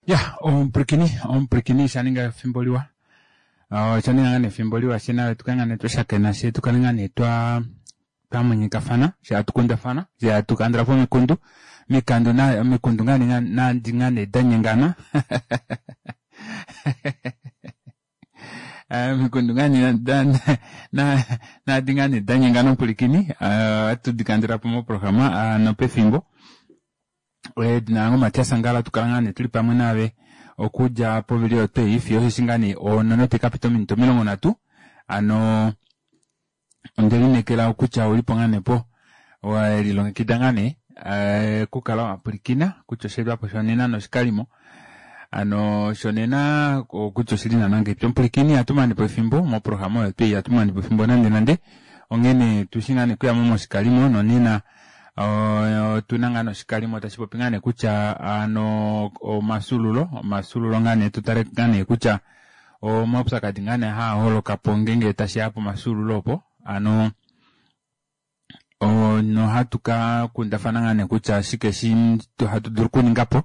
Ya omupwilikini omupwilikini shaninga efimbo liwa oshaninga ngaa nee efimbo liwa fye naave tukale ngaa nee twashakena fye tukale ngaa nee twa twamwenyekafana fye hatu kundafana fye hatu kandulapo omikundu mikandu na omikundu ngaa nee nadi ngaa nee danyengana omikundu ngaa nee nadi ngaa nee danyengana omupwilikini ohatu dikandulapo moprograma nopefimbo Edina lange oMatias Ngala tukala ngaa nee tuli pamwe naave okudja povili oyo twei fiyo osheshi ngaa nee onono taikapita ominute 30 hano ondelineekela kutya oulipo ngaa nee po welilongekida ngaa nee okukala wapwilikina kutya osheetwapo shonena noshikalimo hano shonena kutya oshili naana ngahelipi omupwilikini ihatu manepo efimbo moprograma oyo twei ihatu manepo efimbo nande nande onghene tushi ngaa nee okuyamo moshikalimo nonena Otuna ngaa noshikalimo tashi popi ngaa nee kutya ano omafyuululo, omafyuululo ngaa nee tu tale ngaa nee kutya omaupyakadi ngaa nee haa holoka po ngeenge tashiya pomafyuululo opo ano nohatu ka kundafana ngaa nee kutya shike shi hatu dulu okuninga po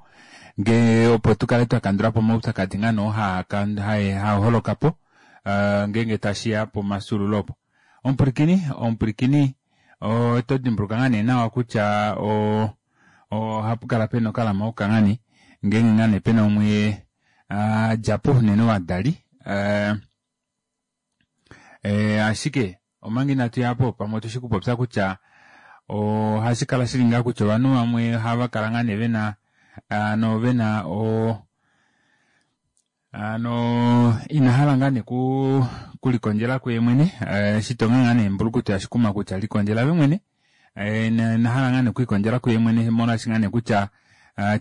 ngee opo tu kale twa kandula po omaupyakadi ngaa nee oo haa holoka po ngeenge tashiya pomafyuululo opo. Omupwilikini, omupwilikini Oto dimbuluka ngaa nee nawa kutya ohapu kala pena okalama okangani ngeenge ngaa nee pena umwe a dja po unene ovadali ashike omanga inatu ya po pamwe otushi kupopya kutya ohashi kala shili ngaa kutya ovanhu vamwe ohava kala ngaa nee vena ano vena o Ano ina hala ngaa nee kulikondjela kuye mwene eshi tonga ngaa nee mbulukutu yashikuma kutya likondjela ove mwene ina hala ngaa nee okwiikondjela kuye mwene molwaashi ngaa nee kutya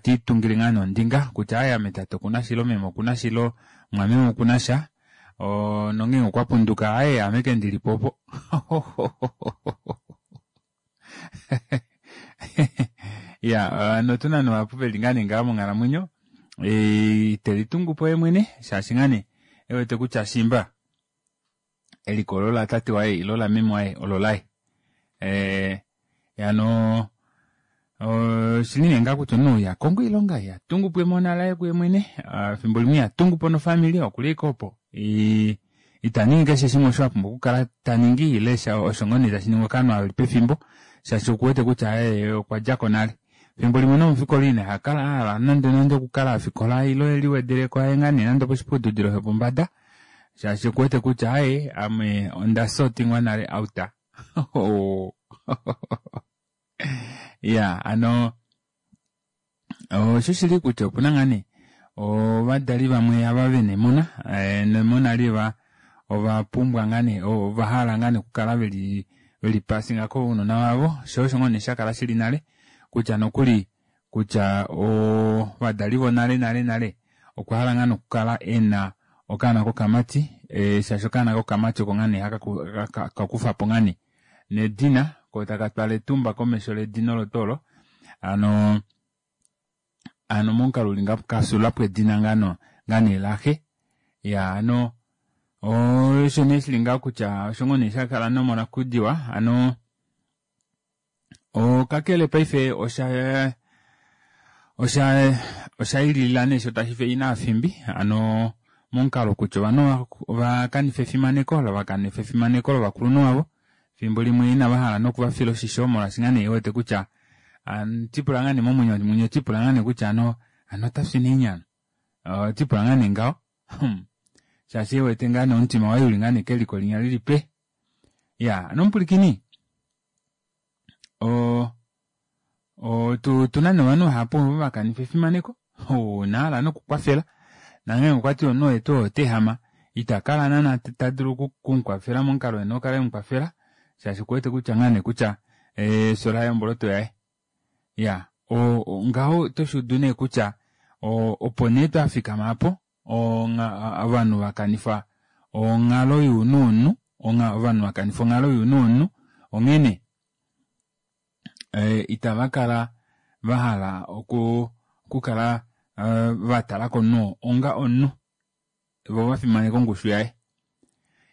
tiitungile ngaa nee ondinga kutya aaye ame tate okuna shilo meme okuna shilo mumwameme okuna sha nongeenge okwa punduka aaye aame ke ndilipo opo ya notuna nee vahapu veli ngaa nee ngaha monghalamwenyo ite litungu po yemwene shaashi ngaa nee ewete kutya shimba eliko olo latate waye ile lameme waye olo laye hano oshili nee ngaa kutya omunhu iha kongo oilonga iha tungu po emona laye kuye mwene efimbo limwe iha tungu po nofamili okuli ashike opo ita ningi keshe shimwe osho a pumbwa okukala ta ningi ile osho ngoo nee tashi ningwa kovanhu ava veli pefimbo shaashi okuwete kutya ye okwa djako nale. Efimbo limwe nomufikola ina ha kala a hala nande nande okukala a fikola ile e liwedeleko aye ngaa nee nande oposhiputudilo shopombada shaashi okuwete kutya aye ame onda sotingwa nale out. Iya ano Oshoshili kutya opu na ngaa nee ovadali vamwe ava ve na emona, nemona li va ova pumbwa ngaa nee ova hala ngaa nee okukala veli veli pasinga kounona vavo, sho osho ngoo nee sha kala shili nale kutya nokuli kutya ovadali vonale nale nale okwa hala ngaa nee okukala e na okaana kokamati shaashi okaana kokamati oko ngaa nee haka ka kufa po ngaa nee nedina ko taka twala etumba komesho ledina olo tuu olo hano hano momukalo uli ngapo kafyuulapo edina ngano ngaa nee laxe ya hano osho nee shili ngaho kutya osho ngoo nee shakala nomonakudiwa hano Kakele paife osha osha osha ililila nee sho tashi fe ina afimbi hano momukalo kutya ovanhu ova kanifa efimaneko va kanifa efimaneko lovakulunhu vavo fimbo limwe inava hala nokuvafila oshisho molwaashi ngaa nee wete kutya tipula ngaa nee momwenyo mwenye tipula ngaa nee kutya ano ano otafi nee nyano tipula ngaa nee ngaho shaashi wete ngaa nee omutima waye uli ngaa nee keliko linya lili pe ya ano omupulikini o otuna nee ovanhu vahapu ovo va kanifa efimaneko nahala nokukwafela nanghee okwa ti omunhu oye tuu oo ota ehama ita kala naana ta dulu okumukwafela momukalo ena okukala emukwafela shaashi okuwete kutya ngaa nee kutya efyo laye omboloto yaye ya ngaho oto shuudu nee kutya opo nee twafikama apo ovanhu va kanifa onghalo younhu womunhu ovanhu va kanifa onghalo younhu womunhu onghene itava kala va hala okukala va tala komunhu onga omunhu vo va fimaneka ongushu yaye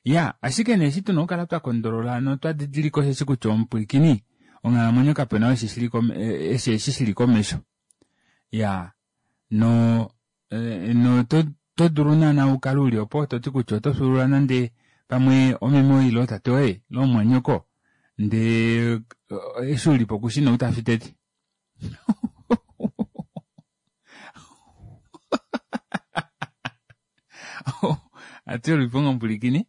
ya ashike nee eshi tuna okukala twa kondolola notwa didilika osheshi kutya omupwilikini onghalamwenyo kapena eshi shili komesho ya no. Oto dulu naana ukale uli opo toti kutya oto fyuulula nande pamwe omeme woye ile tate woye ile omumwanyoko ndee eshi ulipo kushi nee ou tafi tete. Ati ulipo ngomupwilikini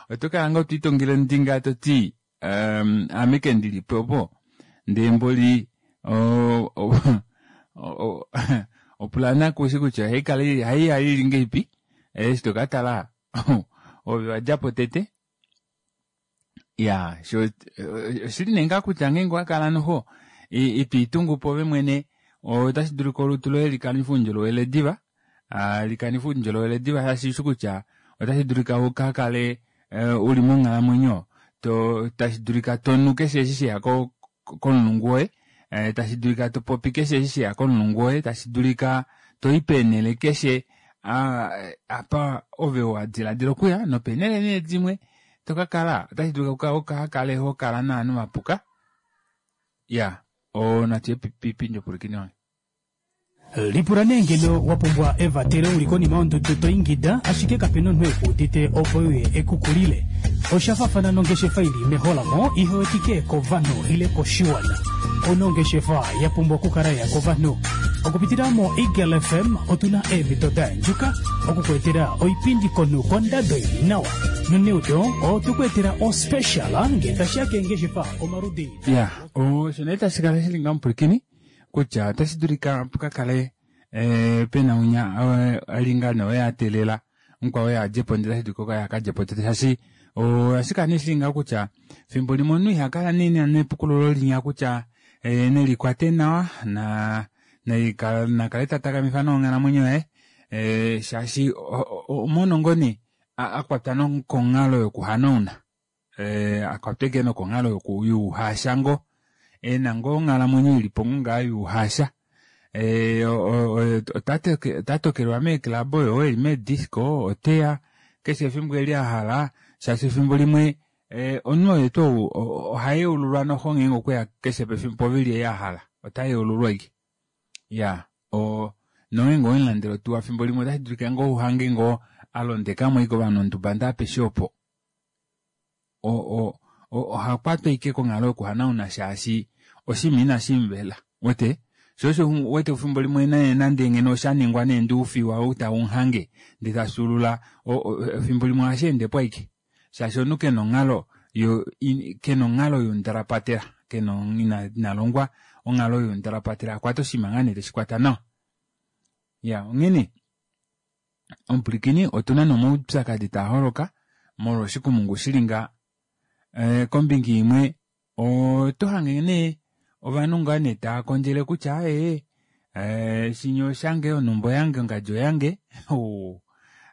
oto kala ngoo twiitongele ondinga toti aame ke ndilipo opo ndee mboli opulana kushi kutya ohaikala ohaiya ili ngahelipi eshi tokatala ove wadjapo tete ya sho oshili nee ngaa kutya ngeenge owakala noho itwiitungu pwoove mwene otashi dulika olutu loye likanife oundjolowele diva likanife oundjolowele diva shaashi ushi kutya otashi dulika ukakale uli monghalamwenyo to tashi dulika tonu keshe eshi sheya komulungu woye tashi dulika topopi keshe eshi sheya komulungu woye tashi dulika toi peenhele keshe apa ove wadiladila okuya nopeenhele nee dimwe tokakala otashi dulika ukakale hokala novanhu vapuka ya natu ye piipindi opulikini wange. Lipula nee ngeno wa pumbwa evatelo u li konima yondudu to ingida ashike kape na omunhu e ku udite opo e uye e ku kulile. Osha faafana nongeshefa i li meholamo ihe wetike kovanhu ile koshiwana. Ouna ongeshefa ya pumbwa okukala ya kovanhu. Okupitila moEagle FM otu na eemhito da yandjuka oku ku etela oipindi komunhu kondado i li nawa. Noneudo otwe ku etela ospecial ngee tashi ya keengeshefa omaludi. Ya, osho nee tashi kala shi li ngaho omupwilikini kutya otashi dulika pu ka kale pena unya a li ngaa nee oye a teelela mukwao oye a dje po ndele otashi dulika oye a ka dje po tete shaashi ohashi kala nee shili ngaho kutya fimbo limwe omunhu iha kala nee nepukululo linya kutya nelikwate nawa na nakale ta takamifa nawa onghalamwenyo yaye shaashi omono ngoo nee a kwatwa nokonghalo yokuhanauna. A kwatwa ashike nokonghalo youhasha ngoo ena ngoo onghalamwenyo ilipo ngoo ngaa youhasha ota tokelwa meeclub oyo eli meedisco oteya keshe efimbo eli ahala shaashi efimbo limwe omunhu oye tuu ou oha yeululwa noxo ngeenge okweya keshe pefimbo povili ei ahala ota yeululwa ashike ya nongeenge owemulandele otuwa efimbo limwe otashi dulika ngoo uhange ngoo alondekamo ashike ovanhu onduba ndee apeshe opo oha kwatwa ashike konghalo yokuhanauna shaashi oshinima inashi muvela wete sho osho wete efimbo limwe nande ngeno osha ningwa nee ndee oufiwa ou taumuhange ndee tafyuulula efimbo limwe ohashi endepo ashike shaashi omunhu kena onghalo kena onghalo youndalapatela kena ina longwa onghalo youndalapatela akwate oshinima ngaa nee teshi kwata nawa ya onghene Omupwilikini, otu na nee omaupyakadi taa holoka molwa oshikumungu shi li ngaha. Kombinga imwe oto hange nee ovanhu ngaa nee tava kondjele kutya aaye shinya oshange, onhumba oyange, ongadi oyange.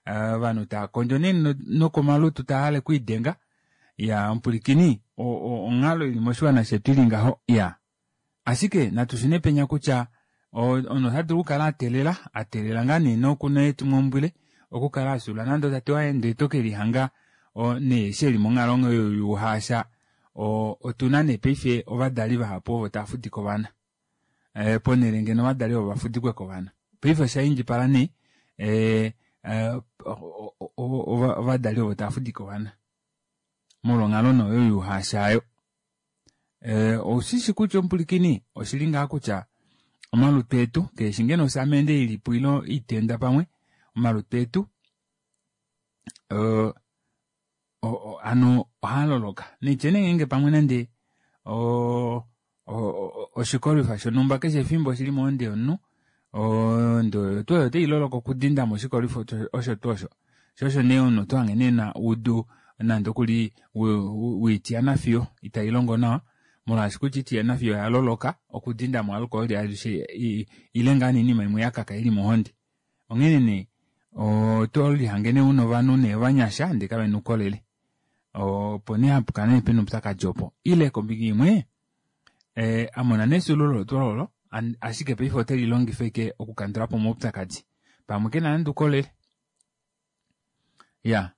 Ovanhu tava kondjo nee nokomalutu tava hale okwiidenga. Iyaa omupwilikini, onghalo ili moshiwana shetu ili ngaho iyaa. Ashike natu shune penya kutya omunhu ota dulu okukala a teelela, a teelela ngaa nee nokuna etimaumbwile okukala a fyuulula nande otate waye ndele to ke lihanga nee eshi eli monghalo oyo youhaasha. Otu na nee paife ovadali vahapu ovo tava fudike ovana ponhele ngeno ovadali ovo va fudikwe kovana. Paife osha indjipala nee ovadali ovo tava fudike ovana molwa onghalo nee oyo youhaasha oyo. Oushishi kutya omupulikini oshili ngaa kutya omalutu etu keeshi ngeno osamende ilipo ile oitenda pamwe omalutu etu hano ohaa loloka naitye nee ngeenge pamwe nande oshikolwifa shonhumba keshe efimbo oshili mohonde yomunhu ohonde oyo tuu oyo otai loloka okudinda mo oshikolwifa osho tuu osho Sho osho nee omunhu oto hange nee na udu nande okuli woitiyana fiyo itai longo nawa molwaashi kutya itiyana fiyo oya loloka okudinda mo alkoholi alishe ile ngaa nee oinima imwe ya kaka ili mohonde. Onghene nee oto lihange nee una ovanhu nee ovanyasha ndee kavena oukolele. Opo nee hapu kala nee pena oupyakadi opo. Ile kombinga imwe a mona nee efyuululo olo tuu olo ashike paife ote li longifa ashike okukandula po omaupyakadi. Pamwe kena nande oukolele. Ya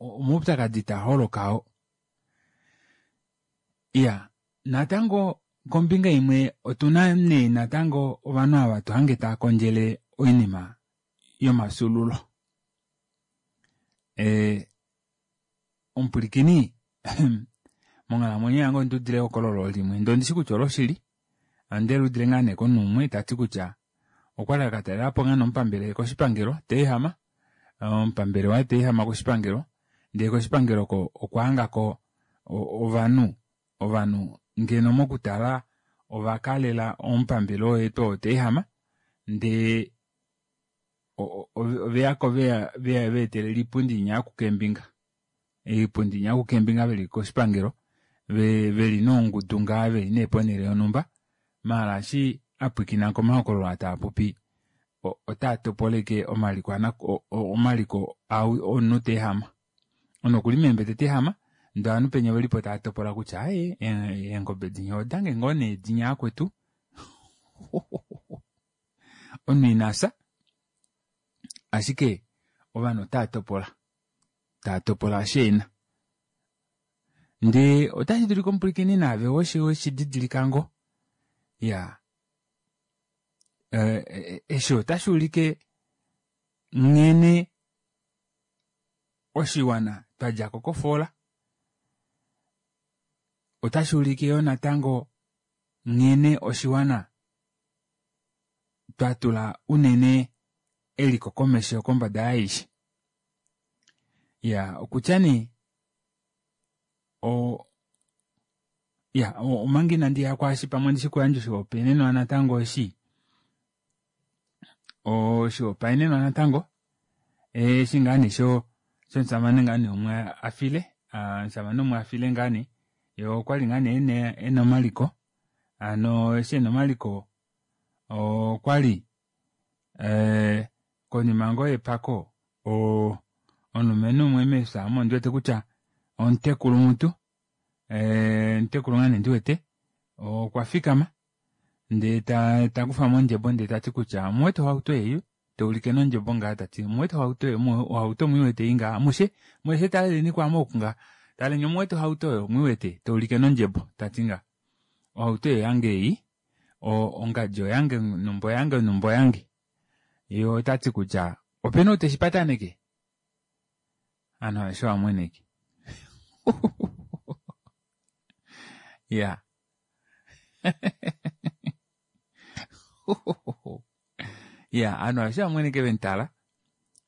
omaupyakadi taa holoka oo. Iya natango. Kombinga imwe otuna nee natango ovanhu ava to hange tava kondjele oinima yomafyuululo. Eh, omupwilikini monghalamwenyo yange ondi udile ehokololo limwe ndee ondishi kutya oloshili onde liudile ngaa nee komunhu umwe ta ti kutya okwali a ka talela po ngaa nee omupambele koshipangelo teehama omupambele waye teehama koshipangelo ndee koshipangelo oko okwa hangako ovanhu ovanhu ngeno mokutala ova kalela omupambele oo yetu oo teehama ndee oveyako veya veetelela iipundi inya yokukeembinga iipundi inya yokukeembinga veli koshipangelo veli noungudu ngaa veli nee ponele yonhumba maala eshi apwiikina komahokololo aa taapopi otaa topoleke omaliko omaliko omunhu teehama omunhu okuli meembete teehama ndee ovanhu penya ovelipo tava topola kutya aaye eengobe dinya odange ngoo nee dinya akwetu omunhu ina fya ashike ovanhu otava topola tava topola eshi ena ndee otashi dulika omupwilikini naave weshi didilika ngoo ya eshi otashi ulike nghene oshiwana twa djako kofoola otashi ulike yoo natango nghene oshiwana twa tula unene eliko komesho kombada yaaishe. Ya okutya nee o ya omanga inandi ya kwaashi pamwe ndishi kuyandja oshihopaenenwa natango eshi oshihopaenenwa natango eshi ngaa nee sho shomusamane ngaa nee umwe a file omusamane umwe a file ngaa nee ye okwali ngaa nee ena omaliko hano eshi ena omaliko okwali eh, konima ngoo yepako omulumenhu umwe mefya omo ndi wete kutya omutekulu mutu eh, omutekulu ngaa nee ndi wete okwa fikama ndee ta ta kufa mo ondjebo ndee ta ti kutya omuwete ohauto ei ta ulike nondjebo ngaa ta ti omuwete ohauto oyo ohauto mwiiwete ei ngaa amushe mweshe taleleni kwaame oku ngaa taleni omuwete ohauto oyo mwiiwete ta ulike nondjebo ta ti ngaa ohauto oyo yange ei ongadi oyange numba oyange numba oyange ye ota ti kutya opena ou teshi pataneke ovanhu aveshe ovamweneke ya ya ovanhu aveshe ovamweneke vemutala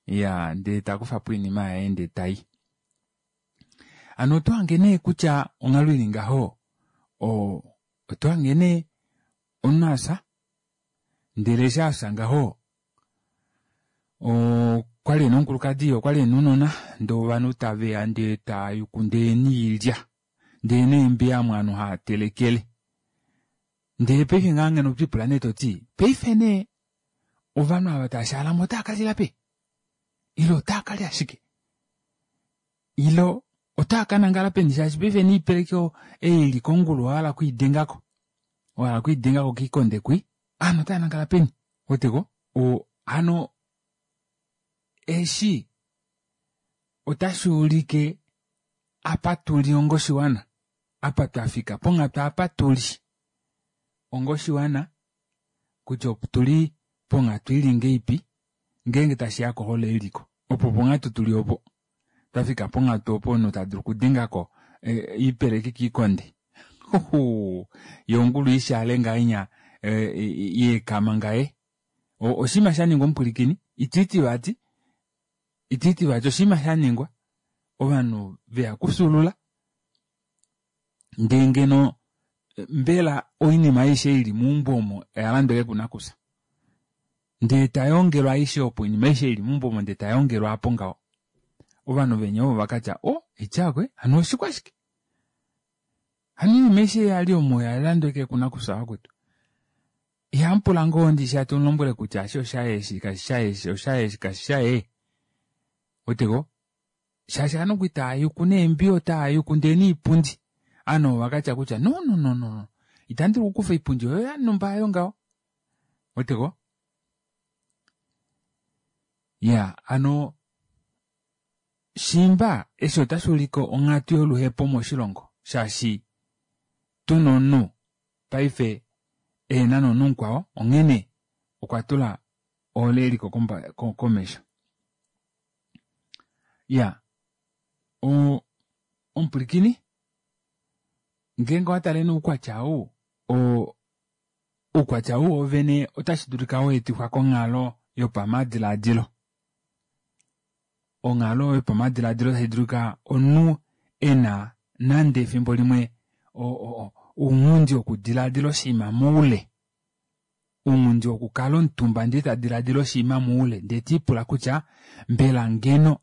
ya ndee takufa po oinima yaye ndee tai hano oto hange nee kutya onghalo ili ngaho oto hange nee omunhu afya ndele eshi afya ngaho okwali ena omukulukadi okwali ena ounona ndee ovanhu taveya ndee tayuku ndee niilya ndee neembiya omo ovanhu hava telekele ndele paife ngaa ngeno otwiipula nee toti paife nee ovanhu ava tava shaalamo otava kalila peni ile otava kalya shike ile otava kanangala peni shaashi paife niipeleki ei ili kongulu owahala okwiidengako wahala okwiidengako kiikonde kwi ovanhu otava nangala peni weteko hano eshi otashi ulike apa tuli ongoshiwana apa twafika ponghatu apa tuli ongoshiwana kutya otuli ponghatu ili ngeipi ngeenge tashi ya kohole yeliko opo ponghatu tuli opo twafika ponghatu opo omunhu ta dulu okudengako oipeleki kiikonde yo ongulu ishaale ngahenya yeekama ngaye oshinima sha ningwa omupwilikini itiiti vati itiiti vati oshinima sha ningwa ovanhu veya kufyuulula ndee ngeno mbela oinima aishe ili meumbo omo oya landwa ashike kunakufya ndee tayongelwa aishe opo oinima aishe ili meumbo omo ndee tayongelwa apo ngaho ovanhu venya ovo vakatya o ityakwe hano oshikwashike hano oinima aishe yali omo oya landwa ashike kunakufya vakwetu ihamupula ngoo ndishi hatu mulombwele kutya eshi oshaye eshi kashi shaye eshi oshaye eshi kashi shaye weteko shaashi ovanhu okwali tava yuku neembiya otava yuku ndee niipundi ovanhu ovo vakatya kutya no no no no itandi dulu okukufa oipundi oyo yanumba ayo ngaho weteko ya hano shiimba eshi otashi ulike onghatu yoluhepo moshilongo shaashi tuna omunhu. paife ehena nomunhu mukwao onghene okwa tula ohole yeliko komesho. Iya omupwilikini ngeenge owa tale nee oukwatya ou oukwatya ou wovene otashi dulika weetifwa konghalo yopamadilaadilo. Onghalo yopamadilaadilo tashi dulika omunhu ena nande efimbo limwe ounghundi wokudilaadila oshinima moule. Ounghundi wokukala omutumba ndee tadilaadila oshinima moule ndee tiipula kutya mbela ngeno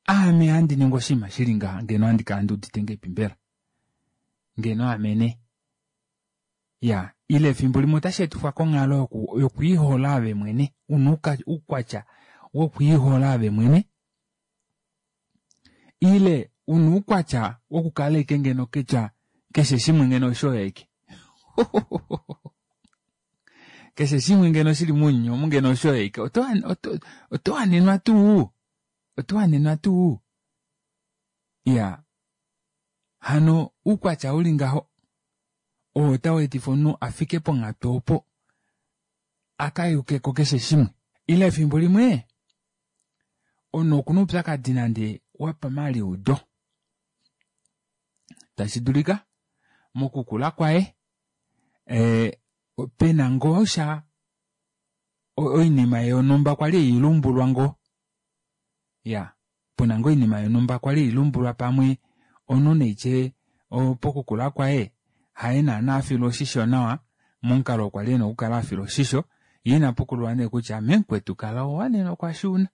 aame handi ningi oshinima shili ngaha ngeno ohandi kala nduudite ngahelipi mbela? Ngeno aame nee. Iya ile efimbo limwe otashi etifwa konghalo yokwiihola ove mwene una oukwatya wokwiihola ove mwene ile una oukwatya wokukala ashike ngeno kutya keshe shimwe ngeno oshoye ashike keshe shimwe ngeno shili mounyuni omu ngeno oshoye ashike oto wanenwa tuu oto wanenwa tuu iya hano oukwatya uli ngaho oo otau etifa omunhu afike ponghatu opo akayukeko keshe shimwe ile efimbo limwe omunhu okuna oupyakadi nande wopamaliudo tashi dulika mokukula kwaye pena ngoo sha oinima yonhumba kwali eilumbulwa ngoo ya pena ngoo oinima yonhumba kwali eilumbulwa pamwe omunhu neitye pokukula kwaye haye naana afilwa oshisho nawa momukalo kwali ena okukala afilwa oshisho yee ina pukululwa nee kutya memukwetu kala owanenwa kwashuuna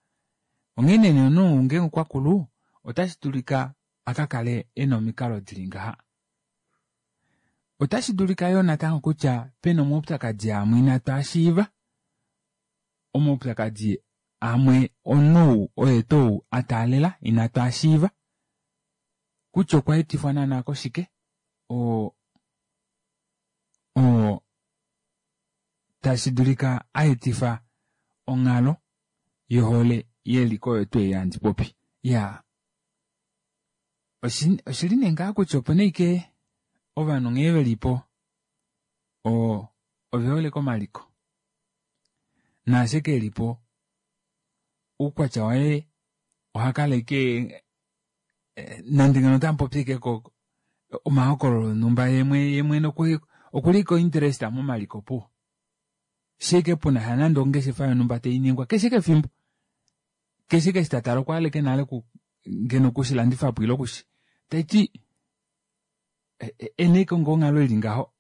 onghene nee omunhu ngeenge okwakulu otashi dulika akakale ena omikalo dili ngaha. Otashi dulika yoo natango kutya pena omaupyakadi amwe inatu ashiiva omaupyakadi amwe omunhu oye tuu ataalela inatu ashiiva kutya okwa etifwa naana koshike oo tashi dulika aetifa onghalo yohole yeliko oyo tuu ei handi popi. Iyaa oshili nee ngaa kutya opena ashike ovanhu nghee velipo ovehole komaliko naasho kelipo oukwatya waye ohakala ashike nande ngeno otamupopi ashike omahokololo onhumba yemwene okuli ko interest momaliko opuwo shike puna sha nande ongeshefa yonhumba tainingwa keshe kefimbo keshe eshi tatala okwa hala ashike nale ngeno okushilandifapo ile okushi taiti ena ashike ngoo onghalo ili ngaho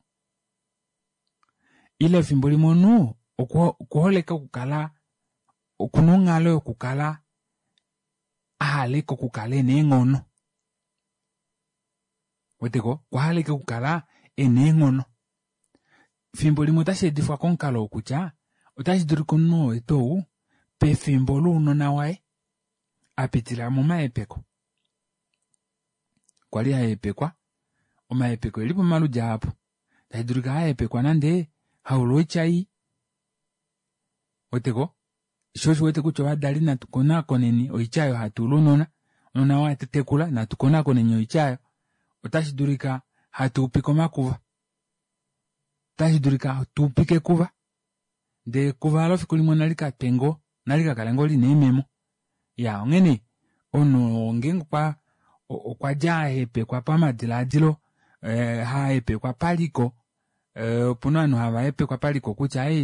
ile efimbo limwe omunhu okuhole ashike okukala okuna onghalo yokukala ahala ashike okukala ena eenghono weteko okwahala ashike okukala ena eenghono fimbo limwe otashi etifwa komukalo wokutya otashi dulika omunhu oo tuu pefimbo lounona waye apitila momahepeko kwali ahepekwa omahepeko eli pamaludi ahapu tashi dulika ahepekwa nande haulwa oitya ii weteko sho osho wete kutya ovadali natu konakoneni oitya oyo hatu ula ounona ounona watekula natu konakoneni oitya oyo otashi dulika hatu upike omakuva otashi dulika tuupike ekuva ndee ekuva olo fiku limwe nali katwe ngoo nali kakale ngoo lina eememo iya onghene omunhu ngeenge okwa dja ahepekwa pamadilaadilo hahepekwa paliko opuna ovanhu hava hepekwa paliko kutya aaye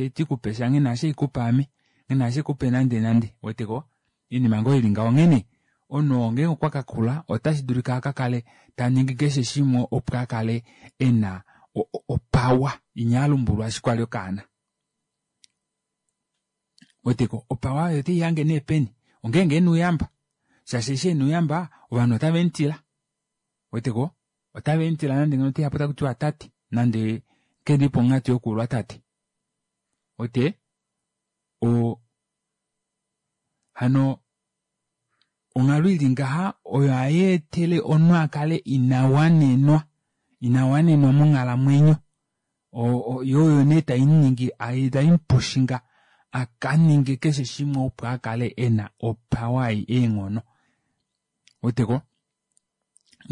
itikupe sha nghina hashi ikupe ame nghina hashikupe nande nande ouweteko oinima ngoo ili ngaho onghene omunhu oo ngeenge okwa kakula otashi dulika akakale taningi keshe shimwe opo akale ena opawa inya alumbulwa eshi kwali okaana ouweteko opawa oyo oteihange nee peni ongeenge ena ouyamba shaashi eshi ena ouyamba ovanhu otavemutila ouweteko otavemutila nande ngeno oteyapo takutiwa tate nande keli ponghatu yokuulwa tate ote hano onghalo ili ngaha oyo hayeetele omunhu akale ina wanenwa ina wanenwa monghalamwenyo yoo oyo nee taimuningi taimupushinga akaninge keshe shimwe opo akale ena opawa ei eenghono ouweteko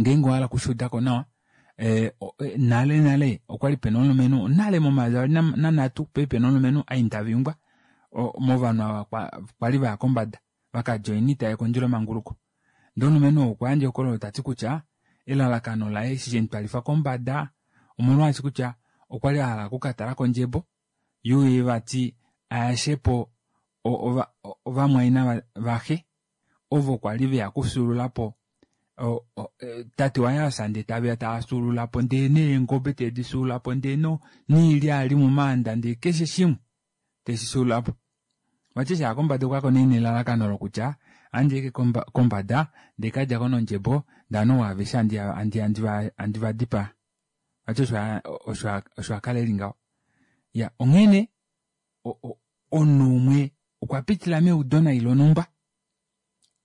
ngeenge owahala okushuudako nawa. Nale nale okwali pena omulumenhu nale momayovi avali nanhatu okwali pena omulumenhu Aindavingwa movanhu ava kwali vaya kombada vakadjoina oita yekondjelomanguluko. Ndee omulumenhu ou okwa yandja ehokololo tati kutya elalakano laye eshi shemutwalifa kombada omolwaashi kutya okwali ahala okukatala ondjebo yuuye vati ayashepo ovamwaina vaxe ovo kwali veya okufyuululapo tate waye afya ndee taveya tava fyuululapo ndee neengobe tedi fyuululapo ndee noilya yali momaanda ndee keshe shimwe teshi fyuululapo. Vati eshi aya kombada okwayako nee nelalakano lokutya ohandi eke kombada ndee kadjako nondjebo ndee ovanhu aveshe handi vadipaa. Vati osho akala eli ngaho. Iya onghene omunhu umwe okwa pitila meudo nai lonhumba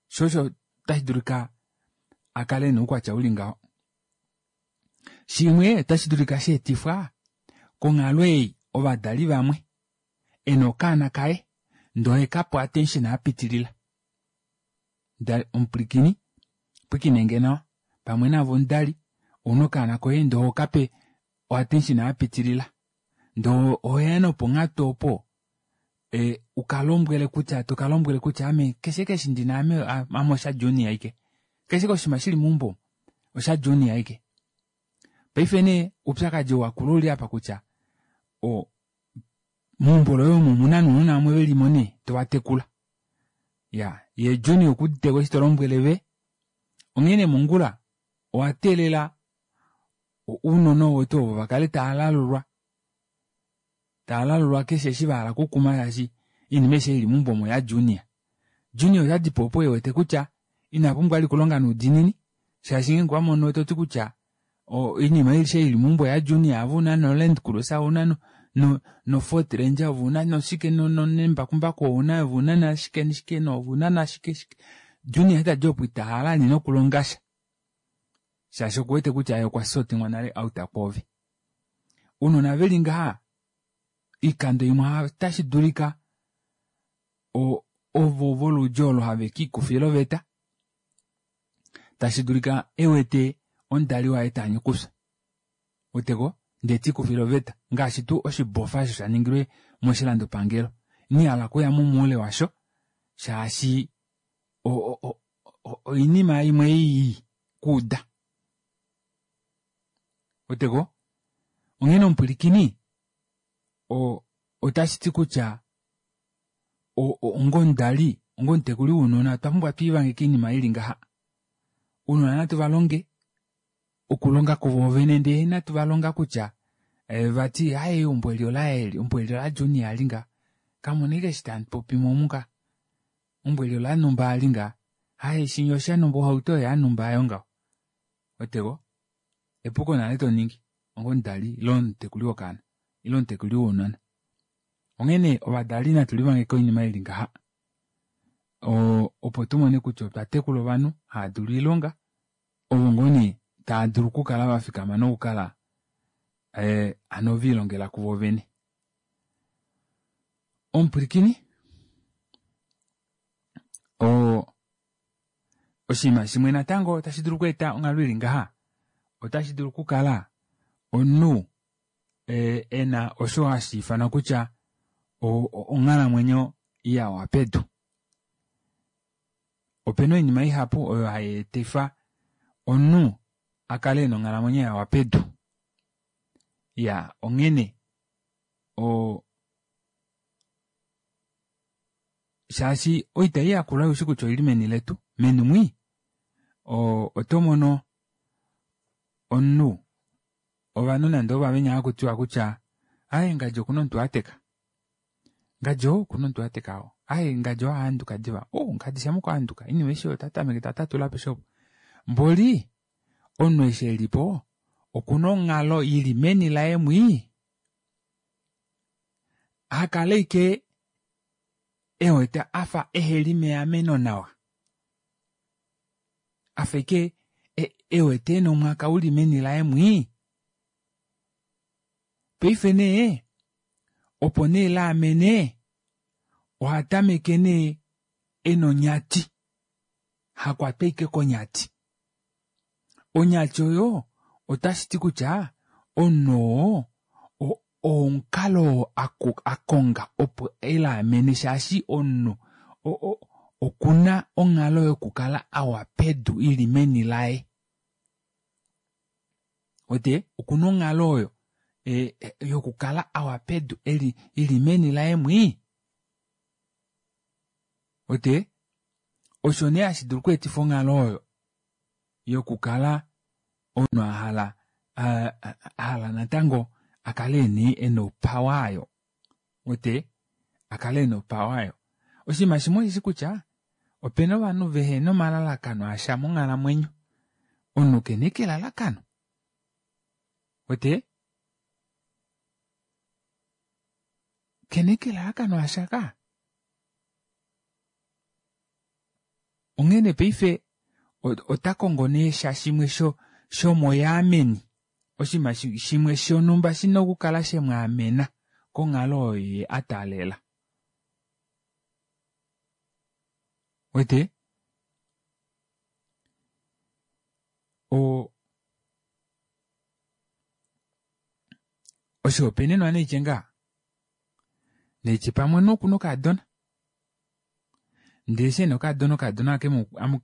sho osho tashi dulika akale ena oukwatya uli ngaho. Shimwe otashi dulika sheetifwa konghalo ei ovadali vamwe ena okaana kaye ndee ohekape attention yapitilila. Omupwilikini pwilikinenge nawa pamwe naave omudali ouna okaana koye ndee ohokape attention yapitilila ndee ohoya noponghatu opo ukalombwele kutya tokalombwele kutya ame keshe eshi ndina ame osha junior aike keshe oshinima shili meumbo osha junior aike. Paife nee oupyakadi wakula ouli apa kutya meumbo loye omo omuna nounona vamwe velimo nee tovatekula. Iyaa yee junior okuuditeko eshi tolombwele ve onghee nee mongula owateelela ounona ovo tuu ovo vakale taalalulwa taalalulwa keshe eshi vahala okukuma shaashi oinima aishe ili meumbo omo oya junior. Junior otadipo opo ewete kutya ina pumbwa vali okulonga noudiinini shaashi ngeenge owamono toti kutya oinima aishe ili meumbo oya junior ave ouna no land cruiser ouna no ford ranger ove ouna noshike nembakumbaku ouna ove ouna nashike nashike ove ouna nashike shike junior eshi tadi opo itahala vali nokulongasha shaashi okuwete kutya yee okwa sortingwa nale out kwoove. Ounona veli ngaha oikando imwe otashi dulika ovo voludi olo have kiikufila oveta tashi dulika ewete omudali waye taanye okufya weteko ndee tiikufile oveta ngaashi tuu oshibofa osho shaningilwe moshilandopangelo ina hala okuya mo moule washo shaashi oinima imwe ei kuuda weteko onghene omupwilikini otashi ti kutya onga omudali onga omutekuli wounona otwa pumbwa twiivange koinima ili ngaha. Ounona natu valonge okulonga kuvo vene ndee inatu valonga kutya vati aaye eumbo eli olaye eli eumbo eli ola junior ali ngaha kamuna ashike eshi tamupopimo omu ka eumbo eli olanumba ali ngaha aaye shinya oshanumba ohauto oyo yanumba aayo ngaho weteko epuko nale toningi onga omudali ile omutekuli wokaana ile omutekuli wounona. Onghene ovadali natu livange koinima ili ngaha opo tumone kutya otwa tekula ovanhu hava dulu oilonga ovo ngoo nee tava dulu okukala vafikama nokukala hano velilongela kuvo vene. Omupwilikini oshinima shimwe natango tashi dulu okweeta onghalo ili ngaha otashi dulu okukala omunhu ena osho hashi ifanwa kutya onghalamwenyo yawa pedu. Opena oinima ihapu oyo hai etifa omunhu akale ena onghalamwenyo yawa pedu. Iya onghene shaashi oita ei yakula oushi kutya oili meni letu meni mwii otomono omunhu ovanhu nande ovavenya hakutiwa kutya aaye ngadi okuna omutu ateka ngadi ou okuna omutu ateka oo aaye ngadi oo ahanduka diva o ngadi shama okwahanduka oinima aishe oyo otatameke tatatula apeshe opo mboli omunhu eshi elipo okuna onghalo ili meni laye mwii hakala ashike ewete afa eheli meameno nawa afa ashike ewete ena omwaka uli meni laye mwii paife nee opo nee laamene ohatameke nee ena onyati hakwatwa ashike konyati. Onyati oyo Otashi ti kutya omunhu oo omukalo oo a konga opo e liamene shaashi omunhu okuna onghalo yokukala awa pedu ili meni laye. Wete okuna onghalo oyo yokukala awa pedu ili meni laye mwii. Wete osho nee hashi dulu okweetifa onghalo oyo yokukala omunhu ahala ahala natango akale nee ena opawa aayo. Wete akale ena opawa aayo. Oshinima shimwe osheshi kutya opena ovanhu vehena omalalakano asha monghalamwenyo. Omunhu kena ashike elalakano. Wete kena ashike elalakano lasha ka. Onghene paife ota kongo nee sha shimwe shomoyaameni oshinima shimwe shonhumba shina okukala shemwaamena konghalo oyo ye a taalela. Wete oshihopaenenwa neitye ngaa neitye pamwe noku nokaadona ndele eshi ena okaadona okaadona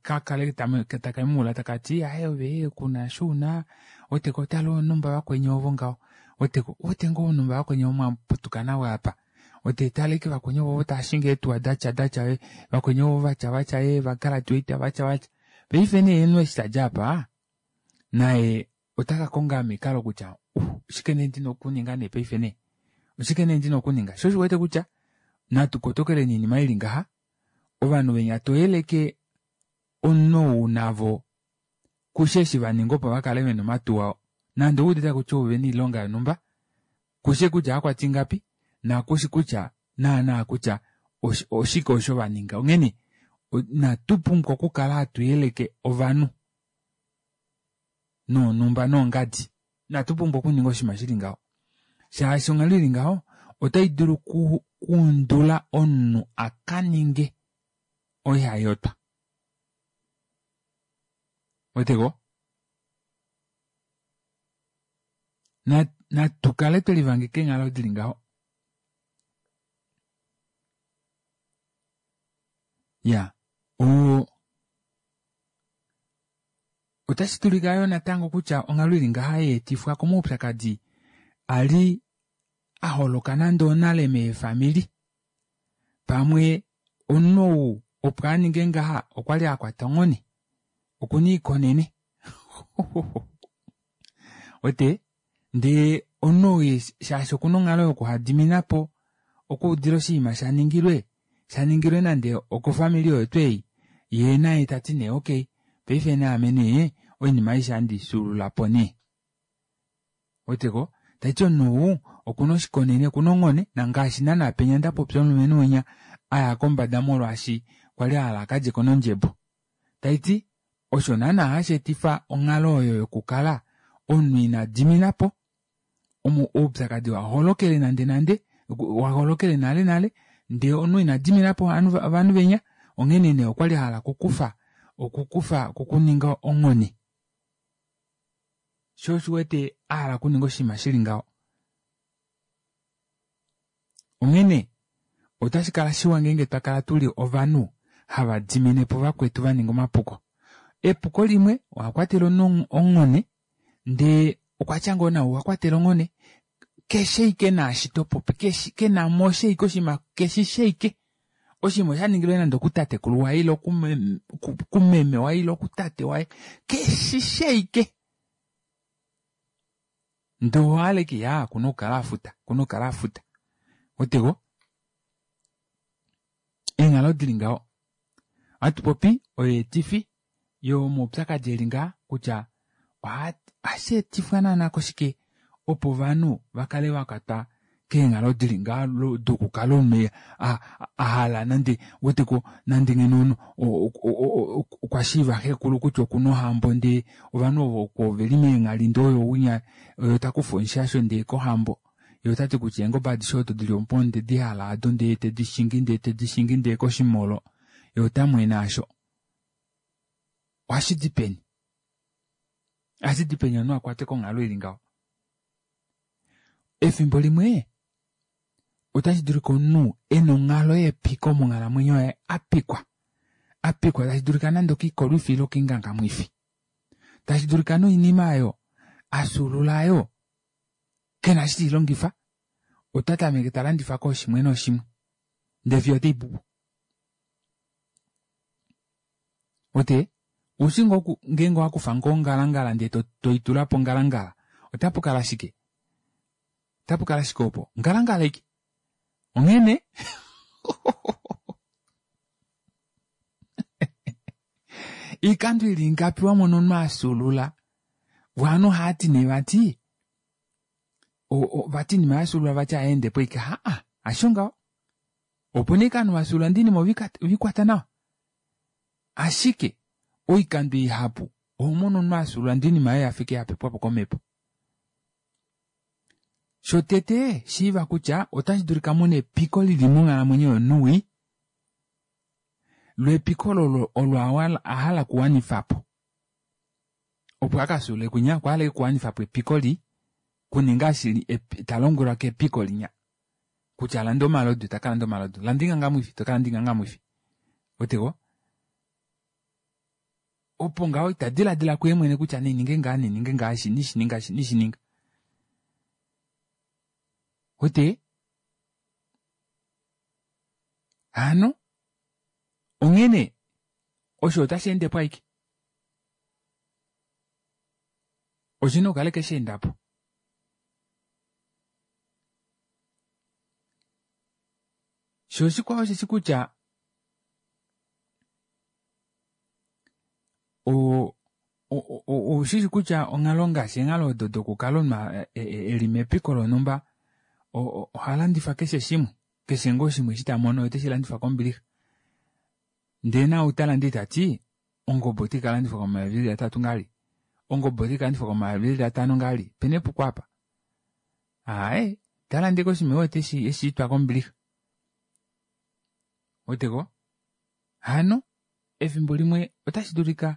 kakale taka muula taka ti aye ove kuna eshi una weteko tala onumba vakweni ovo ngaho weteko ouwete ngoo onumba vakweni ovo mwaputuka navo apa wete tala ashike vakweni ovo tava shingi eetuwa datya datya vakweni ovo vatya vatya vagraduate vatya vatya paife nee omunhu eshi tadi apa naye ota ka konga omikalo kutya oshike nee ndina okuninga nee paife nee oshike nee ndina okuninga sho osho wete kutya natu kotokeleni oinima ili ngaha ovanhu venya toyeleke omunhu ou navo kushe eshi vaninga opo vakale vena omatuwa nande ouudite kutya ovena oilonga yonhumba kushe kutya akwata ingapi nakushi kutya naana kutya oshike osho vaninga onghene natu pumbwa okukala hatu yeleke ovanhu nonhumba nongadi natu pumbwa okuninga oshinima shili ngaho shaashi onghalo ili ngaho otai dulu kuundula omunhu a ka ninge oihayotwa. Weteko natu kale twelivangeka eenghalo dili ngaho. Ya otashi dulika yoo natango kutya onghalo ili ngaha yeetifwa komaupyakadi ali a holoka nande onale meefamili. Pamwe omunhu ou opo a ninge ngaha okwali a kwata onghone okuna iikonene. Wete ndee omunhu ou shaashi okuna onghalo yokuhadiminapo okuudila oshinima shaningilwe shaningilwe nande okofamili oyo tuu ei yee naye tati nee okay paife naame nee oinima aishe ohandi ifyuululapo nee. Weteko taiti omunhu ou okuna oshikonene okuna onghone nangaashi naana penya ndapopya omulumenhu winya aya kombada molwaashi kwali ahala akalyeko nondjebo. Taiti osho naana hashi etifa onghalo oyo yokukala omunhu ina diminapo oupyakadi waholokele nande nande waholokele nale nale ndee omunhu ina diminapo ovanhu venya onghene nee okwali ahala okukufa okukufa okuninga onghone. Sho oshiwete ahala okuninga oshinima shili ngaho. Onghene otashi kala shiwa ngeenge twa kala tuli ovanhu hava dimine po vakwetu va ninga omapuko. Epuko limwe owa kwatela omunhu onghone ndee okwatya ngoo nawa owa kwatela onghone keshe ike naashi topopi kenamo ashike oshinima keshi ashike oshinima oshaningilwe nande okutatekulu waye ile kumeme waye ile okutate waye keshi ashike ndee owahala ashike iyaa okuna okukala afuta okuna okukala afuta weteko eenghalo dili ngaho ohatu popi oyeetifi yomaupyakadi eli ngaha kutya ohashi etifwa naana koshike opo ovanhu vakale vakwatwa keenghalo dili ngaho dokukala omunhu ahala nande weteko nande ngeno okwa shiiva xekulu kutya okuna ohambo ndee ovanhu ovo oveli meenghali ndee oyo winya oyo takufa omushasho ndee kohambo ye otati kutya eengobe adishe odo dili opo onde di hala ado ndee tedi shingi ndee tedi shingi ndee koshimolo ye otamwene asho ohashi di peni? Ohashi di peni omunhu a kwatwe konghalo ili ngaho? Efimbo limwe otashi dulika omunhu e na onghalo yepiko monghalamwenyo yaye a pikwa. A pikwa tashi dulika nande okiikolwifi ile okiingangamwifi. Tashi dulika noinima oyo a fyuulula oyo ke na eshi tei longifa, ota tameke ta landifa kooshimwe nooshimwe ndee fiyo otei pu po. Ote ushi ngoo ngeenge owa kufa ngoo ongalangala ndee toitula pongalangala ota pu kala shike? Ota pu kala shike opo? Ngalangala ike. Onghene iikando ili ingapi wa mona omunhu a fyuulula ovanhu ohava ti nee vati vati inima ya fyuulula vati ayeende po ike haa hasho ngaho opo nee ovanhu va fyuulula ndee oinima ovikwata nawa ashike oikando ihapu oho mono omunhu a fyuulula ndee oinima yaye yafa ike yapepwa po komhepo. Shotete shiiva kutya otashi dulika muna epiko lili monghalamwenyo yomunhu wii lwepiko olo olo a hala okuwanifa po opo a ka fyuulule kwinya okwa hala okuwanifa po epiko li kuninga shili ta lombwelwa kepiko linya kutya landa omalodu ta ka landa omalodu landa ingangamwifi to ka landa ingangamwifi oteko opo ngaho ita diladila kuye mwene kutya nininge ngaa nininge ngaa shi nishininga shi nishininga ote hano onghene osho otashi ende po aike oshina okukala keshe enda po sho oshikwao osheshi kutya oushili kutya onghalo ngaashi eenghalo odo dokukala omunhu e li mepiko lonhumba oha landifa keshe shimwe keshe ngoo shimwe eshi ta mono oteshi landifa kombilixa ndee naau ta lande tati ongobe otai ka landifwa komayovi eli atatu ngali ongobe otai ka landifwa komayovi eli atano ngali pena epuko apa aaye ta lande koshinima ewete eshi itwa kombilixa weteko hano efimbo limwe otashi dulika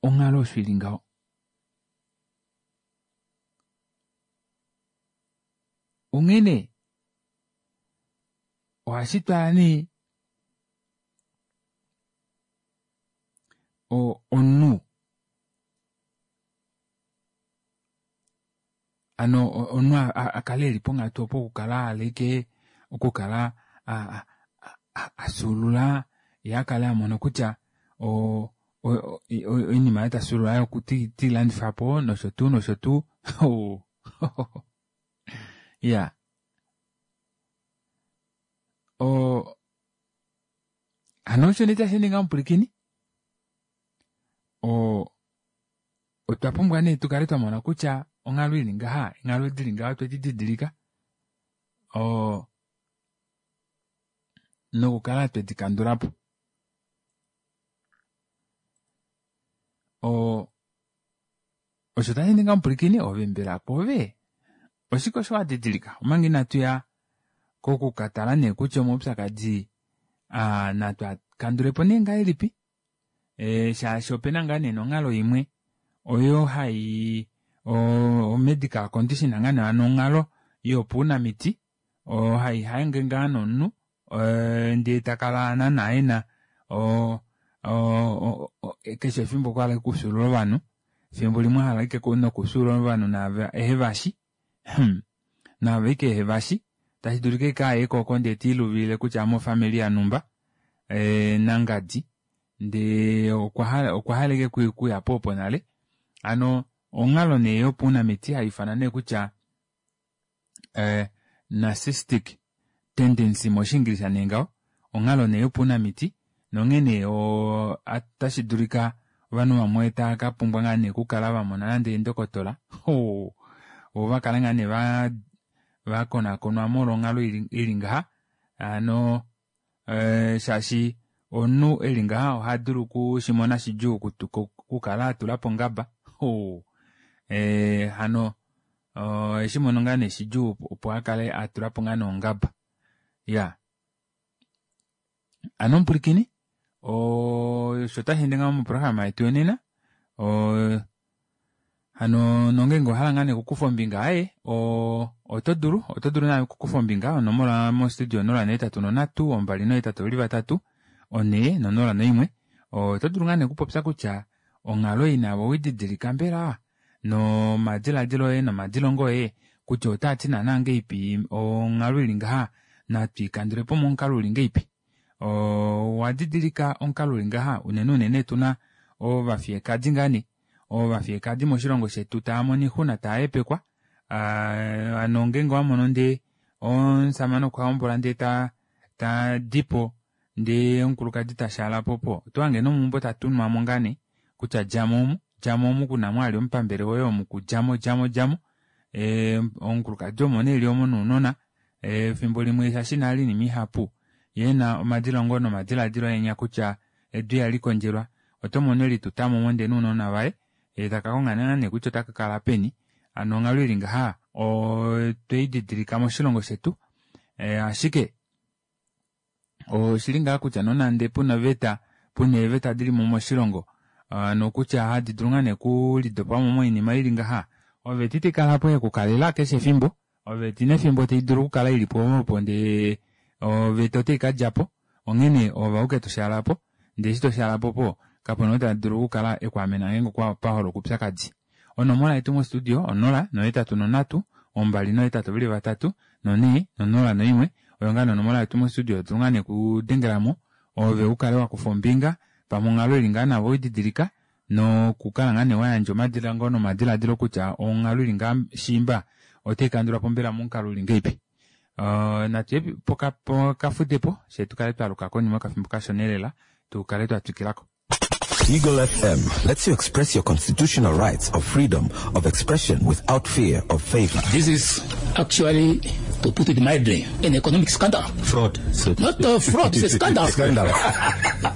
onghalo osho ili ngaho. Onghene ohashi twala nee omunhu ano omunhu a kale eli ponghatu opo okukala a hala okukala a fyuulula ye a kale a mona kutya oinima oyo ta fyuulula oyo tei landifa po nosho tuu nosho tuu iya hano osho nee tashi ninga omupwilikini otwa pumbwa nee tukale twa mona kutya onghalo ili ngaha eenghalo dili ngaha otwedi didilika nokukala twedi kandula po. Osho tashi ninga omupwilikini ove mbela kwoove oshike osho wa didilika omanga inatu ya kokukatala nee kutya omaupyakadi natu a kandule po nee ngahelipi shaashi opena ngaa nee nonghalo imwe oyo hai o-medical condition ngaa nee hano onghalo yopaunamiti oyo hai hange ngaa nomunhu ndee takala naana ena keshe efimbo okwa hala okufyuulula ovanhu efimbo limwe ahala ashike nokufyuulula ovanhu naave ehevashi naave ashike ehevashi tashi dulika ashike aye koko ndee tiiluvilile kutya ame ofamili yanumba nangadi ndee okwa hala ashike okuya po opo nale hano onghalo nee yopaunamiti haifanwa nee kutya narcissistic tendency moshiingilisha nee ngaho onghalo nee yopaunamiti nonghene otashi dulika ovanhu vamwe tava ka pumbwa ngaa nee okukala va mona nande eendokotola vo va kala ngaa nee vakonakonwa molwa onghalo ili ngaha hano shaashi omunhu eli ngaha oha dulu okushimona shidjuu okukala atula po ongaba hano eshi mono ngaa nee shidjuu opo akale atula po ngaa nee ongaba iya hano omupwilikini osho tashi ende ngaho moprograma yetu yonena. Hano nongeenge owahala ngaa nee okukufa ombinga aaye oto dulu oto dulu naave okukufa ombinga onomola mostudio 083 283 401. Oto dulu ngaa nee okupopya kutya onghalo ei naave oweididilika mbela nomadilaadilo oye nomadilongo oye kutya otaati naana ngeipi onghalo ili ngaha natwiikandulepo momukalo uli ngeipi. Owa didilika omukalo uli ngaha unene unene tuna ovafiyekadi ngaa nee ovafiyekadi moshilongo shetu tava mono oixuna tava hepekwa hano ngeenge owamono ndee omushamane okwa hombola ndee tadipo ndee omukulukadi tashaalapo opo otohange nomeumbo tatunwamo ngaa nee kutya djamo omu djamo omu kuna mwali omupambele woye omu kudjamo djamo djamo omukulukadi omo nee eli omo nounona efimbo limwe shaashi nale oinima ihapu yee ena omadilongo nomadilaadilo enya kutya edu ihali kondjelwa oto mono elitutamo omo ndee nounona vaye yee taka konga nee kutya otaka kala peni hano onghalo ili ngaha otweididilika moshilongo shetu ashike oshili ngaa kutya nonande puna oveta puna eeveta dilimo moshilongo nokutya hadi dulu ngaa nee okulidopamo moinima ili ngaha oveta itaikalapo yekukalela keshe efimbo oveta ina efimbo taidulu okukala ilipo opo ndee oveta otaikadjapo onghene ove auke toshaalapo ndee eshi toshaalapo opo kapena ou tadulu okukala ekwaamena ngeenge okwa paholoka oupyakadi. Onomola yetu mostudio 0 8 3 2 83 4 01 oyo ngaa nee onomola yetu mostudio dulu ngaa nee okudengelamo ove ukale wakufa ombinga pamwe onghalo ili ngaa navo oididilika nokukala ngaa nee wayandja omadilango nomadilaadilo kutya onghalo ili ngaa shiimba otaikandulwapo mbela momukalo uli ngeipi. Natuye pokafudepo fyee tukale twaluka konima yokafimbo kashona lela tukale twatwikilako. Eagle FM lets you express your constitutional rights of freedom of expression without fear of favor. This is actually, to put it mildly, an economic scandal. Fraud. Not a fraud, it's a scandal. Scandal.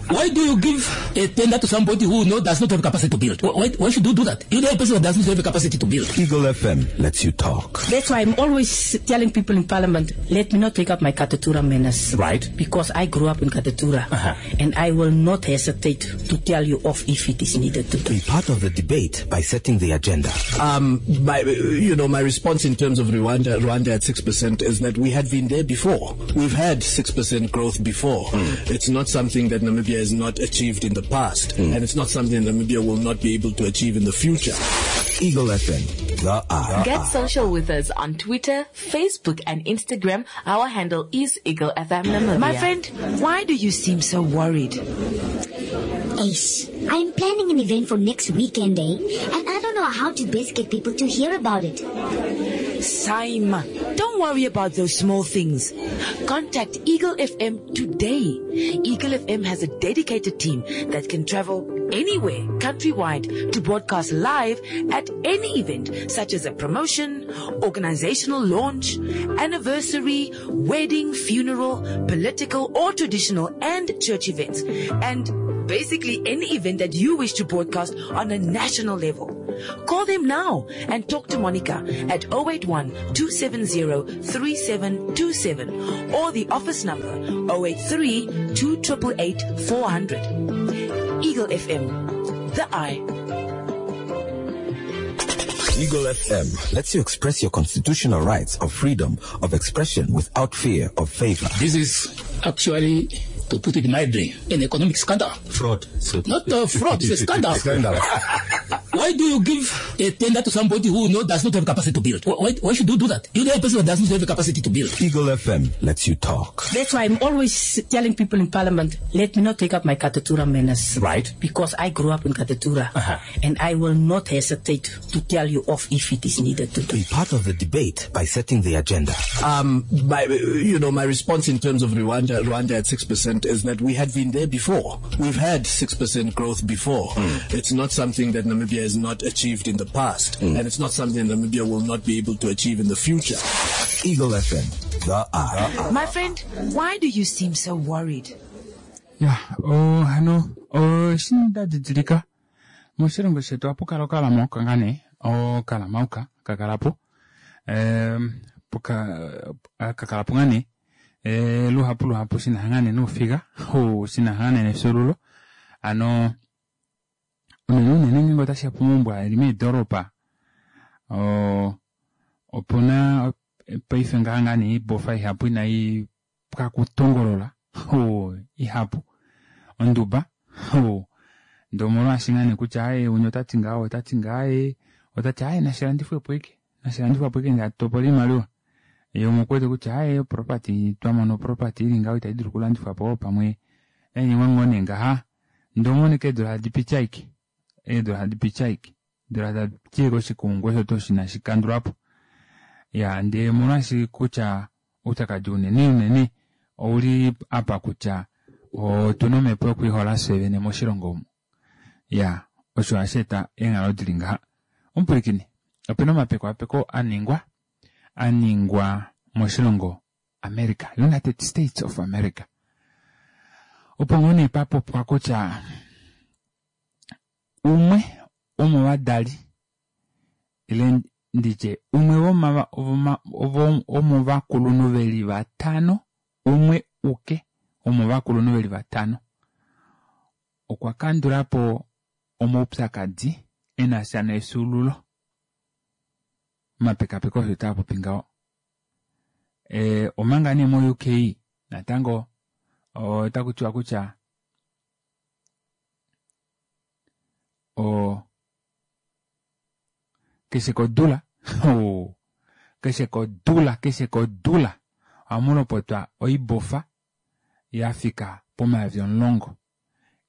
Why do you give a tender to somebody who does not have capacity to build? Why should you do that? You know a person who does not have the capacity to build. Eagle FM lets you talk. That's why I'm always telling people in Parliament, let me not take up my Katutura manners. Right. Because I grew up in Katutura. And I will not hesitate to tell you off if it is needed to do. Be part of the debate by setting the agenda. My response in terms of Rwanda at 6% is that we had been there before. We've had 6% growth before. It's not something that Namibia has not achieved in the past, and it's not something that Namibia will not be able to achieve in the future. Eagle FM, the eye. Get social with us on Twitter, Facebook, and Instagram. Our handle is Eagle FM Namibia. My friend, why do you seem so worried? Ace, I'm planning an event for next weekend, And I don't know how to best get people to hear about it. Saima, don't worry about those small things. Contact Eagle FM today. Eagle FM has a dedicated team that can travel anywhere, countrywide, to broadcast live at any event, such as a promotion, organizational launch, anniversary, wedding, funeral, political or traditional and church events, and basically any event that you wish to broadcast on a national level. Call them now and talk to Monica at 081-270-3727 or the office number 083-2888-400. Eagle FM, the eye. Eagle FM lets you express your constitutional rights of freedom of expression without fear of favor. This is actually, to put it mildly, an economic scandal. Fraud. Not a fraud, it's a scandal. Scandal. Why do you give a tender to somebody who does not have capacity to build? Why should you do that? You know a person who does not have the capacity to build. Eagle FM lets you talk. That's why I'm always telling people in Parliament, let me not take up my Katutura manners. Right. Because I grew up in Katutura. And I will not hesitate to tell you off if it is needed to do. Be part of the debate by setting the agenda. My response in terms of Rwanda at 6% is that we had been there before. We've had 6% growth before. It's not something that Namibia has not achieved in the past, and it's not something that Namibia will not be able to achieve in the future. Eagle FM, the eye. My friend, why do you seem so worried? Yeah, oh, hano, oh, shinda didilika. Moshilongo shetu ohapu kala okalamauka ngaa nee, okalamauka kakalapo. Kakalapo ngaa nee. Luhapu luhapu shina ngaa nee noufiga, shina ngaa nee nefyuululo. Ano, unene unene ngeenge otashi ya pomaumbwa eli meedoropa, Oo opuna paife ngaha ngaa nee oibofa ihapu inai pwa kutongolola oo ihapu onduba oo ndee omolwaashi ngaa nee kutya aaye winya otati ngaha ou otati ngaha aaye otati aaye nashilandifwepo ashike nashilandifwapo ashike ndee hatu topola oimaliwa yee umwe okuwete kutya aaye oproperty twamona oproperty ili ngaho itaidulu okulandifwapo pamwe nainingwe ngoo nee ngaha ndee oumone ashike eedula tadi piti ashike eedula tadi piti ashike eedula tadi piti ashike oshikumungu osho tuu osho inashi kandulwapo iyaa ndee omolwaashi kutya oupyakadi unene unene ouli apa kutya otuna omhepo yokwiihola fyee vene moshilongo omu iyaa osho hashi eta eenghalo dili ngaha omupwilikini opena omapekapeko aningwa aningwa moshilongo America United States of America opo ngoo nee papopwa kutya umwe womovadali ile nditye umwe womovakulunhu ve li vatano, umwe uke womovakulunhu ve li vatano okwa kandula po omaupyakadi e na sha nefyuululo. Omapekapeko osho taa popi ngaho. E, omanga nee mo-UK natango otaku tiwa kutya o keshe kodula oh, keshe kodula keshe kodula ohamu lopotwa oibofa ya fika pomayovi omulongo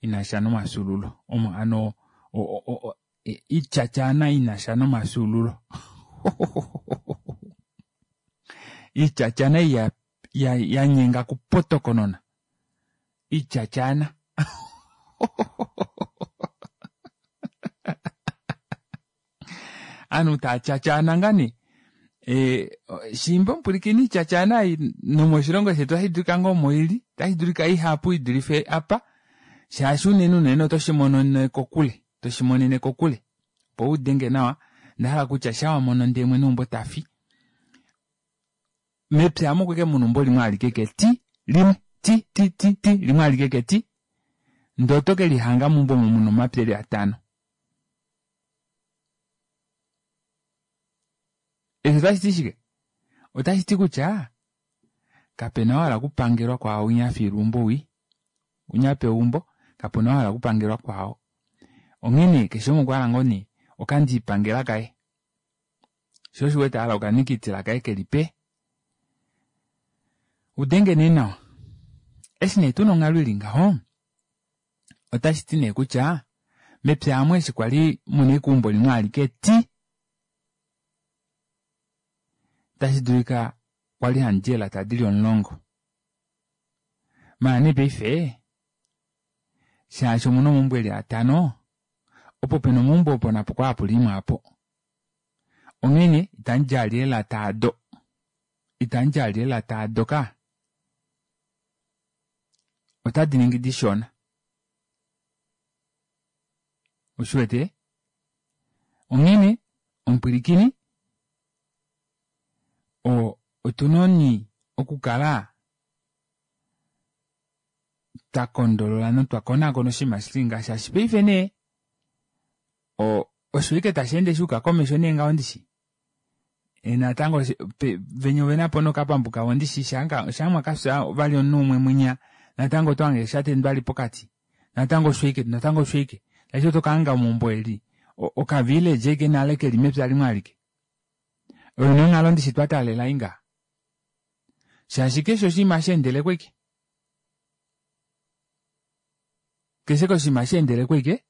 ina sha nomafyuululo omo ano ityatyaana ina sha nomafyuululo ityatyaana ya, ya, ya nyenga kupotokonona ityatyaana Aanhu taa tyatyaana ngaa nee e, shiimba omupwilikini ityatyaana ei nomoshilongo shetu otashi dulika ngoo omo ili otashi dulika ihapu i dulife apa shaashi unene unene oto shi monene kokule to shi monene kokule opo u denge nawa onda hala kutya sha wa mono ndee mwene weumbo ta fi mepya amu okweke muna eumbo limwe alike ke ti limwe ti ti ti ti limwe alike ke ti ndee oto ke lihanga meumbo omo muna omapya eli atano Eshi otashi ti shike? Otashi ti kutya kapena oo a hala okupangelwa kwaao winya a fiilwa eumbo wii. Winya a pewa eumbo, kapena oo a hala okupangelwa kwaao. Onghee nee keshe umwe okwa hala ngoo nee okandiipangela kaye. Sho osho u wete a hala okanikitila kaye keli pe. Udenge nee nawa. Eshi nee tuna onghalo ili ngaho, otashi ti nee kutya mepya amu eshi kwali muna ekumbo limwe alike ti tashi dulika kwali handi eelata dili omulongo maala nee paife shaashi omuna omaumbo eli atano opo pena omaumbo opo napo kwa hapu limwe apo onghene itandi djali eelata ado itandi djali eelata ado ka otadi ningi dishona Oshi wete? Onghene, omupwilikini, o, otu noni okukala twa kondolola notwa konakona oshinima shi li ngaha, shaashi paife nee, o, osho ashike tashi ende sha yuka komesho nee ngaho ndishi. E, natango venya ove na po nokapambu kavo ndishi shaa mwa ka fya vali omunhu umwe mwinya natango oto hange sha tendwa li pokati natango osho ashike natango osho ashike tashi oto ka hanga omaumbo eli okavillage ashike nale keli mepya limwe alike oyo nee onghalo ndishi twa taalela ei ngaha shaashi keshe oshinima hashi endele kweke Keshe koshinima hashi endele ko ashike,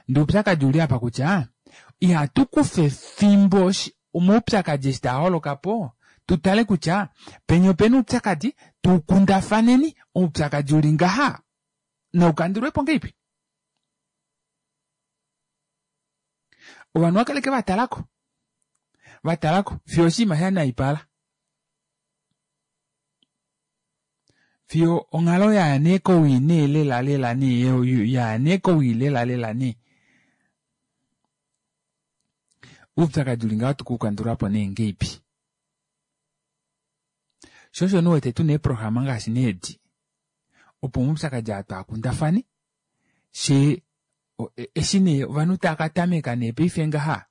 ndee oupyakadi ouli apa kutya ihatu kufa efimbo omaupyakadi eshi taa holoka po tu tale kutya penya opena oupyakadi tu kundafaneni oupyakadi uli ngaha nau kandulwe po ngeipi. Ovanhu ova kaleke va talako va talako fiyo oshinima sha naipala. Fiyo onghalo yaya nee kowii nee lela lela nee yaya nee kowii lela lela nee. Oupyakadi uli ngaho ohatu ku kandula po nee ngeipi? Sho osho nee u wete tuna eeprograma ngaashi nee edi opo omaupyakadi aa twaa kundafane shee eshi nee ovanhu tava ka tameka nee paife ngaha.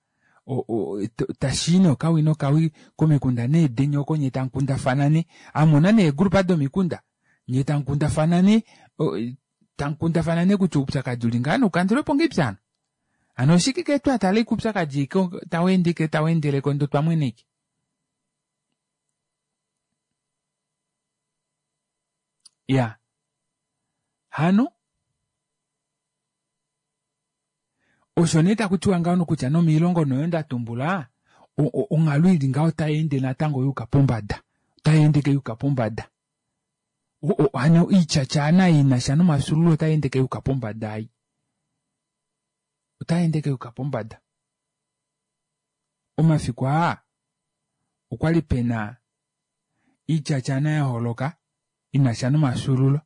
Tashii nee okawi nokawi komikunda nee deni oko nyee tamukundafana nee amona nee eegrupa domikunda nyee tamukundafana nee tamukundafana nee kutya oupyakadi uli ngaha naukandulwepo ngahelipi hano hano oshike ke twatala ashike oupyakadi ashike taweende ashike taweendeleko ndee otwamwena ashike iya hano Osho nee taku tiwa ngaho nokutya nomiilongo noyo nda tumbula onghalo ili ngaho otai ende natango yuuka pombada. Otai ende ke yuuka pombada. Hano oityatyaana ei ina sha nomafyuululo otai ende ke yuuka pombada ei. Otai ende ke yuuka pombada. Omafiku aa okwali pena oityatyaana ya holoka ina sha nomafyuululo.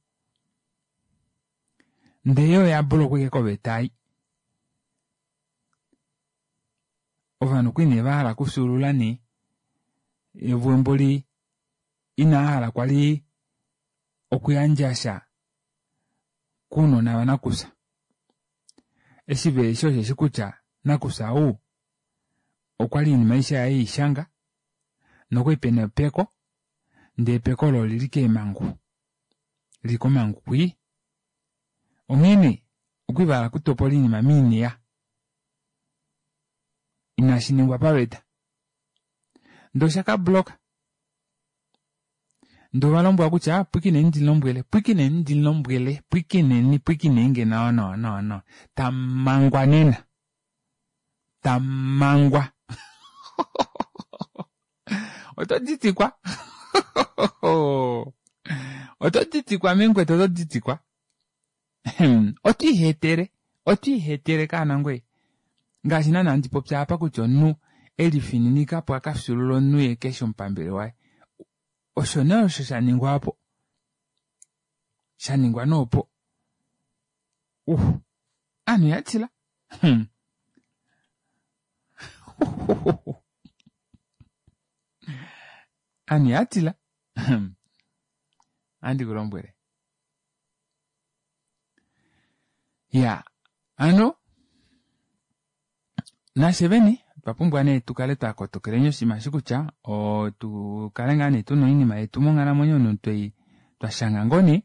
Ndee yo oya bulokwa ashike koveta ei. Ovanhu okwali nee vahala okufyuulula nee vo mboli inava hala kwali okuyandja sha kounona vanakufya. Eshi veheshi osheshi kutya nakufya ou okwali oinima aishe yaye eishanga nokwali pena epeko ndee epeko olo olili keemangu lili komangu kwii. Onghee nee okwali vahala okutopola oinima moineya inashi ningwa paveta ndee osha ka block ndee ovalombwelwa kutya pwikineni ndimulombwele pwikineni ndimulombwele pwikineni pwikinenge nawa nawa nawa nawa tamangwa nena tamangwa oto ditikwa oto ditikwa mengwetu oto ditikwa oto ihetele oto ihetele kaana ngoye ngaashi naana handi popi apa kutya omunhu elifininika apo aka fyuulula omunhu ye keshi omupambele waye osho nee osho sha ningwa apo sha ningwa nee opo uh aanhu ya tila hmm. Aanhu ya tila hmm. Andi ku lombwele ya ano nafye vene otwa pumbwa nee tu kale twa kotokeleni oshinima eshi kutya otu kale ngaa nee tuna oinima yetu monghalamwenyo notwei twa shanga ngoo nee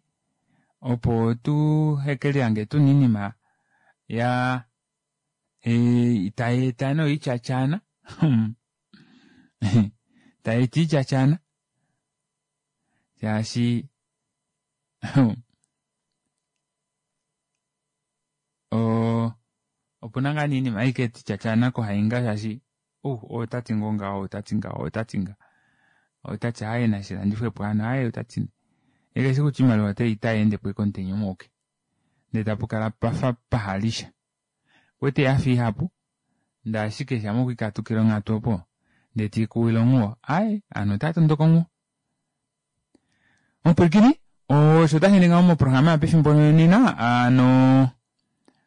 opo tu hekelihange tuna oinima ya tai eta nee oityatyaana tai eta oityatyaana shaashi opuna ngaa nee iinima aike tityatyana kohainga shaashi otati ngoo ngaho otati ngaho otati nga otati aaye nashilandifwepo hano aaye otati ye keshi kutya iimaliwa otai endepo ashike omutenya umwe auke ndee tapukala pafa pahalisha Kwete ya fa ihapu, ndee ashike shamha okwe ikatukile onghatu opo, ndee tiikuwile onghuwo, aaye, ovanhu otava tondoka onghuwo. Omupwilikini, osho tashi ende ngaho moprograma yopefimbo nena, hano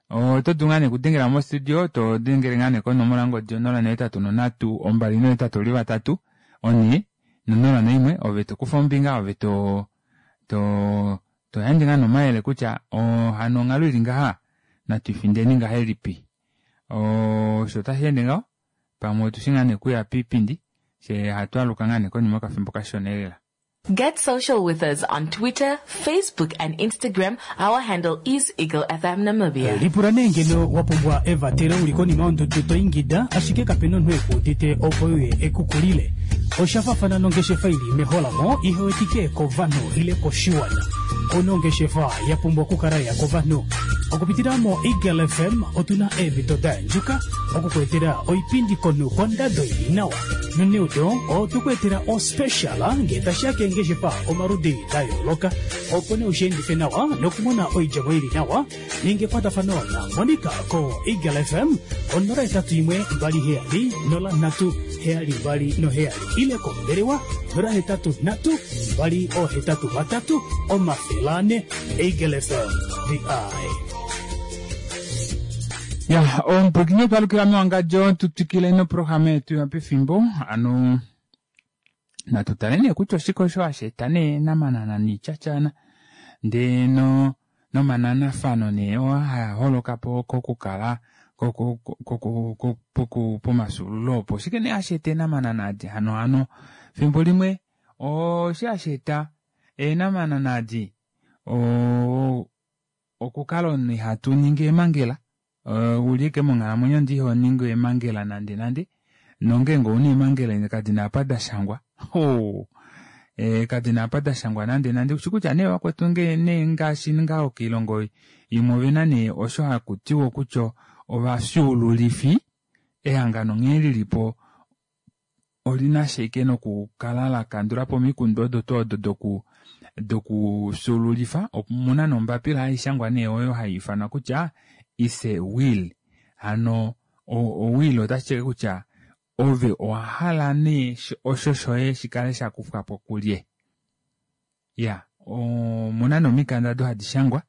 oto dulu ngaa nee okudengela mostudio, to dengele ngaa nee konomola yongodi 083 283 401, ove to kufa ombinga, ove to to To yandje ngaa nee omayele kutya hano onghalo ili ngaha natu ifindeni ngahelipi. Osho tashi ende ngaho pamwe otushi ngaa nee okuya piipindi fyee hatu aluka ngaa nee konima yokafimbo kashona elela. Get social with us on Twitter, Facebook and Instagram. Our handle is Eagle FM Namibia. Lipula nee ngeno wa pumbwa evatelo uli konima yondudu to ingida ashike kapena omunhu eku udite opo euye ekukulile. Osha faafana nongeshefa ili meholamo ihe wetike kovanhu ile koshiwana. Ouna ongeshefa ya pumbwa okukala ya kovanhu. Okupitila moEagle FM otu na eemhito da yandjuka oku ku etela oipindi komunhu kondado ili nawa. Noneudo otwe ku etela ospecial ngee tashi ya keengeshefa omaludi da yooloka opo nee ushiendife nawa nokumona oidjemo ili nawa. Ninga ekwatafano na Monica ko Eagle FM ko 081 27 03 727 ile kombelewa 083 283 400. Eagle FM, the eye. Ya, omupwilikini otwa alukila mewangadjo tu twikile noprograma yetu yopefimbo ano natu tale nee kutya oshike osho hashi eta nee namanana niityatyana ndee no nomananafano nee oo haa holoka po kokukala Pomafyuululo opo oshike nee hashi eta eenamanana adi hano hano fimbo limwe oshi hashi eta eenamanana adi okukala omunhu ihatu ningi eemangela uli ike monghalamwenyo ndi iho ningi eemangela nande nande nongeenge ouna eemangela kadina apa dashangwa kadina apa dashangwa nande nande ushi kutya nee vakwetu nee ngaashi ngaho koilongo imwe ovena nee osho hakutiwa kutya ovafyuululifi ehangano nghee lilipo olina shike nokukala lakandula po omikundu odo tuu odo dokufyuululifa omuna nombapila haishangwa nee oyo haiifanwa kutya is a will hano o will otashi ti kutya ove owahala nee osho shoye shikale shakufwapo kulye ya omuna nomikanda ado hadi shangwa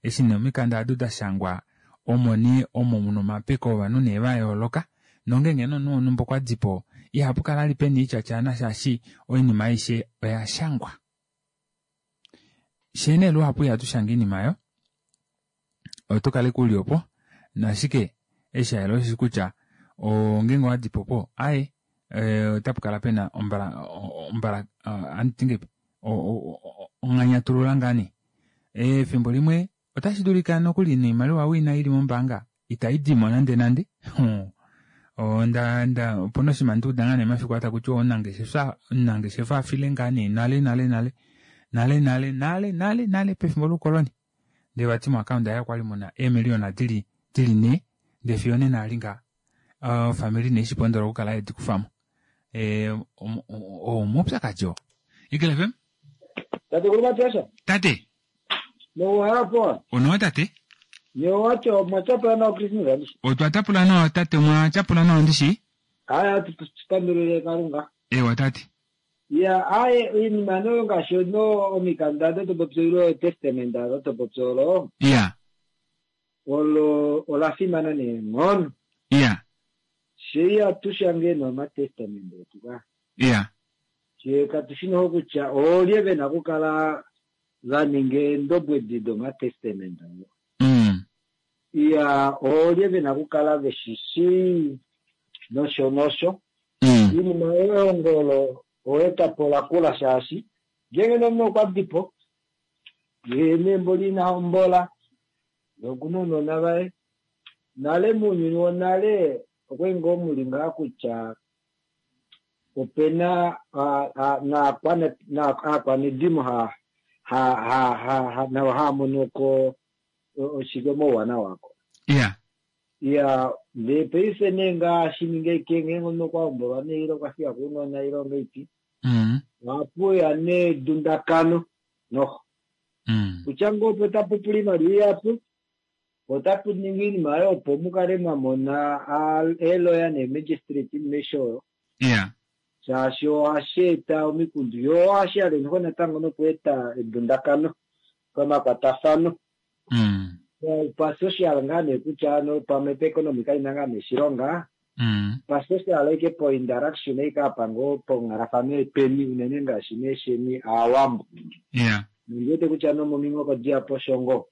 eshi nee omikanda ado dashangwa omo nee omo muna omapeko ovanhu nee vayooloka nongenge nomunhu wonhumba okwadipo ihapu kala ali pena oityatyana shaashi oinima aishe oya shangwa shee nee luhapu ihatu shange oinima oyo oto kale kuli opo nashike eshi hayela oshishi kutya ongenge owadipo po aye otapu kala pena ombala anditingepi onganyatulula ngaa nee efimbo limwe otashi dulika nokuli noimaliwa wina ili mombaanga itayi dimo nande nande opuna oshinima nduuda ngaa nee mafiku aa takutiwa omunangeshefa afile ngaa nee nale nale nale nale nale nale nale nale pefimbo loukoloni ndee vati moakaunda yaye okwali muna eemiliyona dili 4 ndee fiyo onena ali ngaa ofamili nee shipondola okukala yedikufamo omaupyakadi oo. Eagle FM? Tate kulu Matiasha. Tate. Nouhalapo. Onowa tate. Nyewacho mwachapula nawa Christmas andishi. Otwa tapula nawa tate mwachapula nawa ndishi. Aya tupandulile Kalunga. Ewa tate. Ya aye iinima noyo ngaashi no omikanda dotopopyolo testament dotopopyolo. Ya. Olo ola fimana neenghono. Ya. Shei atushange nomatestament etu ka. Ya. Shee katushi noho kutya oolye vena okukala vaninga eendobwedi domatestament oo. Iya oolye vena okukala veshishi nosho nosho. Iinima yehongo olo oweetapo lakula shaashi ngeenge nomunhu okwa dipo yee neembo lina hombola nokuna ounona vaye nale mounyuni wonale okwali ngoo muli ngaa kutya opena aakwanedimo navo haamonoko oshike omauwanawa ako. Ya. Ya ndee paife nee ngaashi ninga ike ngeenge omunhu okwa hombolwa nee ile okwa fiya ko ounona ile ongeipi ohapuya nee edundakano noho kutya ngoo opo tapu pula oimaliwa ihapu otapu ningi oinima oyo opo mukale mwamona eeloya neemagistrate mesho oyo. Ya. Shaashi ohashi eta omikundu yo ohashi yale noho natango nokweeta edundakano pamakwatafano. Pasocial ngaa nee kutya ano pamwe paeconomy kaina ngaa nee shilonga. Pasocial ike po interaction ike apa ngoo ponghalafano yetweni unene ngaashi neesheni aawambo. Ya. Nondiwete kutya nomominghoko dihapu osho ngoo.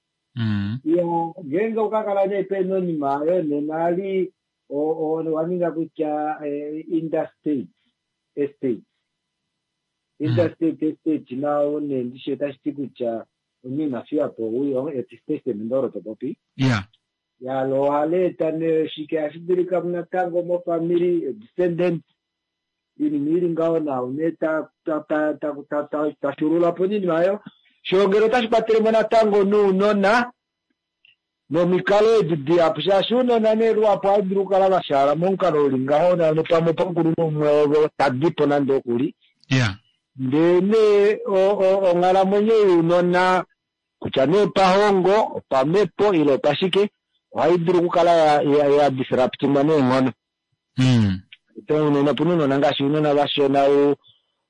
Ya ngeenge okakala nee pena oinima oyo nena ali owaninga kutya interstate estate. Interstate estate nao nee ndishi otashi ti kutya omunhu ina fiyapo owii etestament olo topopi. Ya. Yalo ohali eta nee shike hashi dulika natango mofamily descendant iinima ili ngaho nao nee tashulula po iinima oyo. Shongele otashi kwatelemo natango nounona nomikalo edi dihapu shaashi ounona nee luhapu ohava dulu okukala vashaala momukalo uli ngaho nopamwe opamukulunhu umwe ovo tadipo nande okuli. Ya. Ndee nee onghalamwenyo younona kutya nee opahongo opamhepo ile opashike ohai dulu okukala ya disruptingwa neenghono. Unene opuna ounona ngaashi ounona vashona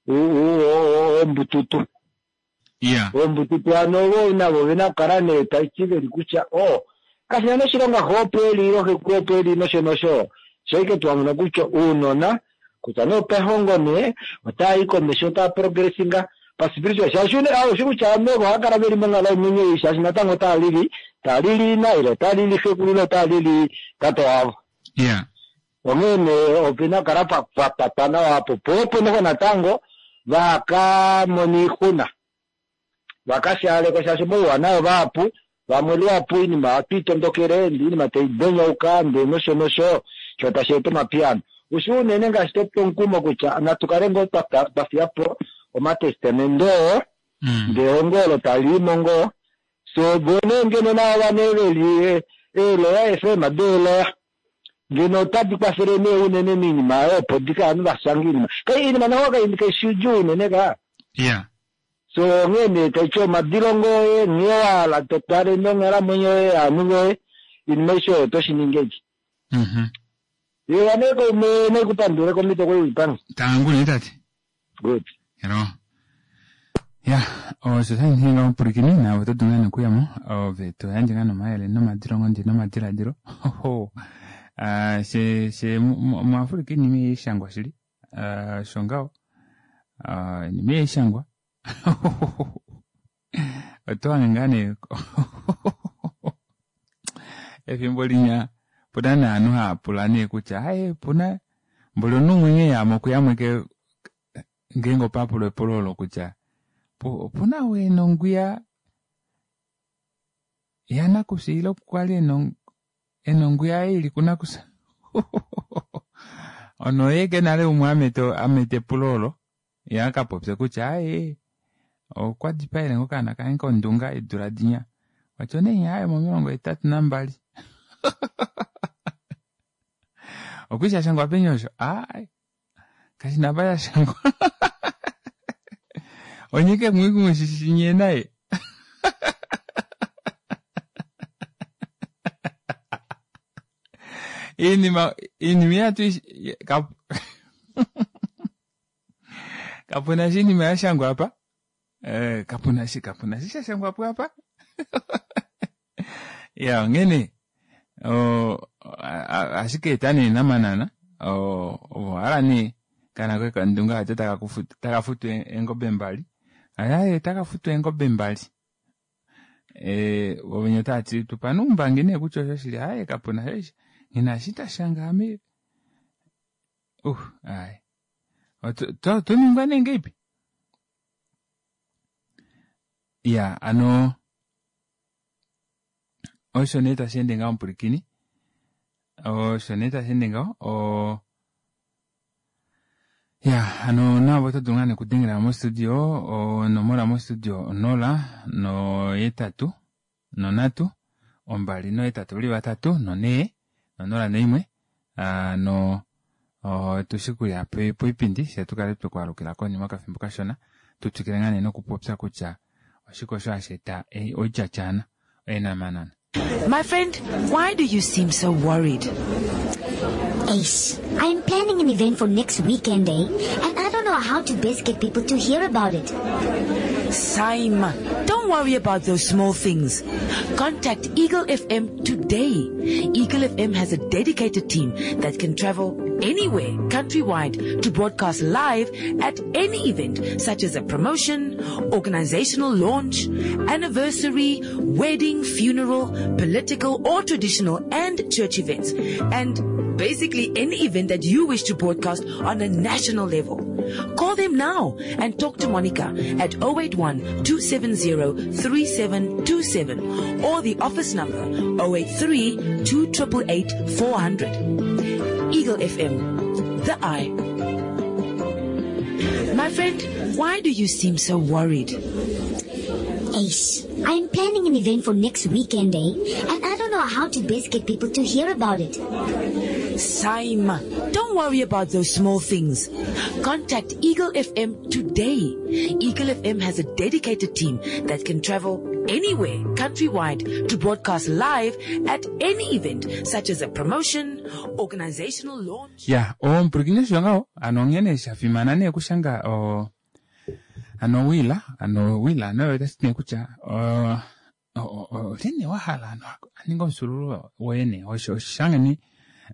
wombututu. Ya. Wombututu hano ovo navo ovena okukala nee taiti veli kutya kashina noshilonga xo opo eli ile xekulu opo eli nosho nosho. Shaike twamona kutya ounona kutya nee opehongo nee otaa komesho otaa progressinga paspiritual shaashi oshi kutya ame ovo ohava kala veli monghalamwenyo ei shaashi natango otaa lili Tali li ina ile tali li xekulu ile tali li tate wavo. Yeah. Onghee nee opena kukala pa patwa nawa apo po opo noho natango vaka mona oixuna vaka shaalekwa shaashi mouwanawa vahapu vamwe luhapu oinima ohatu itondokele ndee oinima tai donyauka ndee nosho nosho sho tashi eta omapiyano. Ushi unene ngaashi tope omukumo kutya natu kale ngoo twa fiya po omatestamende oo ndee ehongo olo tali imo ngoo so vo nee ngeno naava nee veli eeloya eefema deeloya ngeno otadi kwafele nee unene moinima oyo opo dika ovanhu vashange oinima kai oinima naho kaishi idjuu unene ka Yeah. So onghee nee taiti omadilongo oye nghee wahala totwale nonghalamwenyo yoye yovanhu voye oinima aishe oyo oto shiningi eki. Ewa nee kaume naikupandule komhito kwali ulipange. Tangu nee tate. Good. Hello. Ya, osho sha ninga omupwilikini naave oto dulu ngaa nokuya mo ove to yandje ngaa nomayele nomadilongo ndi nomadiladilo. Hoho. Ah, she she muAfrika iinima ihayi shangwa shili. Ah, osho ngaho. Ah, iinima ihayi shangwa. Oto hange ngaa nee efimbo linya puna nee ovanhu hava pula nee kutya aye puna mboli omunhu umwe nghee yamo kuyamwe ngeenge opa pulwa epulo olo kutya opuna ou ena ongwiya yanakufya ile kwali ena ongwiya yaye ili kunakufya ono oye ke nale umwe amete epulo olo ye aka popye kutya aye okwa dipaele ngo okaana kange kondunga eedula dinya wati onee aye momilongo hetatu nambali okuli shashangwa peni osho aai kashina apa shashangwa onyike mwikumwishishinye naye iinima iinima ihatu kapuna shi iinima ya shangwa apa eh, kapuna shi kapuna shi sha shangwa po apa ya onghene ashike eta nee namanana ovo hala nee kana koye kandunga ate taka futu eengobe mbali aye taka futu eengobe mbali eh, vovenye otava tupa noumbangi nee kutya osho shili aye kapuna sho ngina shi tashanga ame aye toningwa nee ngeipi ya ano osho nee tashi ende ngaho omupwilikini osho nee tashi ende ngaho o ya ano navo oto dulu ngaa nekudengela mostudio onomola mostudio 0 no8 no3 2 no8 uli 3 no4 no0 no1 no tushi kuya poipindi she tukale twekwaalukila konima okafimbo kashona tutwikile ngaa nee nokupopya kutya oshike osho hashi eta oityatyana eenamanana. My friend, why do you seem so worried? Ace, I'm planning an event for next weekend, eh? And I don't know how to best get people to hear about it. Saima, don't worry about those small things. Contact Eagle FM today. Eagle FM has a dedicated team that can travel anywhere countrywide to broadcast live at any event such as a promotion, organizational launch, anniversary, wedding, funeral, political or traditional and church events. And basically any event that you wish to broadcast on a national level. Call them now and talk to Monica at 081 270 3727 or the office number 083 288 400. Eagle FM, the eye. My friend, why do you seem so worried? Ace, I'm planning an event for next weekend, eh? And I don't know how to best get people to hear about it. Saima, don't worry about those small things. Contact Eagle FM today. Eagle FM has a dedicated team that can travel anywhere countrywide to broadcast live at any event such as a promotion, organizational launch. Ya, omupwilikini osho ngaho ano onghene sha fimana nee okushanga o ano wila ano wila ano otashi ti nee kutya olyene wa hala ano aninga omufyuululo woye nee osho shange nee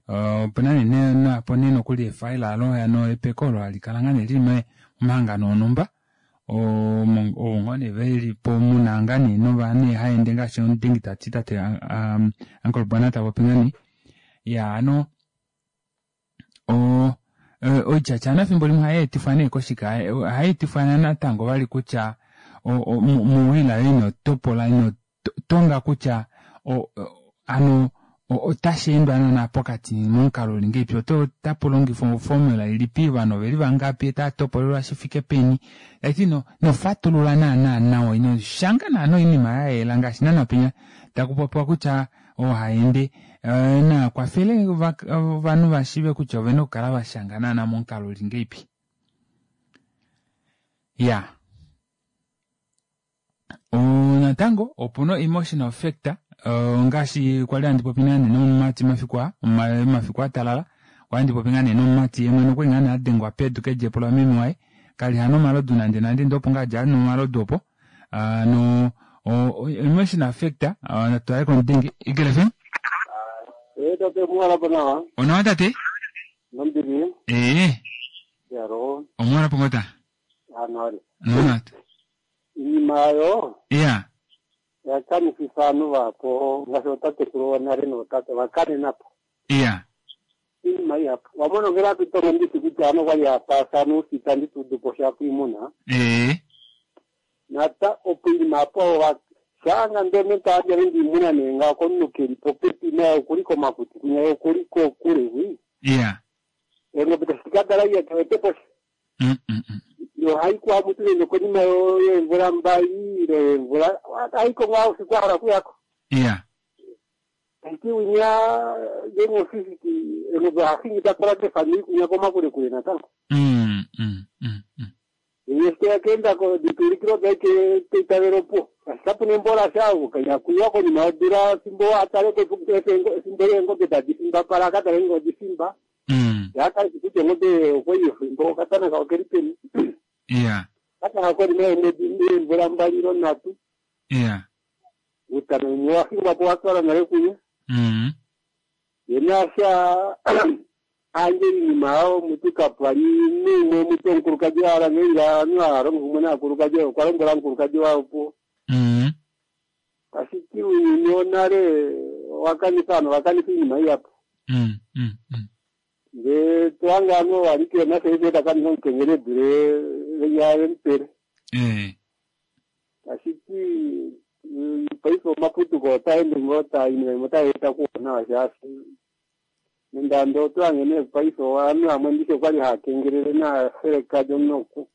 opena nee napo nee nokuli efaila alo ano epeko olo hali kala ngaa nee lili momahangano onhumba. Ovo ngoo nee veli po muna ngaa nee nova nee haende ngaashi omudengi tati tate Uncle Bwana ta popi ngaa nee. Ya ano o oityatyana efimbo limwe ohai etifwa nee koshike? Ohai etifwa natango vali kutya mowila yoye ino topola ino tonga kutya ano otashi endwa naana pokati momukalo uli ngeipi otapu longifwa oformula ilipi ovanhu oveli vangapi otava topolelwa shi fike peni tati no nofatulula naana nawa ino shanga naana oinima ya yela ngaashi naana penya taku popiwa kutya oohaende na kwafele ovanhu va shiive kutya ovena okukala va shanga naana momukalo uli ngeipi ya Natango opuna emotional factor ngaashi kwali handi popi ngaa nee nomumati mafiku aa mafiku atalala kwali handi popi ngaa nee nomumati ye mwene okwali ngaa nee adengwa pedu kedjepo lameme waye kali hana omalodu nande nande ndee opo ngaa adja anwa omalodu opo no emotional factor natwale komudenge Eagle FM. Ee tate omuwalapo nawa. Onawa tate? Nombili. Ee. Yaro. Omuwalapo ngoo ta? Anwali. Nawa. Iinima oyo Iya. oya kanifitha aantu vahapu ngaashi ootatekulu wonale nootate va kanena po Iya. iinima ihapu. Wa mona ngele hatu tongo ndishi kutya aantu okwali haya paathana uusita ndi tu udu po sha kwiimuna. Ee. Nata opo iinima apo wa shanga ndee omuntu ta yandja nande iimuna nee ngawo komuntu keli popepi naye okuli komakuti kwinya ye okuli kokule hwi. Iya. Eengombe tashi ka dala iya ke wete po sha. Yo ohayi kuhamutu nande konima yeemvula mbali ile yeemvula ohayi ko ngaa oufiku a hala okuyako. Iya. Tashi ti winya ngeenge ofifiti engombe oha hingi ta twala kefamili kwinya komakulekule natango. Ye eshi teya keenda ko dituulikilo daye ke keitavelo opuwo. Shaashi kapu na embo lasha kaina kuyiwa konima yodula fimbo a tale ko efimbo leengobe tadi fimbapala a ka tale ngeenge odi fimba. Ye a kale eshi kutya ongobe okwali efimbo okatana kao keli peni. Iya. Okatana konima yeemwedi yeemvula mbali ile nhatu. Iya. Uutana umwe owa fingwa po wa twalwa nale kuye. Ye naasha a yandje oinima oyo mutu kapwa li naumwe mutu omukulukadi a hala nghee ovanhu hava longo kumwe naakulukadi oyo okwa lombwela omukulukadi waye opuwo. Tashi ti ounyuni wonale owa kanifa ovanhu ova kanifa oinima ihapu. Ndee to hange ovanhu ova li kehena sha paife ta kanifa omukengeli e dule venya vemupele. Tashi ti paife omaputuko otaa ende ngoo taa oinima imwe otai eta kuwanawa shaashi nande ando oto hange nee paife ovanhu vamwe ndishi okwali hava kengelele naafelekadi omunhu oku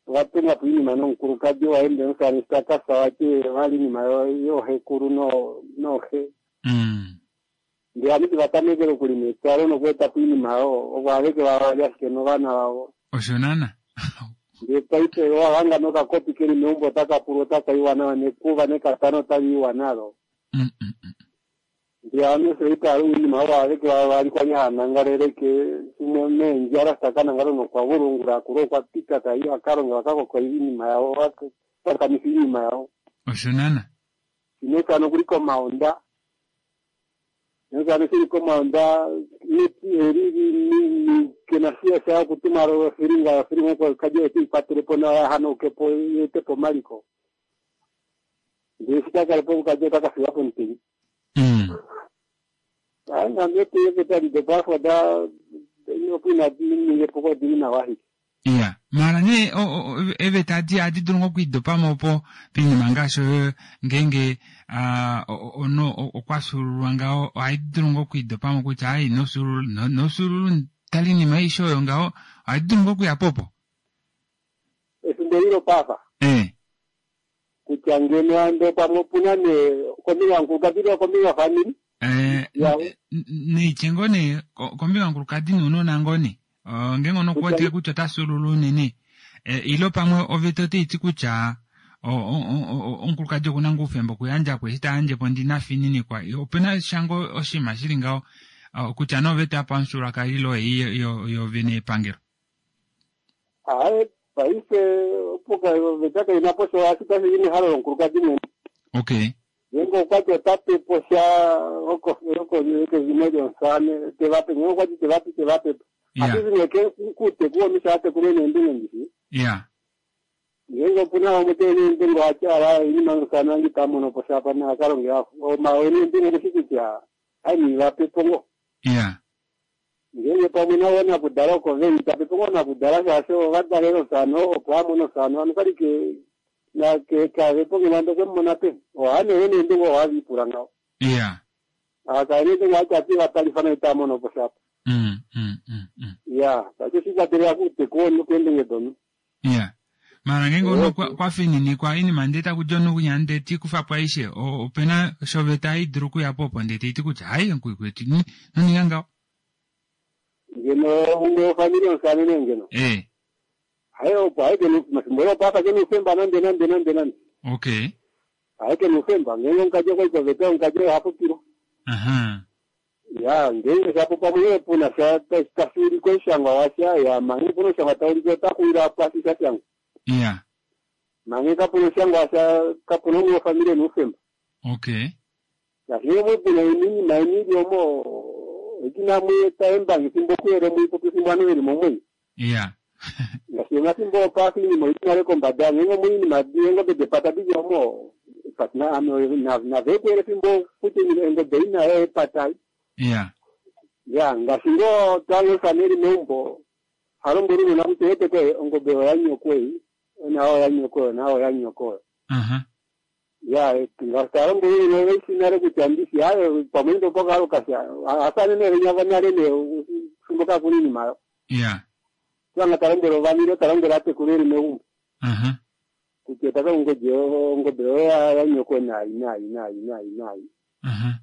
ova tunga po oinima nomukulukadi waye ndee omushamane eshi ta ka fya vati vali oinima yooxekulu nooxe. Ndee ovanhu eshi va tamekele okulima etwalo nokueta po oinima oyo ovo aveke vavali ashike novana vavo. Osho naana. Ndee paife owa hanga nokakopi keli meumbo otaka pulwa otaka iwa nawa nekuva nekatana otali iwa nalo. Ndee ovanhu osho itava oinima oyo aveke vavali kwali hava nangalele ke shimwe meendjala taka nangala nokwa vulu ongula akula okwa pita tai vaka longa vaka kokola oinima yavo va kanifa oinima yavo. Osho naana. Shimwe okuli komaonda Nokano shili komaonda kena sha sha okutuma ofilinga ofilinga oko kaje eti ikwatele po nawa yahanauke po yeete po omaliko. Ndele eshi ka kale po omukaji ota ka fiwa pomutenya. Ayi nande eeveta dopafa da opo inadi ninga epuko odili nawa ashike. Iya, maala nee eeveta adi ohadi dulu ngoo okwiidopa mo po poinima ngaashi oyo ngeenge omunhu okwa fyuululwa ngaho ohai dulu ngoo okwiidopa mo kutya ai ino fyuulula ino fyuulula tala oinima aishe oyo ngaho ohai dulu ngoo okuya po opo? Efimbo eli lopaafa? Ee. Kutya ngeno ando pamwe opu na nee kombinga yomukulukadi ile okombinga yofamili Eh, yavo. neitye ngoo nee kombinga yomukulukadi nounona ngoo nee ngeenge omunhu oku wetike kutya ota fyuulula unene eh, ile pamwe oveta otai ti kutya omukulukadi oku na ngoo oufemba okuyandja po eshi ta yandje po ndi na fininikwa ope na sha ngoo oshinima shi li ngaho kutya nee oveta yopamufyuululwakalo ile ei yoovene yepangelo. Aaye, paife opo oveta kai na po sha ashike otashi di mehalo lomukulukadi mwene. Okay. Ngeenge okwa ti ota pe po sha kezimo lyomusamane te va pe, ngeenge okwa ti te va pe ite va pe po. Yeah. Ohashi zi nee kuuteku womisha a tekulwe neendunge ndishi. Yeah. Ngeenge opu na vamwe tee neendunge ohatya oinima yomusana wange ita mono po shapa na ka longe omawe neendunge okushi kutya ai vape po ngo. Ya. Ngeenge pamwe navo nakudala oko veli tape po ngoo nakudala shaashi ova dalela omusana opo a mone omusana hano kali ke na ke kave po ngeno ando okwe mu mona peni. Oha nee neendunge ohave ipula ngaho. Ya. Akala neendunge ohati ati vatalifa naye ita mono po shapa. Ya, tashi oshikwatelela kuuteku womunhu keendunge domunhu. Ya. Mara ngeenge omunhu kwa fininikwa oinima ndee taku di omunhu kwinya ndee te i kufa po aishe, opena shoveta hai dulu okuya po opo ndee tai ti kutya hai mukwetu ino ninga ngaho. Ngeno umwe wofamili yomusane nee ngeno. Eh. Haye opo haye kena mafimbo opo apa kena oufemba nande nande nande nande. Okay. Haye kena oufemba ngeenge omukadji okwa i koveta omukadji oye oha popilwa. Aha. Ya, ngeenge shapo pamwe nee puna sha tashi ulike omushangwa washa, ya mange puna omushangwa tau ulike ota xuwila pwashi sha shangwa. Ya. Mange kapuna omushangwa washa, kapuna umwe wofamili ena oufemba. Okay. Ngaashi ngee puna oinima yeni ili omo, oti namwe eta eembangi fimbo kuyele muipopi fimbo ovanhu veli momwenyo. Ya. Ngaashi omafimbo opaasa oinima oili nale kombada, ngeenge omu oinima eengobe depata dili omo, nave kuyele fimbo kutya engobe ina epata. Ya. Ya, ngaashi ngoo twalosa neli meumbo, halombwele unona kutya eteke ongobe oya nyoko ei, na oya nyoko, na oya nyoko. Aha. Ya, ngaashi talombwele unona veishi nale kutya ndishi ayo pamwe ndo pokalokasha, asane ne nyava nale ne fimbo kakuna iinima yo. Ya. Twanga talombwele ovanile talombwele atekulu eli meumbo. Aha. Kutya taka ongobe ongobe oya ya nyoko nayi nayi nayi nayi nayi. Aha.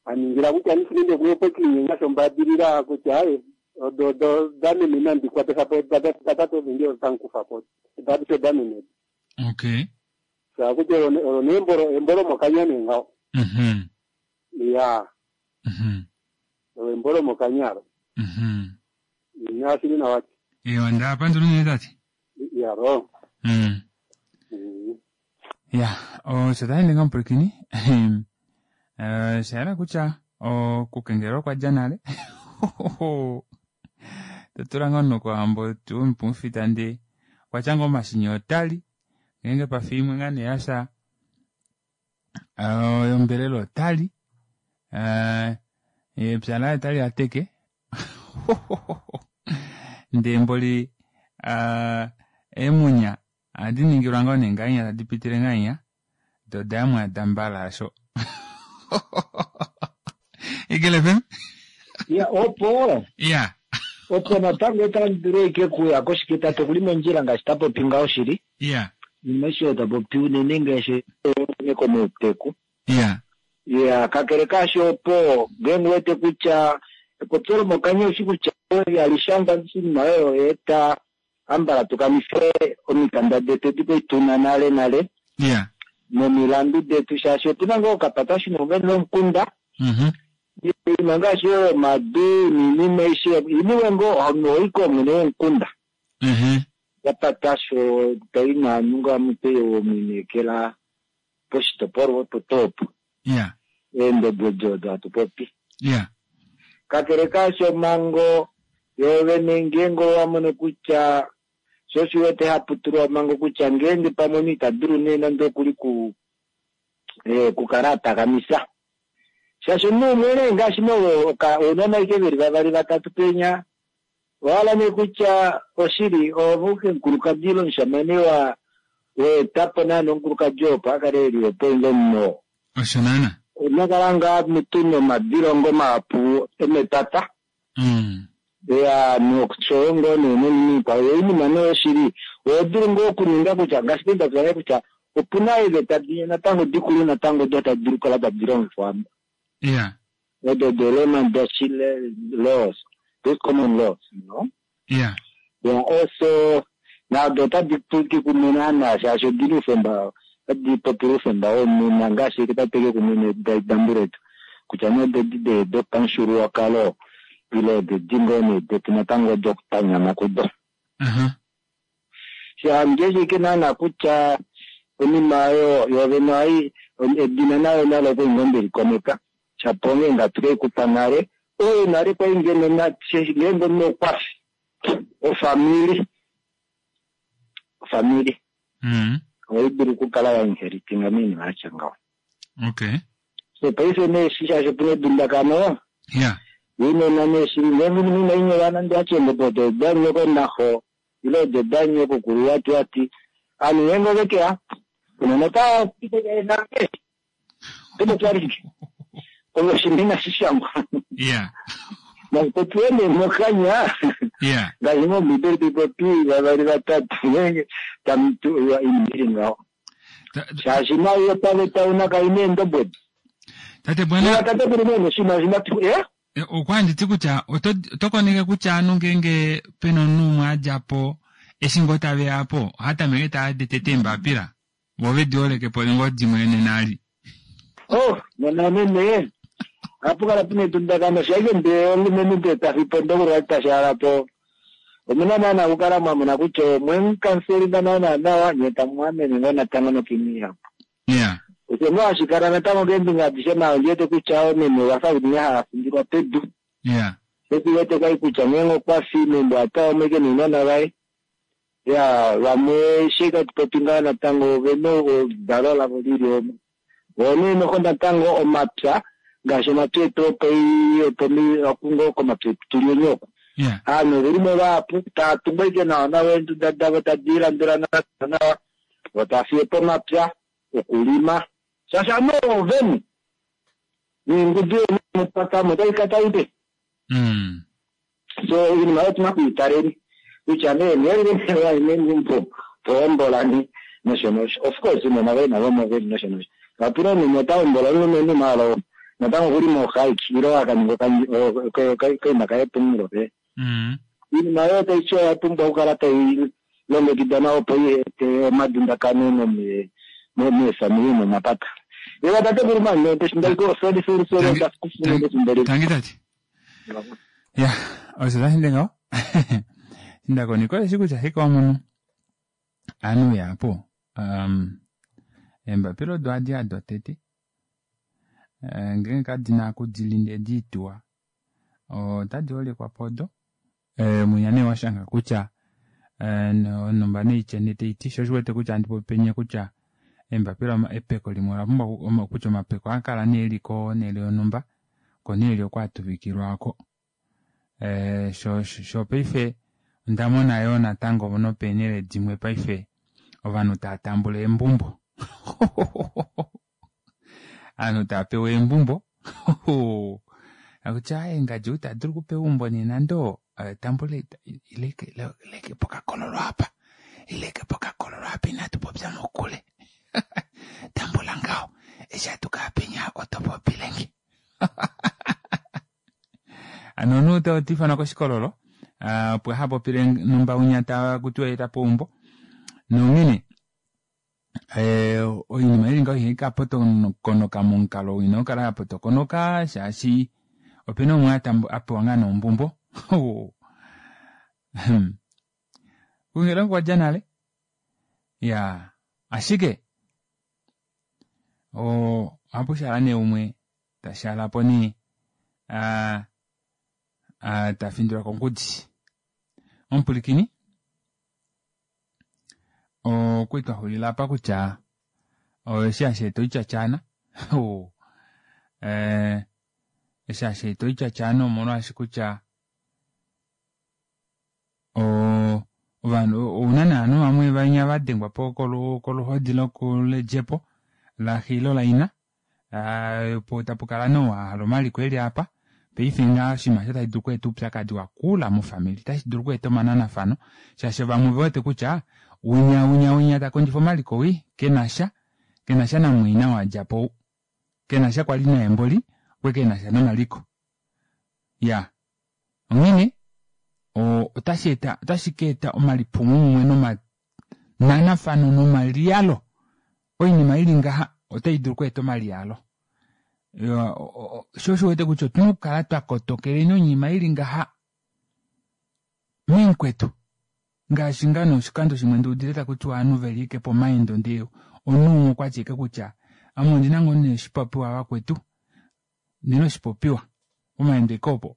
Aningila kutya nisinende kuyepo kinyenga shombadilila kutya aye odo do damene nandi kwatesa po datatu ovingi otankufa po dadisho damene. Okay. Sa kutya olo neembolo embolo mokanya nee ngaho. Mhm. Ya. Mhm. Olo embolo mokanya lo. Mhm. Nashili nawati. Ewa ndapandula unene tate. Ya ro. Ya, osho tashi ninga omupwilikini. Osha yela kutya okukengelelwa okwa dja nale. Totula ngoo nokuhambo tuu mupumufita ndee okwa tya ngoo omashini otali, ngeenge pafa imwe ngaa nee yasha yombelela otali, epya laye otali ateke. Ndee mboli eemunya ohadi ningilwa ngoo nee ngahenya tadi pitile ngahenya, do dayamwa dambala asho. Eagle FM? Ya, opo. Ya. Opo natango otandi dulu ashike kuya koshike tate okuli mondjila ngaashi ta popi ngaho shili. Ya. Inima aishe ta popi unene ngaashi komauteku. Ya. Ya, kakele kaasho opo ngeenge wete kutya epopyo lomokanya oshi kutya alishangwa oshinima oyo eta ambala tukanife omikanda detu edi kwali tuna nale nale. Ya. Nomilandu detu shaashi otuna ngoo okapata shino nomukunda. Mhm. Iinima ngaashi oyo omadu niinima aishe iniwe ngoo ohaiko mwene womukunda. Mhm. Yapatasho tai naanhu ngaa mupe womwiinekela poshitopolwa opo tuu opo. Ya. Eendodo odo hatu popi. Ya. Kakele kaasho omhango yoovene ngeenge owa mono kutya sho oshi wete hapu tulwa omhango kutya ngeenge pamwe omunhu ita dulu nee nande okuli ku kukala a takamisa. Shaashi omunhu umwe nee ngaashi ounona ashike veli vavali vatatu penya, owahala nee kutya oshili oove omukulukadi ile omushamane wa weetapo naana omukulukadi opo a kale eli opo inge omunhu oo. Osho naana. Onakala ngaa mutu nomadilongo mahapu emepata. Ya, noshoyo ngoo nee noinima ikwao. Yo oinima nee oshili, oho dulu ngoo okuninga kutya ngaashi penda twa kutya opuna eeveta dimwe natango dikulu natango odo tadi dulu okukala tadi longifwa. Ya. Odo the Roman Dutch laws, those common laws, you know. Ya. Ya, also nado otadi tuki kumwe naana shaashi odili oufemba, otadi popile oufemba womunhu ngaashi tateke kumwe nedambu letu kutya nee odedi dopamufyuululwakalo ile odedi ngoo nee detu natango dokutanyama kudo. Aha. Shange shike naana kutya onima oyo yoovene ohai edina nayo nalo okwali ngoo ndelikoneka shapo onghee nga tukeikupa nale oyo nale kwali ngeno ngeenge omunhu okwafi ofamili ofamili. Ohai dulu okukala ya inheritinga moinima ya tya ngaho. Okay. So paife nee eshi shaashi opu na edundakano, Ounona nee shili ngeenge oinima inai nyolwa nande owa tya eengobe odo odanyoko naxo ile odo odanyoko kulu wati wati, ovanhu ngeenge ove ke ya ounona otava ti kutya nange oto popi ashike ove oshinima inashi shangwa. Nashi popiwe nee mokanya ngaashi ngoo Ombiibeli tai popi vavali vatatu ngeenge tamu tu oinima ili ngaho. Shaashi nayo paveta una kai na eendombwedi. Tate Bwana, Tate kuli nee noshinima oshinima tu eh? Okwa handi ti kutya oto oto koneke kutya anu ngeenge pena omunhu umwe a dja po eshi ngoo tave ya po oha tameke taa di tete eembapila vo ve di holeke po ngoo dimwe nena ali. Oh, nena nene ohapu kala puna edundakano shaike ndee omulumenhu ndee ta fi po ndee oku ta shaala po omuna naana okukala mwa mona kutya omwe mu kanselinga naana nawa nyee tamu amene ngoo natango nokiinima ihapu. Osho ngoo hashi kala natango keembinga adishe maala ondi wete kutya oomeme ova fa unene hava findilwa pedu. Sho shi wete kwali kutya ngeenge okwa fi meumbo ota umwe ke nounona vaye. Ya vamwe eshi tatu popi ngaho natango ove na oludalo lavo lili omo. Voo nee noho natango omapya ngaashi omapya etu opoi opomi oku ngoo komapya etu tuli onye oku. Ovanhu oveli mo vahapu tava tungu ashike nawa nawa eenduda davo tadi landula nawa nawa. Vo tava fiye po omapya okulima shaashi ovanhu ovene neengudu yomepata otai ka tai pe. So oinima oyo otuna okuitaleni kutya nee ngeenge meumbo tohombolani nosho nosho. Of course ounona voye navo omo veli nosho nosho. Kapena omunhu ota hombola omulumenhu maala natango okuli mohaiki ile a ka ninga okaima kaye pomunghulo pe. Oinima oyo otai ti oya pumbwa okukala tai longekidwa nawa opo i ete omadundakano meefamili nomomapata. Ewa tatekulu mani, sorry sorry sorry ndakufumu efimbo lile. Tangi tate. Ya, osho tashi ndi ngaho. Ndakoneka osheshi kutya ashike wa mono aanhu yapo. Um, eembapila odo hadi ya dotete. Eh, ngeenge kadi na okudili ndee di tuwa otadi holekwa po odo. Eh, mwinya nee wa shanga kutya eh, onhumba neitya nee tai ti sho oshiwete kutya handi popi penya kutya eembapila epeko limwe ola pumbwa kutya omapeko a kala nee li konhele yonhumba konhele oko a tuvikilwa oko. Eh, sho sho paife onda mona yoo natango nopeenhele dimwe paife ovanhu tava tambula eembumbo. Aanhu tava pewa eembumbo. Akutya aye ngadji ou ta dulu okupewa eumbo nena ndo tambula ileke pokakololo apa. Ileke pokakololo apa inatu popya mokule. Tambula ngaho. Eshi hatu kaya penya oto popilenge. Ano omunhu ota ifanwa koshikololo opo aha popile numba unya ta kutiwa ye ta pewa eumbo. Nonghene oinima ili ngaho ihai ka potokonoka momukalo ina okukala ya potokonoka shaashi opena umwe a pewa ngaa noombumbo. Kungela okwa dja nale. Ya, ashike ohapu shala nee umwe ta shala po nee ta findilwa kongudi. Omupulikini okwali twa xulila apa kutya eshi hashi eta oityatyaana eshi hashi eta oityatyaana omolwaashi kutya ovanhu ouna nee ovanhu vamwe vanya va dengwa po koluhodi lokuledjepo laxe ile laina po tapu kala nee ou a hala omaliko eli apa paife ngaha oshinima osho tashi dulu okweeta oupyakadi wakula mofamili otashi dulu okweeta omananafano shaashi vamwe ove wete kutya winya winya winya ta kondjifa omaliko wii kenasha kenasha namumwaina oo a dja po ou kenasha kwali naye mboli okwe kenasha nomaliko ya onghene otashi eta otashi ka eta omalipumomumwe nomananafano nomaliyalo oinima ili ngaha otai dulu okweeta omaliyalo sho osho wete kutya otuna okukala twa kotokeleni oinima ili ngaha meenkwetu ngaashi ngaa noshikando shimwe nduudile taku tiwa ovanhu veli ike pomaendo ndee omunhu umwe okwa ti ike kutya ame ondina ngoo nee oshipopiwa vakwetu ndina oshipopiwa pomaendo ike opo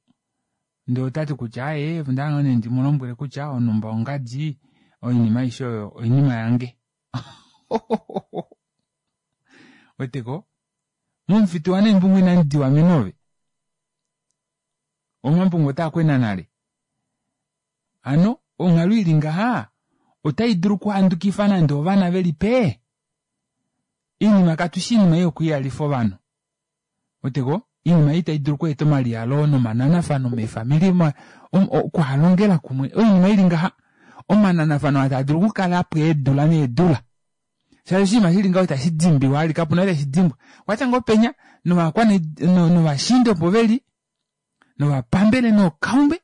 ndee otati kutya aaye onda hala ngoo nee ndi mu lombwele kutya onhumba ongadi oinima aishe oyo oinima yange. Weteko? Momufitu waNembungu inamu diwa menove. Omambungu otaa kwena nale. Hano onghalo ili ngaha otai dulu okuhandukifa nande ovana ve li pee. Oinima katu shi iinima ei yokuyalifa ovanhu. Weteko? Oinima ei tai dulu okweeta omaliyalo nomananafano meefamili, okuhalongela kumwe. Oinima ili ngaha omananafano aa taa dulu okukala po eedula needula. Shaashi oshinima shili ngaho itashi dimbiwa vali, kapu na tashi dimbwa. Okwatya ngoo penya novakwana novashiinda opo veli novapambele nookaume,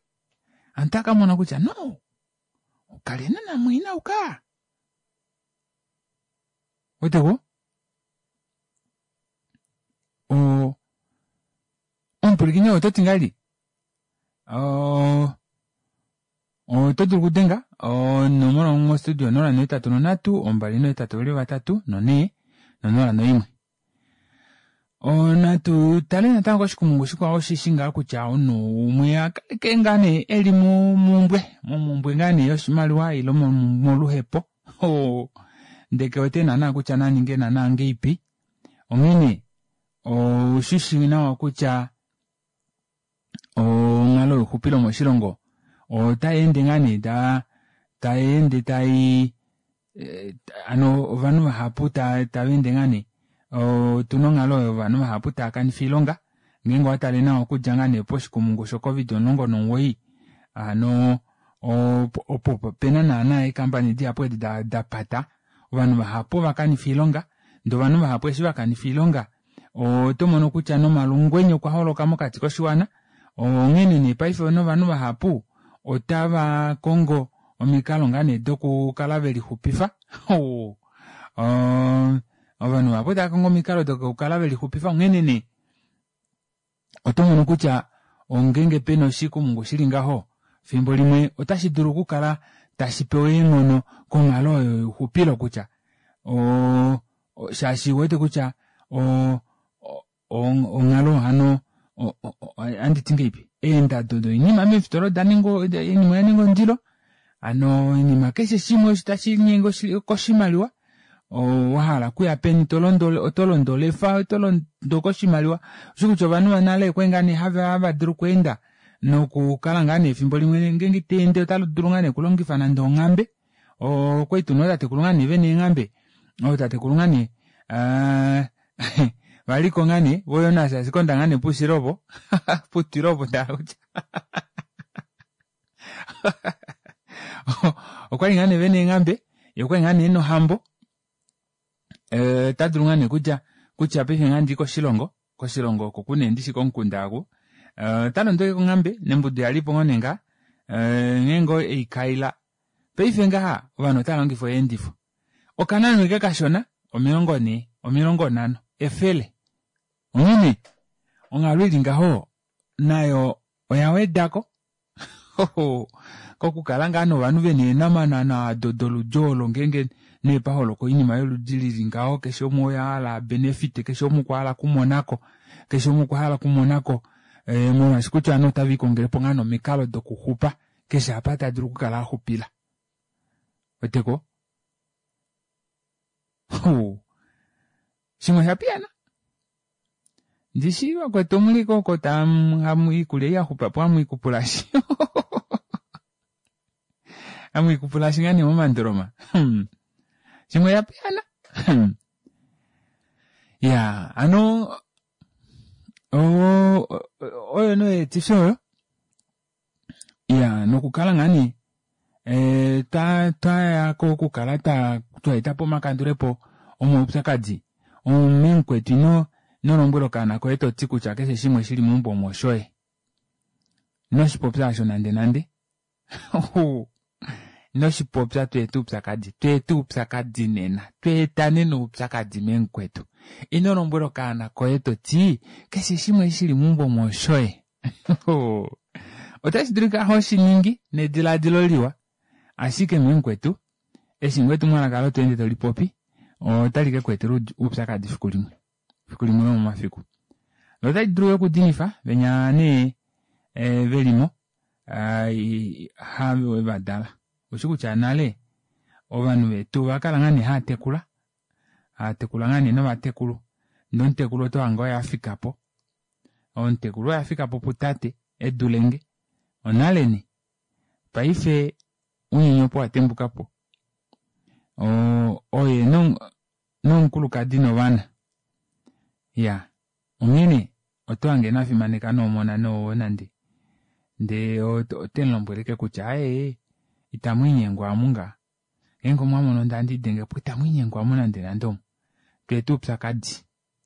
aantu otava ka mona kutya no, kalena namumwaina uka. Weteko? O omupwilikini oto ti ngahelipi? Oto dulu okudenga onomola mostudio 083 283 4 no01. Natu tale natango koshikumungu shikwao osheshi ngaa kutya omunhu umwe a kaleke ngaa nee e li momumbwe, momumbwe ngaa nee yoshimaliwa ile moluhepo. Ndele ke wete naana kutya na ninge naana ngeipi. Onghene oushi shi nawa kutya onghalo youxupilo moshilongo otai ende ngaa nee ta tai ende tai hano ovanhu vahapu tava ende ngaa nee otuna onghalo oyo ovanhu vahapu tava kanifa oilonga ngeenge owa tale nawa okudja ngaa nee poshikumungu sho covid 19 hano opo pena naana eekampani dihapu edi da pata ovanhu vahapu ova kanifa oilonga ndee ovanhu vahapu eshi va kanifa oilonga Oto mono kutya nomalungwenye okwa holoka mokati koshiwana, onghene nee paife novanhu vahapu otava kongo omikalo ngaa nee dokukala ve lixupifa. Ovanhu vahapu otava kongo omikalo dokukala ve lixupifa, onghene nee oto mono kutya ongeenge pena oshikumungu shili ngaho, fimbo limwe otashi dulu okukala tashi pewa eenghono konghalo oyo youxupilo kutya shaashi wete kutya onghalo hano andi ti ngeipi eendado doinima meefitola oda ninga oinima oya ninga ondilo hano oinima keshe shimwe osho tashi linyenge koshimaliwa wa hala okuya peni oto londo olefa oto londo koshimaliwa osho kutya ovanhu vonale okwali ngaa nee hava dulu okweenda nokukala ngaa nee efimbo limwe ngeenge ta ende ota dulu ngaa nee okulongifa nande onghambe okwali tuna ootatekulu ngaa nee vena eenghambe ootatekulu ngaa nee valiko ngaa nee voYonas asikonda ngaa nee puushilo opo putwilo opo nda kutya okwali ngaa nee vena eenghambe ye okwali ngaa nee ena ohambo ota dulu ngaa nee kutya kutya paife ngaa ndi koshilongo koshilongo oko ku nee ndishi komukunda aku ota londo ashike konghambe nembudu yalipo ngoo nee ngaa nghee ngoo eikaila paife ngaha ovanhu otava longifa oyeendifo okanano eke kashona 40 50 efele onghene onghalo ili ngaho nayo oya wedako kokukala ngaa novanhu vena eenamanana ado doludi olo ngeenge nee pa holoka oinima yoludi lili ngaho keshe umwe oya hala a benefite keshe umwe okwa hala okumonako keshe umwe okwa hala okumonako eh, molwaashi kutya ovanhu otava ikongele po ngaa nomikalo dokuxupa keshe apa ta dulu okukala a xupila weteko shimwe osha piyana Ndishi vakwetu omuli ko oko hamu iikulya ei ya xupa po hamu ikupulashi hamu ikupulashi ngaa nee momandoloma hmm. Shimwe ya piyana hmm. Ya ano oyo noyeetifi oyo Ya nokukala ngaa nee eh, twa twaya kokukala twa twa eta po omakandulepo omaupyakadi omumukwetu ino ino lombwela okaana koye to ti kutya keshe shimwe shili meumbo omo oshoye. Ino shi popya osho nande nande. Ino shi popya tu ete oupyakadi. Tu ete oupyakadi nena. Tu eta nena oupyakadi memukwetu. Ino lombwela okaana koye to ti keshe shimwe shili meumbo omo oshoye. Otashi dulika ho shi ningi nediladilo liwa, ashike memukwetu, eshi ngoo etumwalaka olo to ende to li popi, otali ke ku etela oupyakadi fiku limwe, fiku limwe lomomafiku. Lo otali dulu yo okudinifa venya nee eh, ve li mo, have va dala. Ushi kutya nale. Ovanhu vetu ovakala ngaa nee haatekula, haatekula ngaa nee novatekulu. Ndee omutekulu oto hange oye afikapo, omutekulu oye afikapo putate edulenge. Onale nee. Paife unyenye opo watembukapo. Oye nomukulukadi novana. Iyaa. Onghene oto hange ina fimaneka noomona noowo nande. Ndee ote mulombwele ashike kutya aaye itamu inyengwa amu ngaa. Ngeenge omwa mono ndee handi lidenge po itamu inyengwa amu nande nande omu. Tweeta oupyakadi.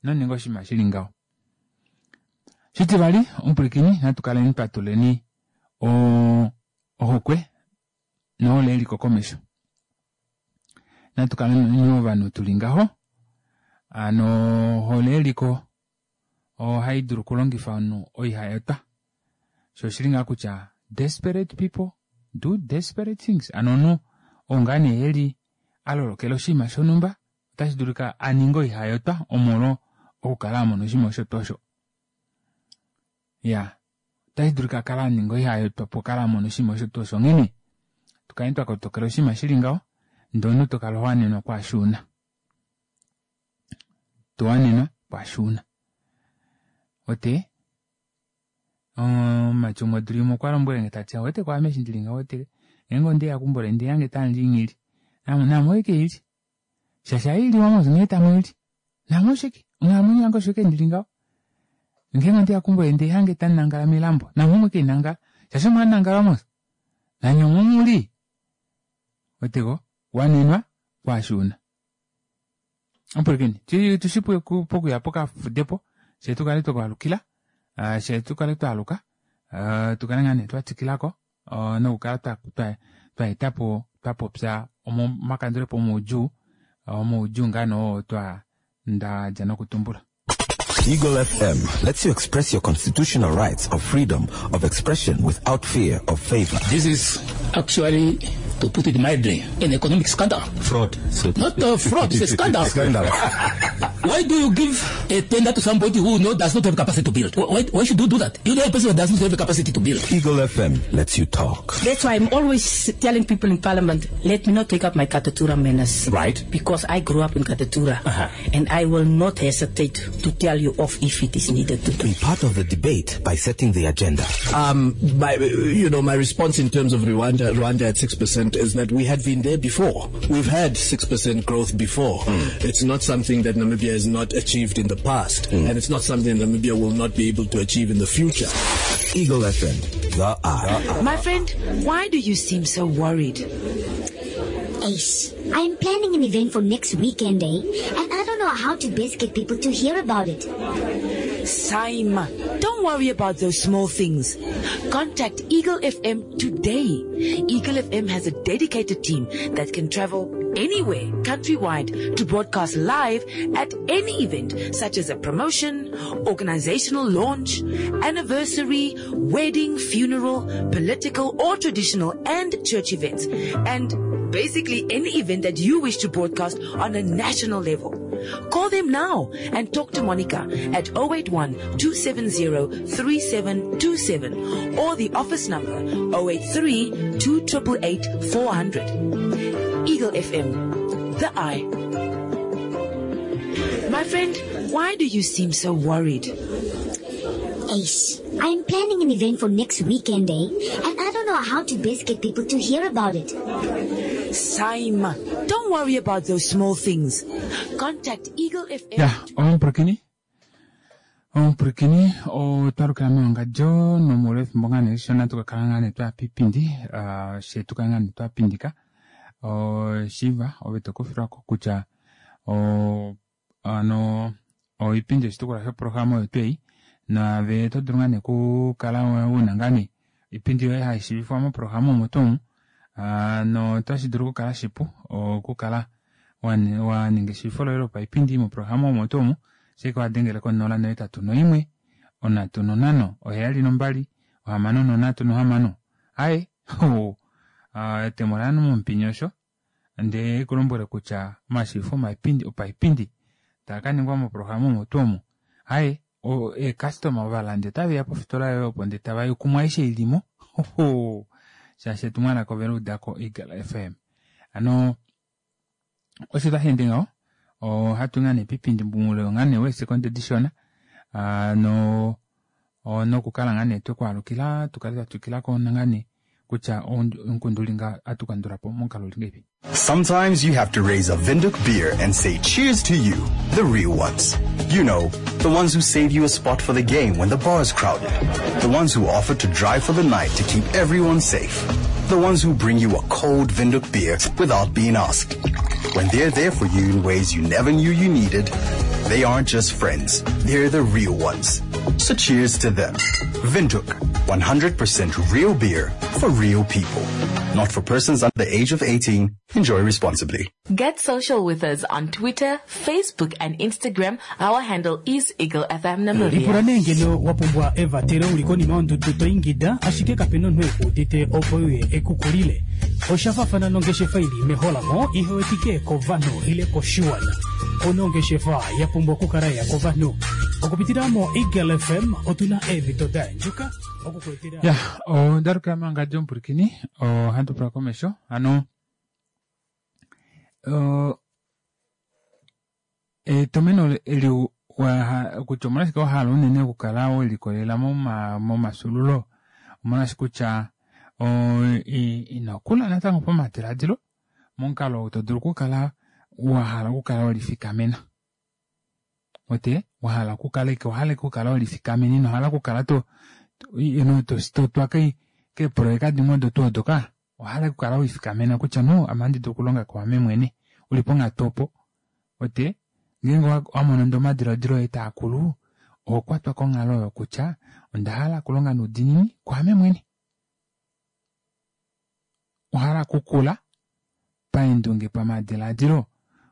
Ino ninga oshinima shili ngaho. Shitivali, omupwilikini natu kaleni twa tuleni ohokwe nohole yeliko komesho. Natu kaleni ovanhu tuli ngaho. Hano ohole yeliko ohai dulu okulongifa omunhu oihayotwa. Sho oshili ngaa kutya desperate people do desperate things. Hano omunhu oo ngaa nee eli a lolokela oshinima shonhumba otashi dulika a ninge oihayotwa omolwo okukala a mona oshinima osho tuu osho. Ya, otashi dulika a kale a ninga oihayotwa opo kale a mona oshinima osho tuu osho. Onghene tu kaleni twa kotokela oshinima shi li ngaho ndee omunhu to kala ho wanenwa kwaashi u na. To wanenwa kwaashi u na. Ote, omumati umwe odula imwe okwa lombwele nge tati, owete kwaame eshi ndili ngaho owete ngeenge ondeya keumbo leni ndee hange tamu li nghili, naame oike ili. Shaashi ohai liwa mos nghee tamu ili. Naame oshike? Onghalamwenyo yange osho ike ndili ngaho. Ngeenge ondeya keumbo leni ndee hange tamu nangala melambo, naame omo ike nangala. Shaashi omo hamu nangala mos. Nanye omo muli. Weteko? Wanenwa kwaashi una. Omupwilikini, tushi pokuya pokafudepo, fye tu kale twa alukila, fye tu kale twa aluka, tu kale ngaa nee twa twikilako nokukala twa etapo twa popya omakandulepo omaudjuu, omaudjuu ngaa nee oo twa nda dja nokutumbula. Eagle FM lets you express your constitutional rights of freedom of expression without fear of favor. This is actually, to put it mildly, an economic scandal. Fraud. Not a fraud, it's a scandal. Scandal. Why do you give a tender to somebody who does not have capacity to build? Why should you do that? You know a person who does not have the capacity to build. Eagle FM lets you talk. That's why I'm always telling people in Parliament, let me not take up my Katutura manners. Because I grew up in Katutura. And I will not hesitate to tell you off if it is needed to. Be part of the debate by setting the agenda. My response in terms of Rwanda at 6% is that we had been there before. We've had 6% growth before. It's not something that Namibia has not achieved in the past, and it's not something that Namibia will not be able to achieve in the future. Eagle FM, the eye. My friend, why do you seem so worried? Ace, I'm planning an event for next weekend, And I don't know how to best get people to hear about it. Saima, don't worry about those small things. Contact Eagle FM today. Eagle FM has a dedicated team that can travel anywhere, countrywide, to broadcast live at any event, such as a promotion, organizational launch, anniversary, wedding, funeral, political or traditional and church events, and basically any event that you wish to broadcast on a national level. Call them now and talk to Monica at 081-270-3727 or the office number 083-2888-400. Eagle FM, the eye. My friend, why do you seem so worried? Ace, I'm planning an event for next weekend, And I don't know how to best get people to hear about it. Saima, don't worry about those small things. Contact Eagle FM. Ya, omupulakeni. Omupulakeni, otwa lukila mewangadjo nomuule wefimbo ngaa nee lishona tu ka kala ngaa nee twa pipindi, fye tu kale ngaa nee twa pindika. Shiiva, ove to kufilwako kutya ano oipindi oshitukulwa shoprograma oyo tuu ei, naave oto dulu ngaa nee okukala una ngaa nee oipindi yoye hai shiivifwa moprograma omo tuu omu, notashi dulu okukala shipu okukala wa ninga eshiivifo loye lopaipindi moprograma omo tuu omu, ashike wa dengele ko 081 305 72 636. Aye, etemo laye momupini osho, ndee ku lombwele kutya omashiivifo opaipindi taa ka ningwa moprograma omo tuu omo. Aye, eecustoma ovalandi otave ya pofitola yoye opo ndee tava yuku mwaaishe ilimo. Shaashi etumwalaka ove liudako Eagle FM. Hano. Osho tashi ende ngaho ohatu ngaa nee pipindi muule ngaa nee weesekonde dishona no nokukala ngaa nee twekwaalukila tukale twa twikila ko ngaa nee kutya omukundu uli nga atu kandula po momukalo uli ngeipi. Sometimes you have to raise a Windhoek beer and say cheers to you, the real ones. You know, the ones who save you a spot for the game when the bar's crowded. The ones who offer to drive for the night to keep everyone safe. The ones who bring you a cold Windhoek beer without being asked. When they're there for you in ways you never knew you needed, they aren't just friends, they're the real ones. So cheers to them. Windhoek, 100% real beer for real people. Not for persons under the age of 18. Enjoy responsibly. Get social with us on Twitter, Facebook and Instagram. Our handle is Eagle FM Lipula Namibia. nee ngeno wa pumbwa evatelo uli konima yondudu to ingida ashike kape na omunhu ekuudite opo uye ekukulile. Osha faafana nongeshefa ili meholamo ihe wetike kovanhu ile koshiwana. Una ongeshefa ya pumbwa okukala ya kovanhu. Okupitila mo Eagle FM otuna eemhito da yandjuka okukuetela Ya, ondalukila mangadi omupulikini, ohatu pula komesho, hano etomeno eli kutya omolwashike wa hala unene okukala welikolelela momafyuululo, omolwaashi kutya ino kula natango pamadiladilo momukalo oo to dulu okukala wa hala okukala welifikamena. Ote wa hala okukala ike owa hala okukala welifikamena ino hala okukala to to twa keepoloyeka dimwe odo tuu odo ka owa hala okukala welifikamena kutya no ame ohandi dulu okulonga kwaame mwene uli ponghatu opo ote ngeenge wa mono ndee omadiladilo oye taakulu oho kwatwa konghalo oyo kutya onda hala okulonga noudiinini kwaame mwene. Owa hala okukula paendunge pamadiladilo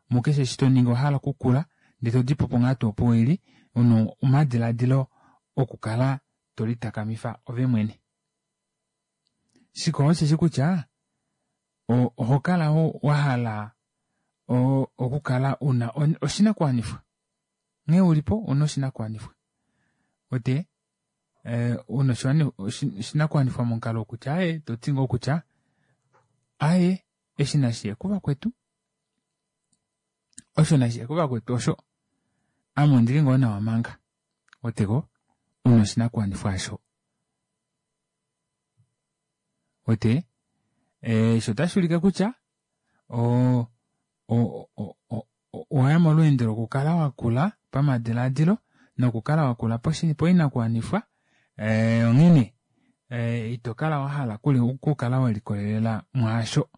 mukeshe eshi toningi owa hala okukula ndee todipo ponghatu opo uli una omadiladilo okukala tolitakamifa ove mwene. Shikwao osheshi kutya oho kala wa hala okukala una oshinakuwanifwa nghee ulipo una oshinakuwanifwa ote una oshinakuwanifwa momukalo wokutya aaye toti ngoo kutya aaye eshi nashiye kuvakwetu osho nashiye kuvakwetu osho ame ondili ngoo nawa manga oteko una oshinakuwanifwa asho ote osho otashi ulike kutya owaya molweendo lokukala wakula pamadiladilo nokukala wakula poinakuwanifwa onghene ito kala wahala okukala welikolelela mwaasho.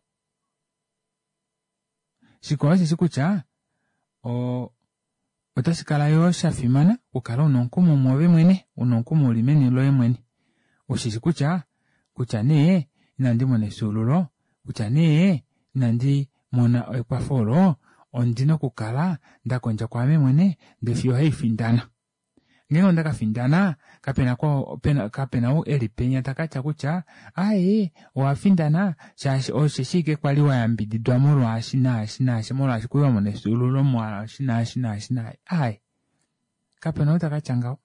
Shikwao osheshi kutya otashi kala yoo shafimana okukala una omukumo mwoove mwene, una omukumo uli meni loye mwene. Ushishi kutya kutya nee inandi mona efyuululo, kutya nee inandi mona ekwafo olo, ondina okukala ndakondja kwaame mwene ndee fiyo haifindana. Ngeenge onda kafindana kapena kapena ou eli penya takatya kutya aaye owafindana shaashi osheshi ashike kwali wayambididwa molwaashi naashi naashi molwaashi kwali wamona efyuululo molwaashi naashi naashi naashi aaye kapena ou takatya ngaho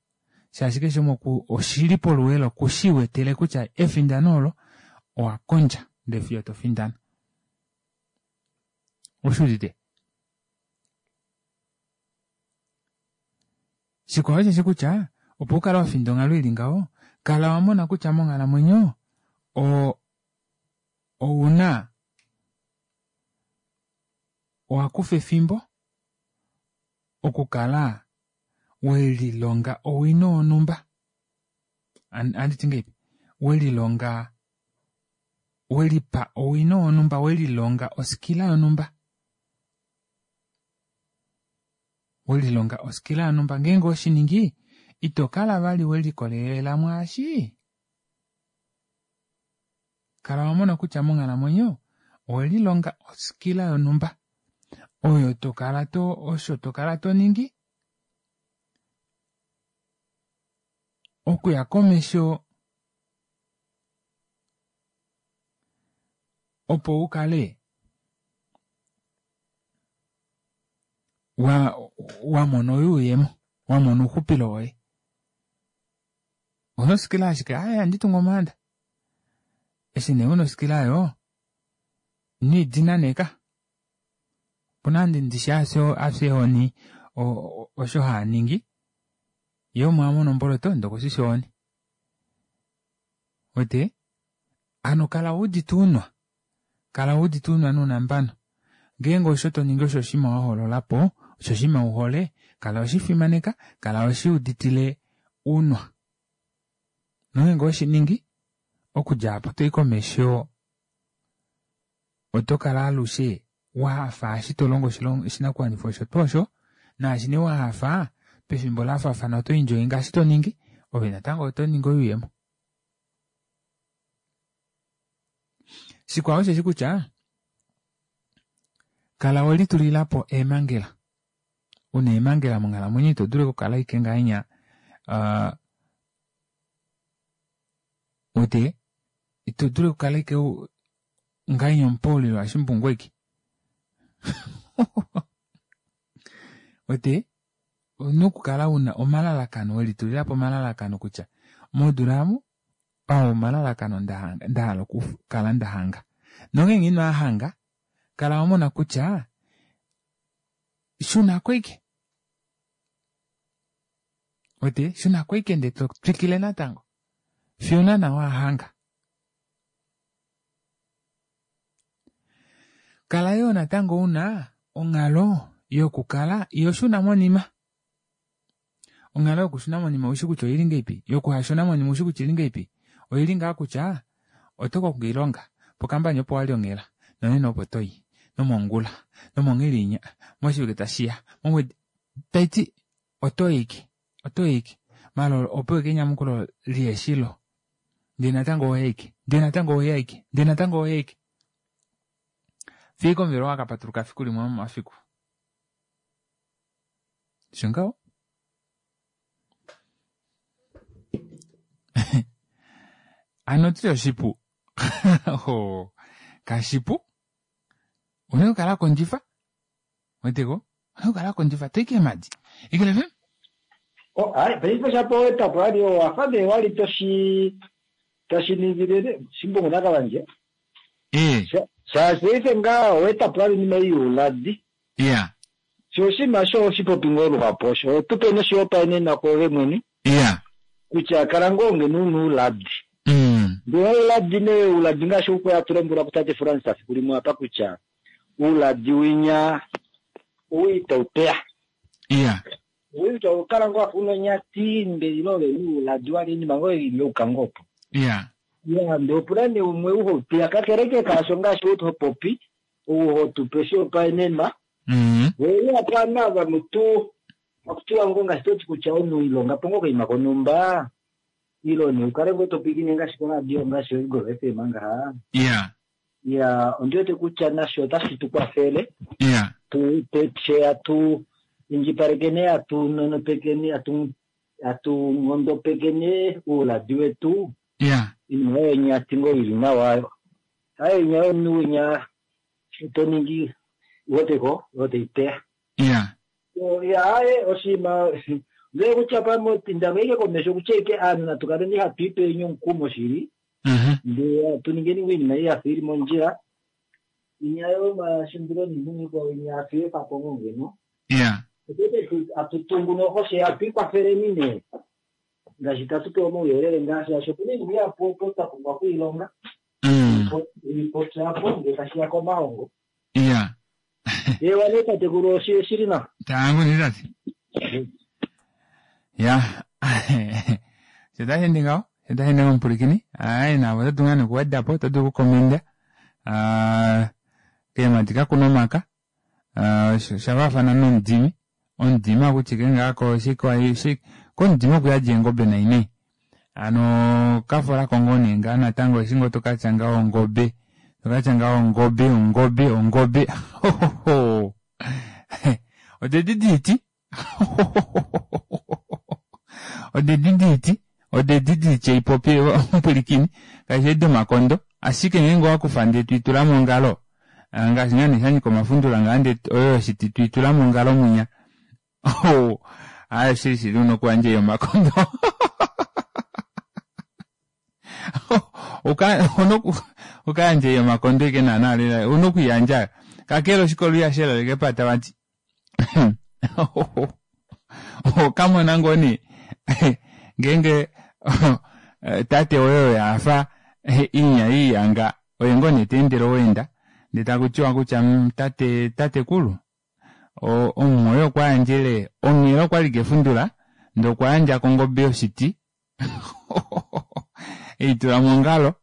shaashi keshe umwe oshili poluwela okushiwetele kutya efindano olo owakondja ndee fiyo tofindana. Oshuudite? Shikwao osheshi kutya opo ukale wafinda onghalo ili ngaho kala wamona kutya monghalamwenyo ouna owakufa efimbo okukala welilonga owino wonhumba anditi ngeipi welilonga welipa owino wonhumba welilonga oskila yonhumba welilonga oskila yonhumba ngeenge oshiningi ito kala vali welikolelela mwaashi. Kala wamona kutya monghalamwenyo owelilonga oskila yonhumba oyo tokala to osho tokala toningi okuya komesho opo ukale wamona oyuuyemo wamona ouxupilo woye. Una oskila ashike aaye ohandi tungu omaanda eshi nee una oskila aayo ino idina nee ka. Opuna ndishi afye ohoni osho haaningi ye omo amona omboloto ndee okweshisha ohoni. Wete? Hano kala wuudite uunwa. Kala wuudite uunwa nounambano. Ngeenge osho toningi osho oshinima wahoololapo, osho oshinima uhole, kala weshifimaneka, kala weshiuditile uunwa. Nongeenge oweshiningi, okudja apo toi komesho oto kala alushe wahafa eshi tolongo oshinakuwanifwa osho tuu osho, naashi nee wahafa, pefimbo lafaafana oto enjoy ngaashi toningi, ove natango oto ningi oyuuyemo. Shikwao osheshi kutya, kala welitulilapo eemangela. Una eemangela monghalamwenyo ito dulu okukala ashike ngahenya wete ito dulu okukala ashike ngahenya omupoulilo washimbungu aike. Wete ouna okukala una omalalakano welitulilapo omalalakano kutya modula omu oo omalalakano ndahala okukala ndahanga. Nongeenge inoahanga kala wamona kutya shunako aike. Wete shunako aike ndee totwikile natango fiyo naana wahanga. Kala yoo natango una onghalo yokukala ihoshuna monima. Onghalo yokushuna monima oushi kutya oili ngahelipi? Yokuhashuna monima oushi kutya oili ngahelipi? Oili ngaa kutya oto kongo oilonga pokambani opo wali onghela nonena opo toyi nomongula nomonghilinya moshivike tashiya momwedi taiti otoyi aike otoyi aike maala opo ashike enyamukulo liheshilo ndee natango ohoyi aike ndee natango ohoyi aike ndee natango ohoyi aike fiyo ashike omuvelo wakapatuluka fiku limwe lomomafiku. Osho ngaho. Hano otuli oshipu. Kashipu. Ouna okukala wakondjifa. Weteko? Ouna okukala wakondjifa. Toyi keemadi. Eagle FM? Oh, hai, paife shapo wetapo ali owafa nee wali toshi tashi ningile shimbungu nakavandje. Eh. Shaashi paife ngaa owetapo ali oinima ei youladi. Iya. Sho oshinima osho oho shi popi ngoo luhapu osho. Oho tu pe noshihopaenenwa kwoove mwene. Iya. Kutya kala ngoo ngeno u na ouladi. Ndele ouladi nee, ouladi ngaashi ou kwali hatu lombwelwa kutate Frans fiku limwe apa kutya ouladi winya owii itau teya. Iya. Owii itau kala ngoo wafa una onyati ndele ile ove na ouladi wali oinima ngoo ei inauka ngoo opo. Iya. Iya, ndele opuna nee umwe ou hau teya kakele ke kaasho ngaashi ou ho popi, ou ho tu pe oshihopaenenwa. Wee apa ovanhu ava mutu akutiwa ngoo ngaashi toti kutya omunhu ilonga po ngoo okaima konhumba ile nee ukale ngoo topwilikine ngaashi koradio ngaashi oEagle FM ngaha. Iya. Iya, ondi wete kutya nasho otashi tu kwafele. Iya. Tu fye hatu indjipalekeni hatu nonopekeni hatu hatu nghondopekeni ouladi wetu. Iya. Oinima oyo nyati ngoo ili nawa. Hayo inya yomunhu winya to ningi weteko oyo tai teya. Iya. Ya aaye oshinima ndee kutya pamwe tinda ngoo ashike komesho kutya ashike aanhu natu kaleni hatu ipeni omukumo shili ndee hatu ningeni ngoo oinima ei yafa ili mondjila inya yomashindilo niinima ikwao inya hatu i efapo ngoo ngeno. Iya. Otete hatu tungu noho fye hatu ikwafeleni nee ngaashi tatu pewa omauyelele ngaa shaashi opuna oinima ihapu opo twa pumbwa okwiilonga oipopya apo ngee tashiya komahongo. Iya. Ewa nee tatekulu oshili nawa. Tango nee tate. Ya. Sho tashi ende ngaho, sho tashi ende ngaho omupwilikini. Aye naave oto dulu ngaa nee okuweda po, oto dulu okukomenda. Keemhadi kakuna omaka. Osha faafana nomudimi. Omudimi ohaku ti ike ngaa ko komudimi okuyadi eengobe nai nai. Hano kafola ko ngoo nee ngaa natango eshi ngoo tokatya ngaho ongobe, tokatya ngaho ongobe, ongobe, ongobe. Hohoho. Odedi diiti. Odedi diiti. Odedi diitya ipopi omupwilikini. Kaishi edi domakondo. Ashike ngeenge owakufa ndee twiitula mongalo, ngaashi ngaa nee shanyika omafundula ngaa ndee oyo yoshiti twiitula mongalo mwinya. Oh, aaye shili shili una okuyandja ei yomakondo. Uka, una ukayandja ei yomakondo ike naana lela, una okuyandja. Kakele oshikolo ihashi elaleke epata vati. Okamona ngoo nee ngeenge tate woye oye afa inya iiyanga oye ngoo nee teendele oweenda ndee taku tiwa kutya mm, tate tatekulu omumwoye okwa yandjele onghela okwali kefundula ndee okwa yandja kongobe yoshiti eitula mongalo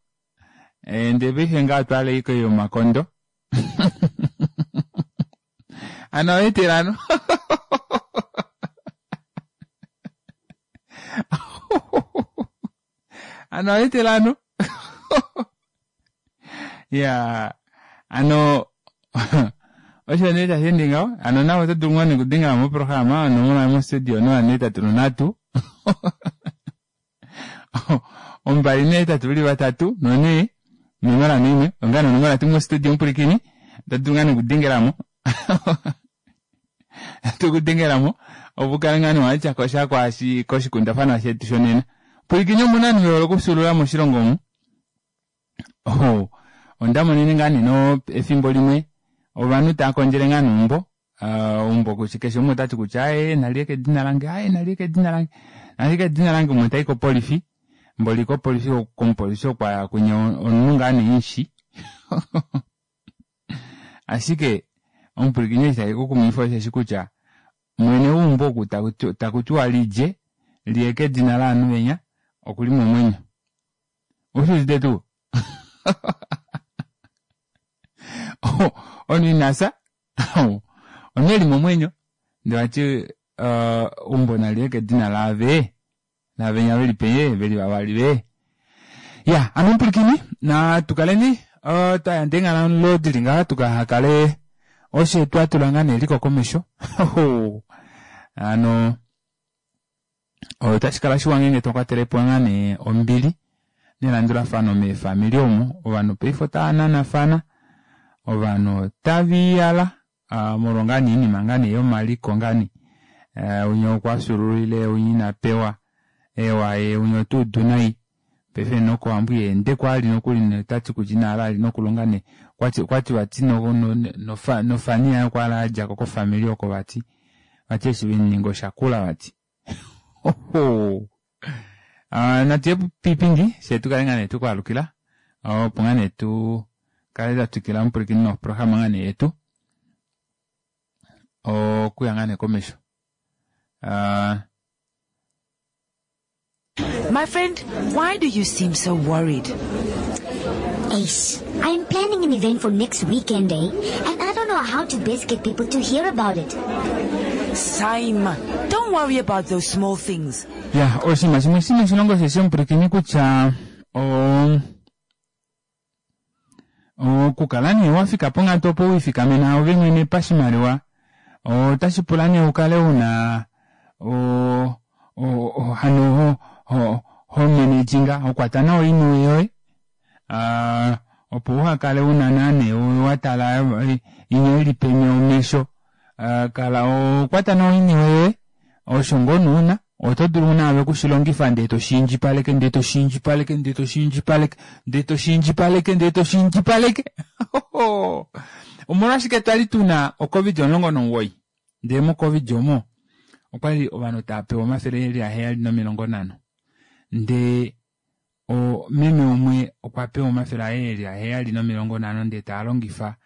eh, ndee paife ngaa otwaale iko yomakondo ano oetelano ano oetelano ya ano osho nee tashi ende ngaho ano nawe oto dulu ngoo nekudengela moprograma onomola yomostudio 083 283 4 nomola noimwe onga nonomola tu mostudio omupulikini oto dulu ngaa nekudengelamo tukudengelamo opo ukale ngaa newatya kosha kwaashi koshikundafanwa shetu shonena pulikini omuna ovanhu vehole okufyuulula moshilongo omu oh, onda monene ngaa neno efimbo limwe ovanhu tava kondjele ngaa neumbo uh, umbo kutya keshe umwe otati kutya aye naliye kedina lange aye naliye kedina lange naliye kedina lange umwe tai kopolifi mboli kopolifi komupolifi okwa kunya omunhu ngaa nee ashike omupwilikini eshi tashi kukumwifa osheshi kutya mwene weumbo oku taku tiwa lilye liye kedina laanhu venya okuli momwenyo ushi udite tuu omunhu ina fya omunhu eli momwenyo ndee vati eumbo naliye kedina laave navenya veli peye veli vavali ve ya ano omupwilikini natu kaleni uh, twa yanda eenghalo dili ngaha tukahakale oshe twa tula ngaa neliko komesho ano otashi kala shiwa ngeenge twa kwatele po ngaa nee ombili nelandulafano meefamili omo ovanhu paife otava nanafana ovanhu otava iyala uh, molwa ngaa nee iinima ngaa nee yomaliko ngaa nee uh, unya okwa fyuululile unya ina pewa ewa ye unya ota udu nai paife nokowambo iha ende ali nokuli notati kutya ina hala ali nokulonga ne okwati okwati vati no, no, no, nofani yaye okwa hala yadjako kofamili oko vati vati eshi vemuninga oshakula vati oho uh, natu ye piipindi fye tukale ngaa nee tukwaalukila opo ngaa nee tu kale twa twikila omupwilikini noprograma ngaa nee yetu okuya ngaa nee komesho uh, My friend, why do you seem so worried? Ace, I am planning an event for next weekend, eh? And I don't know how to best get people to hear about it. Saima, don't worry about those small things. Ya, oshinima shimwe shina oshilongo sheshi omupwilikini kutya o okukala nee wa fika ponghatu opo wiifikamena ove mwene pashimaliwa otashi pula nee ukale una o o hano ho ho ho manajinga ho kwata nawa oiniwe yoye uh, opo uhakale una naane wa tala inya ili peni omesho uh, kala okwata nawa oiniwe yoye osho ngoo nuuna oto dulu naave okushilongifa ndee toshiindjipaleke ndee toshiindjipaleke ndee toshiindjipaleke ndee toshiindjipaleke ndee toshiindjipaleke omolwashike twali tuna ocovid 19 ndee mocovid omo okwali ovanhu tava pewa omafele eli aheyali nomilongo nhano ndee meme umwe okwa pewa omafele aye eli aheyali nomilongo nhano ndee taa longifa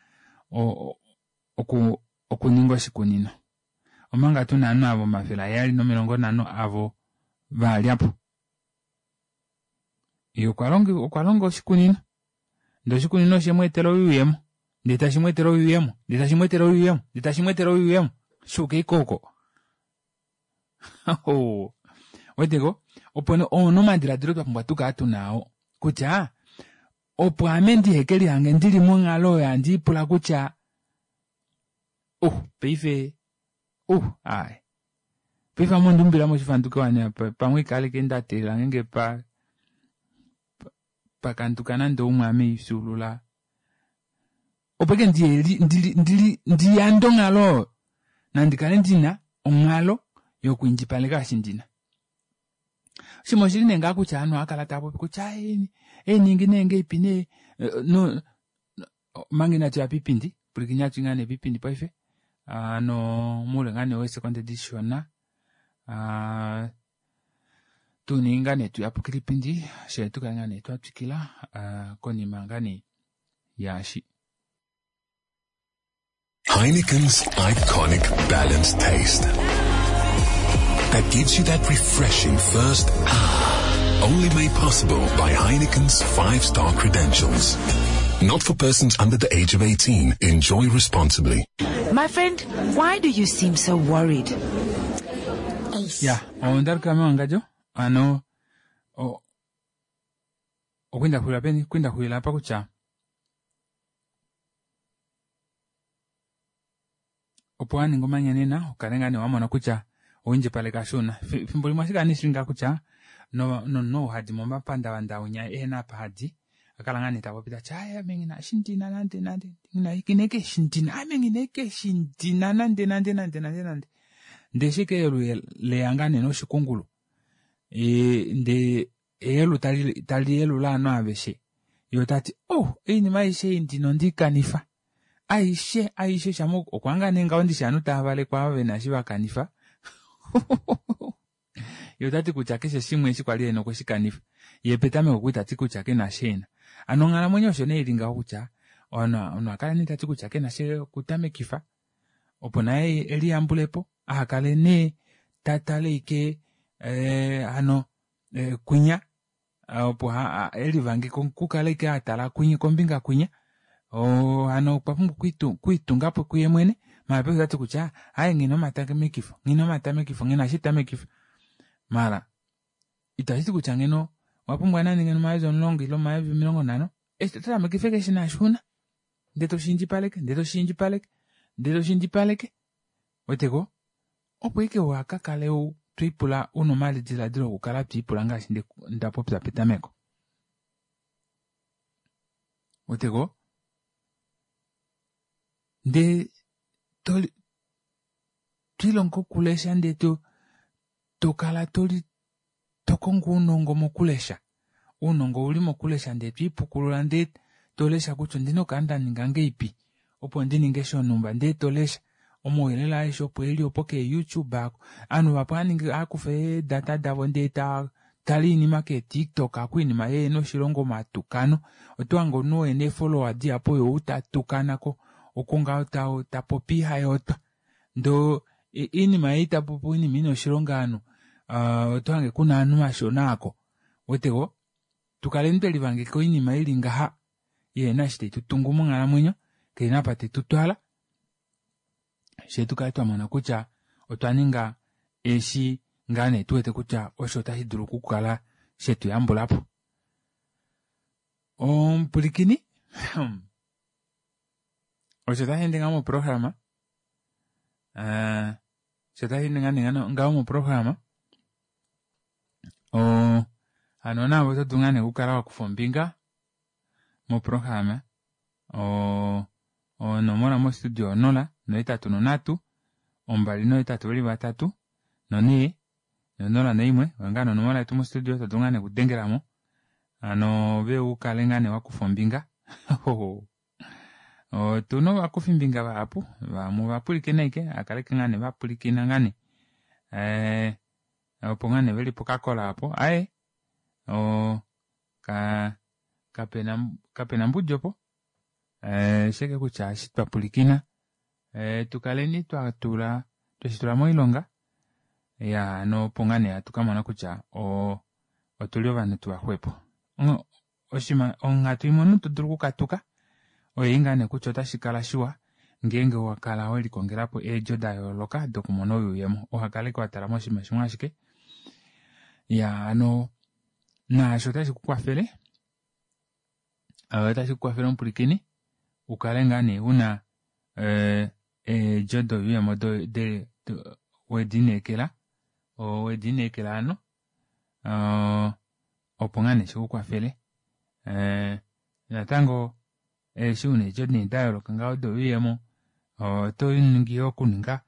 okuninga oshikunino omanga tuna ovanhu avo omafele aheyali nomilongo nhano avo valyapo ye okwa longa oshikunino ndee oshikunino oshe mu etela oyuuyemo ndee tashi mu etele oyuuyemo ndee tashi mu etele oyuuyemo ndee tashi mu etele oyuuyemo shuuka ikoko weteko opo oona omadiladilo twa pumbwa tukala tunao kutya opo ame ndiheke lihange ndili monghalo oyo handi ipula kutya uh paife uh ai paife ame ondumbila moshifanduke wane pamwe ikaleke nda teelela ngenge pa pakanduka nande umwe ame ifyuulula opo ike ndiyande onghalo oyo nandi kale ndina onghalo yokwiindjipaleka eshi ndina oshinima oshili nee ngaa kutya ovanhu ohava kala tava popi kutya eeningi nee ngeipi nee no manga inatu ya piipindi. Pwilikini hatu i ngaa nee pipindi paife ano muule ngaa nee weesekonde dishona ah, tu ngaa nee tuyapukile ipindi she tukale ngaa nee twa twikila ah, konima ngaa nee yaashi. Heineken's iconic balanced taste. That gives you that refreshing first ah. Only made possible by Heineken's five-star credentials. Not for persons under the age of 18. Enjoy responsibly. My friend, why do you seem so worried? Ya, ondaluka mewangadjo ano okwinda xulila peni kwinda xulila apa kutya opo waninga omanyanena ukale ngaa nee wamona kutya owindjipaleka shuuna fimbo limwe ashike ani shili ngaa kutya nomunhu ou hadi momapandavanda unya ehena apa hadi akala ngaa nee tapopi tati aye ame nghina shindina nande nande ngineke shindina ame ngineke shindina nande nande nande nande nande ndee shike eyelu leya ngaa nee noshikungulu ndee eyelu tali yelula ovanhu aveshe ye otati oh oinima aishe ei ndina ondeikanifa aishe aishe shama okwa ngaa nee ngaho ndishi ovanhu tava valekwa ava vena eshi vakanifa ye otati kutya keshe shimwe eshi kwali ena okwe shikanifa ye petameko okwali tati kutya kena eshi ena hano onghalamwenyo osho nee ili ngaho kutya omunhu akala nee tati kutya kena shekutamekifa opo naye eliyambulepo ahakale nee tatale ike hano kwinya opo elivange kukala ike atala kwinya kombinga kwinya hano okwa pumbwa okwiitungapo kuye mwene maala paife otati kutya aaye nghina omatamekifo nghina omatamekifo nghina shitamekifa maala itashiti kutya ngeno owapumbwa nande ngeno omayovi 10 ile omayovi 50 eshi totamekifa eke shina shuuna ndee toshiindjipaleke ndee toshiindjipaleke ndee toshiindjipaleke weteko opo ike wakakale twiipula una omadiladilo okukala twiipula ngaashi ndapopya petameko weteko ndee twilonga okulesha ndee tokala toli tokongo ounongo mokulesha ounongo ouli mokulesha ndee twiipukulula ndee tolesha kutya ondina okukala ndaninga ngeipi opo ndininge shonumba ndee tolesha omauyelele aeshe opo eli opo kee youtube ako ovanhu vahapu haakufa eedata davo ndee tale oinima kee tiktok ako oinima yeena oshilongo omatukano otohange omunhu oo ena eefollower dihapu oye ou tatukanako oko ngaho tapopi ihayootwa ndoo oinima ei tapopi oinima ina oshilonga ovanhu otohange kuna ovanhu vashona aako weteko tukaleni twelivangeka oinima ili ngaha ihena eshi taitutungu monghalamwenyo kaina apa taitutwala shee tukale twamona kutya otwa ninga eshi ngaa nee tuwete kutya osho otashi dulu okukala shetuyambulapo omupulikini osho tashi ende ngaho moprograma osho tashi ende ngaho moprograma hano naave oto dulu ngaa nee okukala wakufa ombinga moprograma onomola mostudio 0 83 283 4 01 oyo ngaa nee onomola yetu mostudio to dulu ngaa nee okudengelamo hano ove ukale ngaa nee wakufa ombinga otuna ovakufimbinga vahapu vamwe ovapwilikina aike akaleke ngaa nee vapulikina ngaa nee opo ngaa nee veli pokakola apo aaye kapena mbudi opo sheke kutya eshi twapulikina tukaleni twatula tweshitula moilonga ya hano opo ngaa nee hatu kamona kutya otuli ovanhu tuvaxwepo onghatu imwe omunhu todulu okukatuka oyo ngaa nee kutya otashi kala shiwa ngeenge wakala welikongelapo eedjo dayooloka dokumona oyuuyemo uhakale watala moshinima shimwe ashike ya hano naasho otashi kukwafele otashi kukwafele omupulikini ukale ngaa nee una eedjo doyuuyemo wedineekela wedineekela hano opo ngaa nee shikukwafele natango eshi una eedjo nee dayooloka ngaho doyuuyemo oto ningi yoo okuninga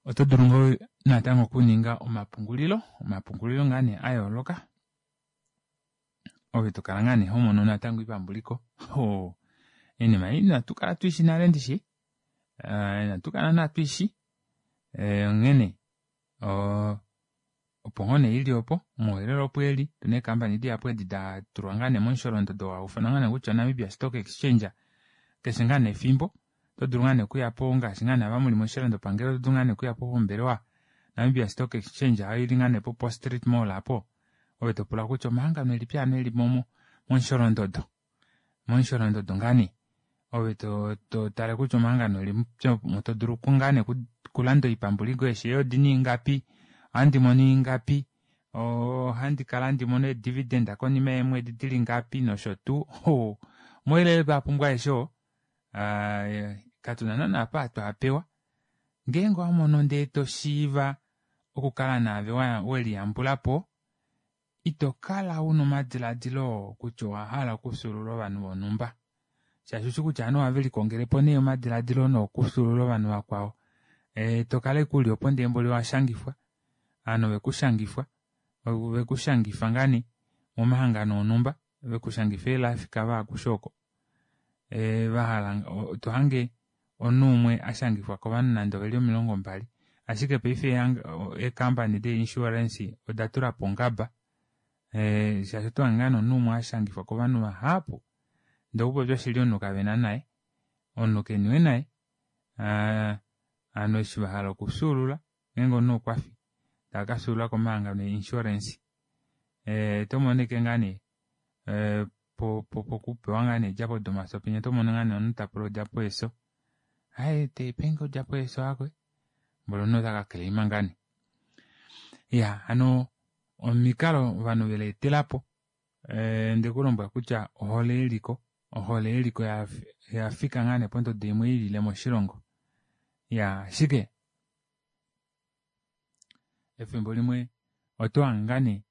oto dulu ngoo natango okuninga omapungulilo omapungulilo ngaa nee ayooloka ove tokala ngaa nee homono natango oipambuliko. Oinima ei inatu kala tuishi nale ndishi. Inatu kala naana tuishi. Onghene opo ngoo nee ili opo, omauyelele opo eli, otuna eekampani dihapu edi da tulwa ngaa nee momusholondodo oo hau ifanwa ngaa nee kutya Namibia Stock Exchange keshe ngaa nee efimbo oto dulu ngaa nee okuya po ngaashi ngaa nee ava muli moshilandopangelo oto dulu ngaa nee okuya po pombelewa Namibia Stock Exchange oyo ili ngaa nee po Post Street Mall apo ove to pula kutya omahangano elipi hano eli momusholondodo momusholondodo ngaa nee ove to to tale kutya omahangano elipi omo to dulu ngaa nee okulanda oipambuliko eshi odina ingapi ohandi mono ingapi ohandi kala handi mono eedividend konima yeemwedi dili ngapi nosho tuu omauyelele twa pumbwa aeshe oo katuna naana apa twa pewa ngeenge owamono ndee toshiiva okukala naave weliyambulapo ito kala una omadilaadilo kutya owahala okufyuulula ovanhu vonhumba shaashi ushi kutya ovanhu ohave likongelepo nee omadilaadilo nookufyuulula ovanhu vakwao tokala ashike uli opo ndee mboli owashangifwa ovanhu ovekushangifwa ovekushangifa ngaa nee momahangano onhumba vekushangifa eelife cover akushe oko vahala tohange omunhu umwe ashangifwa kovanhu nande oveli 20 ashike paife eekampani dee-insurance oda tulapo ongaba shaashi oto hange ngaa nee omunhu umwe ashangifwa kovanhu vahapu ndee okupopya oshili omunhu kavena naye omunhu keniwe naye ovanhu eshi vahala okufyuulula ngeenge omunhu okwafi tava kafyuulula komahangano e-insurance oto mono ashike ngaa nee pokupewa ngaa nee eedjapo domafyo penya oto mono ngaa nee omunhu tapula odjapo yefyo aaye penge odjapo yefyo aakwe mboli omunhu ota ka-claima ngaa nee. Iya hano omikalo ovanhu veleetelapo ondekulombwela kutya ohole yeliko ohole yeliko yafika ngaa nee pondodo imwe ilile moshilongo iya ashike efimbo limwe oto hange ngaa nee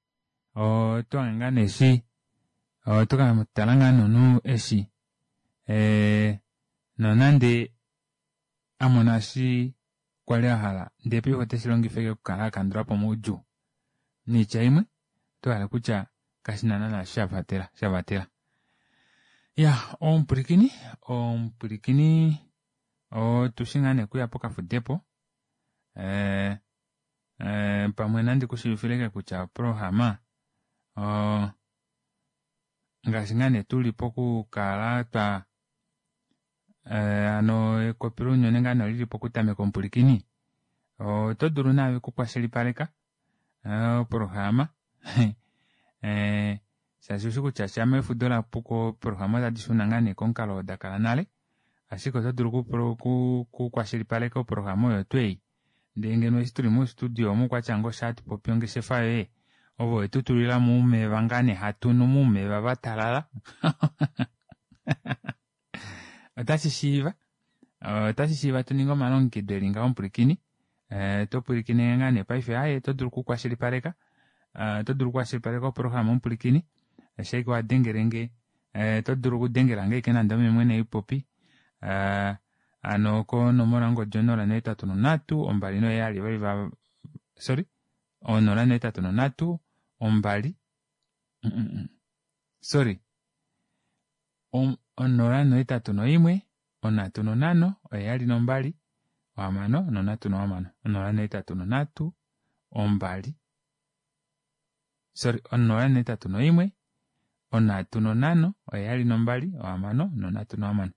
oto hange ngaa nee eshi oto katala ngaa nomunhu eshi nonande amona eshi kwali ahala ndee paife oteshi longifa ashike okukala akandulapo omaudjuu. Noitya imwe oto hala kutya kashina naana shavatela shavatela. Iya omupwilikini omupwilikini otushi ngaa nee okuya pokafudepo pamwe nandi kushiivifile kutya oprograma ngaashi ngaa nee tuli pokukala twa hano ekopi lounyuni ngaa nee olili pokutameka omupwilikini oto dulu naave okukwashilipaleka oprograma shaashi ushi kutya shama efudo lapuko oprograma otadi shuna ngaa nee komukalo oo dakala nale ashike oto dulu okukwashilipaleka oprograma oyo tuu ei ndee ngeno eshi tuli mostudio omu kwatya ngoo sha hatupopi ongeshefa yoye ovo wetu tulila moumeva ngaa nee hatunu moumeva vatalala otashi shiiva otashi shiiva tuninge omalongekido eli ngaho omupwilikini oto pwilikine ngaa nee paife aaye oto dulu okukwashilipaleka oto dulu okukwashilipaleka oprograma omupwilikini shaike wadengelenge oto dulu okudengela ashike nande ome mwene haipopi hano konomola yongodi 083 2 sorry 083 2 sorry 081 35 72 6 083 2 sorry 081 35 72 6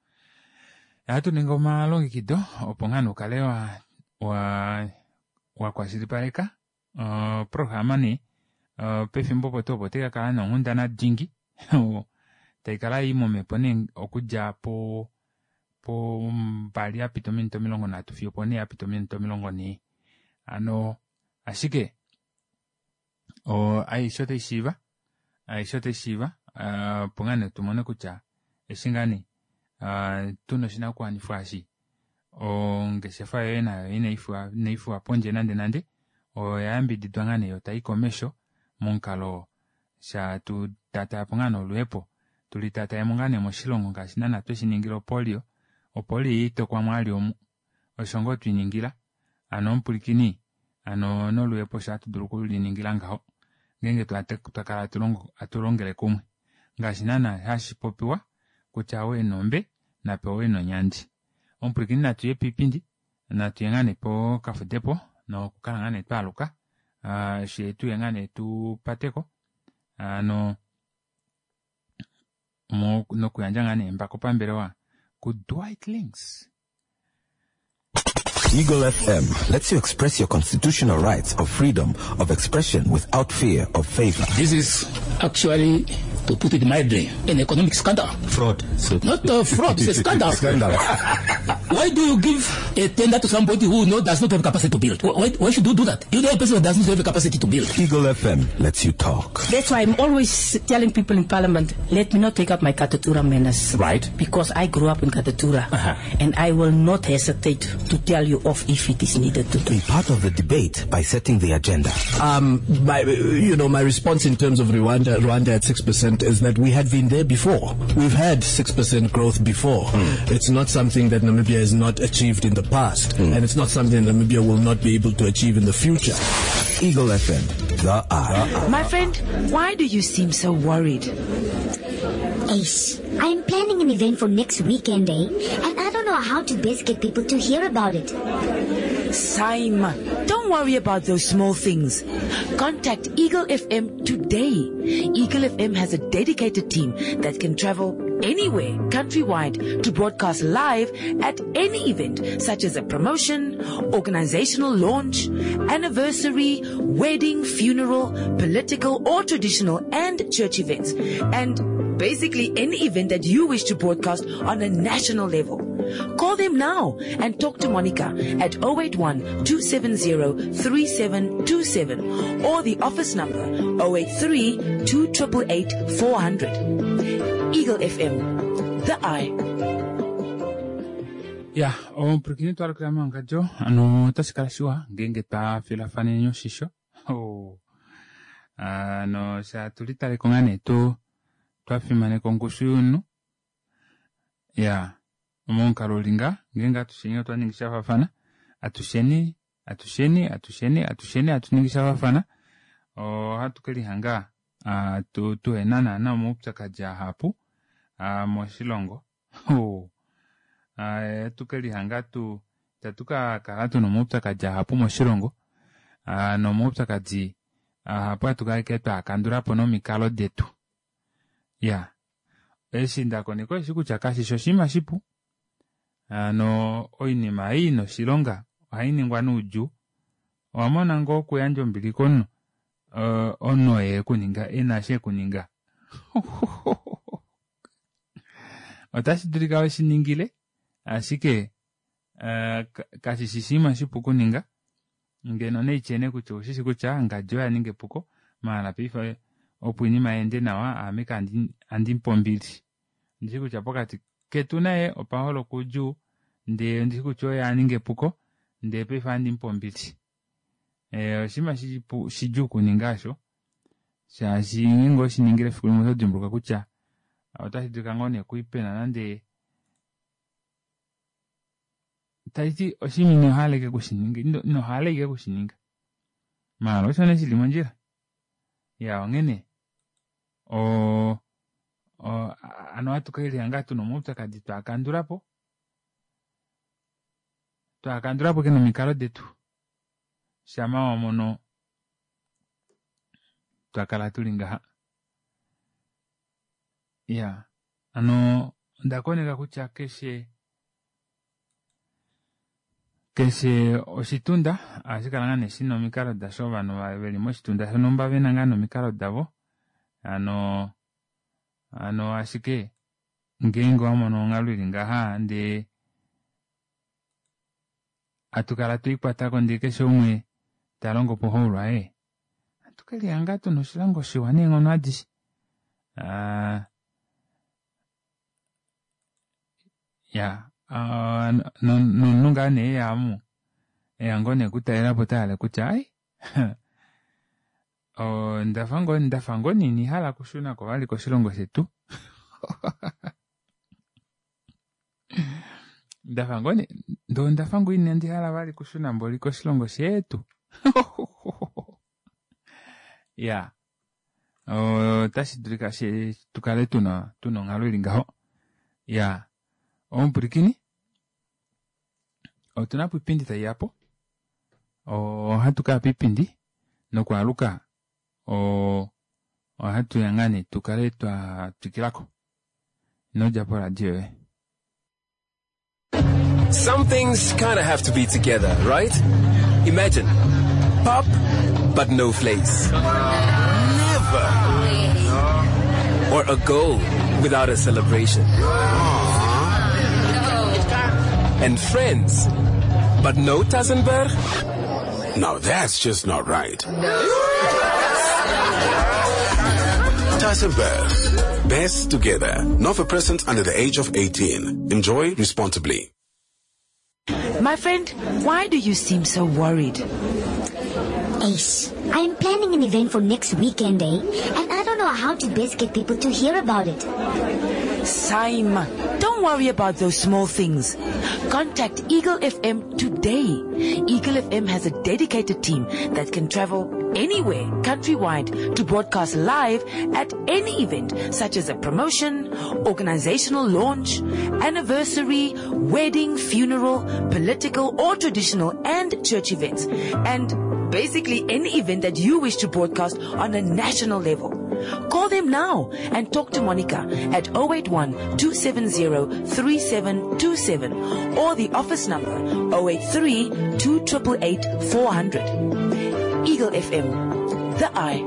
Ohatu ningi omalongekido opo ngaa nee ukale wakwashilipaleka oprograma nee pefimbo opo tuu opo otai kakala nonghundana dingi taikala ii momhepo nee okudja po 2 yapita ominute 30 fiyo opo 4 yapita ominute 40 hano ashike aishe otai shiiva aishe otai shiiva opo ngaa nee tumone kutya eshi ngaa nee tuna oshinakuwanifwa eshi ongeshefa yoye nayo inaifiwa pondje nande nande oya yambididwa ngaa nee yo tai komesho momukalo sha tu tatayapo ngaa nee oluhepo tuli tatayemo ngaa nee moshilongo ngaashi naana tweshi ningila opolio opolio iitokwa mwali omu osho ngoo twiningila hano omupwilikini hano noluhepo osho hatu dulu okuliningila ngaho ngeenge twakala hatu longele kumwe ngaashi naana hashi popiwa kutya ou ena ombe Napewe nonyandi. Omupwilikini natu ye piipindi, natu ye ngaa nee pokafudepo nokukala ngaa nee twaaluka, fye tuye ngaa nee tu pateko ano nokuyandja ngaa nee embako pambelewa kuDwight Links. Eagle FM lets you express your constitutional rights of freedom of expression without fear of favor. This is actually, to put it mildly, an economic scandal. Fraud. Not a fraud, it's a scandal. Scandal. Why do you give a tender to somebody who does not have capacity to build? Why should you do that? You know a person who does not have the capacity to build. Eagle FM lets you talk. That's why I'm always telling people in Parliament, let me not take up my Katutura manners. Right. Because I grew up in Katutura. And I will not hesitate to tell you off if it is needed to. Be part of the debate by setting the agenda. My response in terms of Rwanda at 6% is that we had been there before. We've had 6% growth before. It's not something that Namibia has not achieved in the past, and it's not something that Namibia will not be able to achieve in the future. Eagle FM, the eye. My friend, why do you seem so worried? Ace, I'm planning an event for next weekend, And I don't know how to best get people to hear about it. Saima, don't worry about those small things. Contact Eagle FM today. Eagle FM has a dedicated team that can travel anywhere countrywide to broadcast live at any event, such as a promotion, organizational launch, anniversary, wedding, funeral, political or traditional and church events, and basically any event that you wish to broadcast on a national level. Call them now and talk to Monica at 081-270-3727 or the office number 083-2888-400. Eagle FM, the eye. Ya, omupwilikini twalukila mewangadjo, ano otashi kala shiwa ngeenge twa filafaneni oshisho. Oh. Ano sha tuli taleko ngaa nee twa fimaneka ongushu yomunhu. Ya, momukalo uli nga, ngeenge atusheni otwa ningi sha faafana, atusheni, atusheni, atusheni, atusheni, atu ningi sha faafana, ohatu ke lihanga, tuhena naana omaupyakadi ahapu, moshilongo. Oh. Ohatu ke lihanga itatu ka kala tuna omaupyakadi ahapu moshilongo, nomaupyakadi ahapu hatu kala ashike twa kandula po nomikalo detu. Ya, eshi nda koneka eshi kutya kashi shi oshinima shipu. Ano oinima ei ina oshilonga ohai ningwa noudjuu. Owa mona ngoo okuyandja ombili komunhu, omunhu oye ekuninga, ena shi ekuninga. Otashi dulika we shi ningile, ashike kashi shi oshinima shipu okuninga. Ngeno neityene kutya oushi kutya ngadi oya ninga epuko, maala paife opo oinima yeende nawa, aame andi mupe ombili. Ndishi kutya pokati ketu naye opa holoka oudjuu, ndee ndishi kutya oye a ninga epuko, ndee paife andi mupe ombili. Oshinima shidjuu okuninga osho, shaashi ngeenge owe shi ningile efiku limwe oto dimbuluka kutya otashi dulika ngoo nee kuipena nande taiti oshinima ino hala ike kushininga, ino hala ike kushininga. Maala osho nee shili mondjila. Ya, onghene, ano ohatu ka lihanga tuna omaupyakadi twakandula po. Twakandula po ke nomikalo detu. Shama wa mono twakala tuli ngaha. Ya, ano onda koneka kutya keshe oshitunda ohashi kala ngaa nee shina omikalo dasho, ovanhu veli moshitunda shonhumba vena ngaa nomikalo davo. Ano ashike ngeenge wa mono onghalo ili ngaha ndee atu kala tweikwatako ndee keshe umwe ta longo po houlwaye, atu ke lihanga tuna oshilongo shiwa neenghono adishe. Ya, nomunhu ngaa nee eya omu, eya ngoo nee okutalelapo ota hala kutya, ai, ndafa ngoo nee hala okushunako vali koshilongo shetu. Ndafa ngoo nee, ndoo ndafa ngoo inandi hala vali okushuna mboli koshilongo shetu. Ya, otashi dulika tukale tuna onghalo ili ngaho. Ya, Omupwilikini, otuna po ipindi tai ya po. Ohatu ka ya piipindi nokwaaluka ohatu ya ngaa nee tu kale twa twikila ko. Ino dja poradio yoye. Some things kind of have to be together, right? Imagine pop, but no flakes. Never. Or a goal without a celebration. And friends, but no Tassenberg? Now that's just not right. Tassenberg. Best together. Not for persons under the age of 18. Enjoy responsibly. My friend, why do you seem so worried? Ace, I am planning an event for next weekend, eh? And I don't know how to best get people to hear about it. Saima, don't worry about those small things. Contact Eagle FM today. Eagle FM has a dedicated team that can travel anywhere countrywide to broadcast live at any event such as a promotion, organizational launch, anniversary, wedding, funeral, political or traditional and church events. And basically any event that you wish to broadcast on a national level. Call them now and talk to Monica at 081 270 3727 or the office number 083 2888 400. Eagle FM, the eye.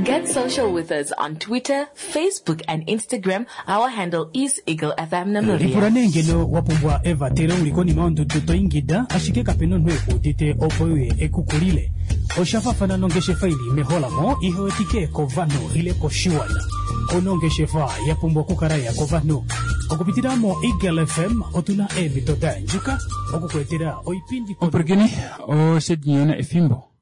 Get social with us on Twitter, Facebook, and Instagram. Our handle is Eagle FM Lipula Namibia. nee ngeno wa pumbwa evatelo uli konima yondudu to ingida ashike kape na omunhu e ku udite opo uye ekukulile. Osha faafana nongeshefa ili meholamo ihe wetike kovanhu ile koshiwana. Ouna ongeshefa ya pumbwa okukala ya kovanhu. Okupitila mo Eagle FM otuna eemhito da yandjuka okukuetela oipindi Omupwilikini, oshedinyona efimbo.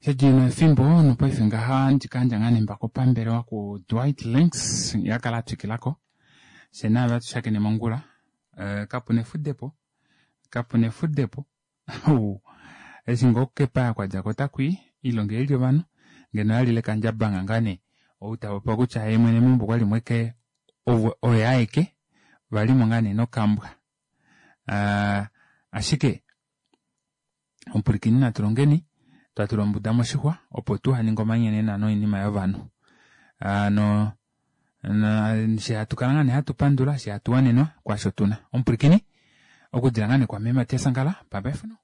Shedinyona efimbo nopaife ngaha ndikandja ngaa nembako pambelewa ku Dwight Links yakala atwikilako. Fye naave atushakene mongula. Eh, kapuna efudepo. Kapuna efudepo. Eshi ngoo kepaya kwa djako otaku i, oilonga ili ovanhu, ngeno yalile kandjabanga ngaa nee ou tapopiwa kutya yee mwene meumbo okwali mo ashike oye aeke, valimo ngaa nee nokambwa. Ah, ashike omupwilikini natu longeni twa tula ombuda moshixwa opo tuhaninge omanyenena noinima yovanhu. Hano she hatu kala ngaa nee hatu pandula she hatu wanenwa kwaasho tuna. Omupwilikini okudila ngaa nee kwame Matias Angala, bye bye for now.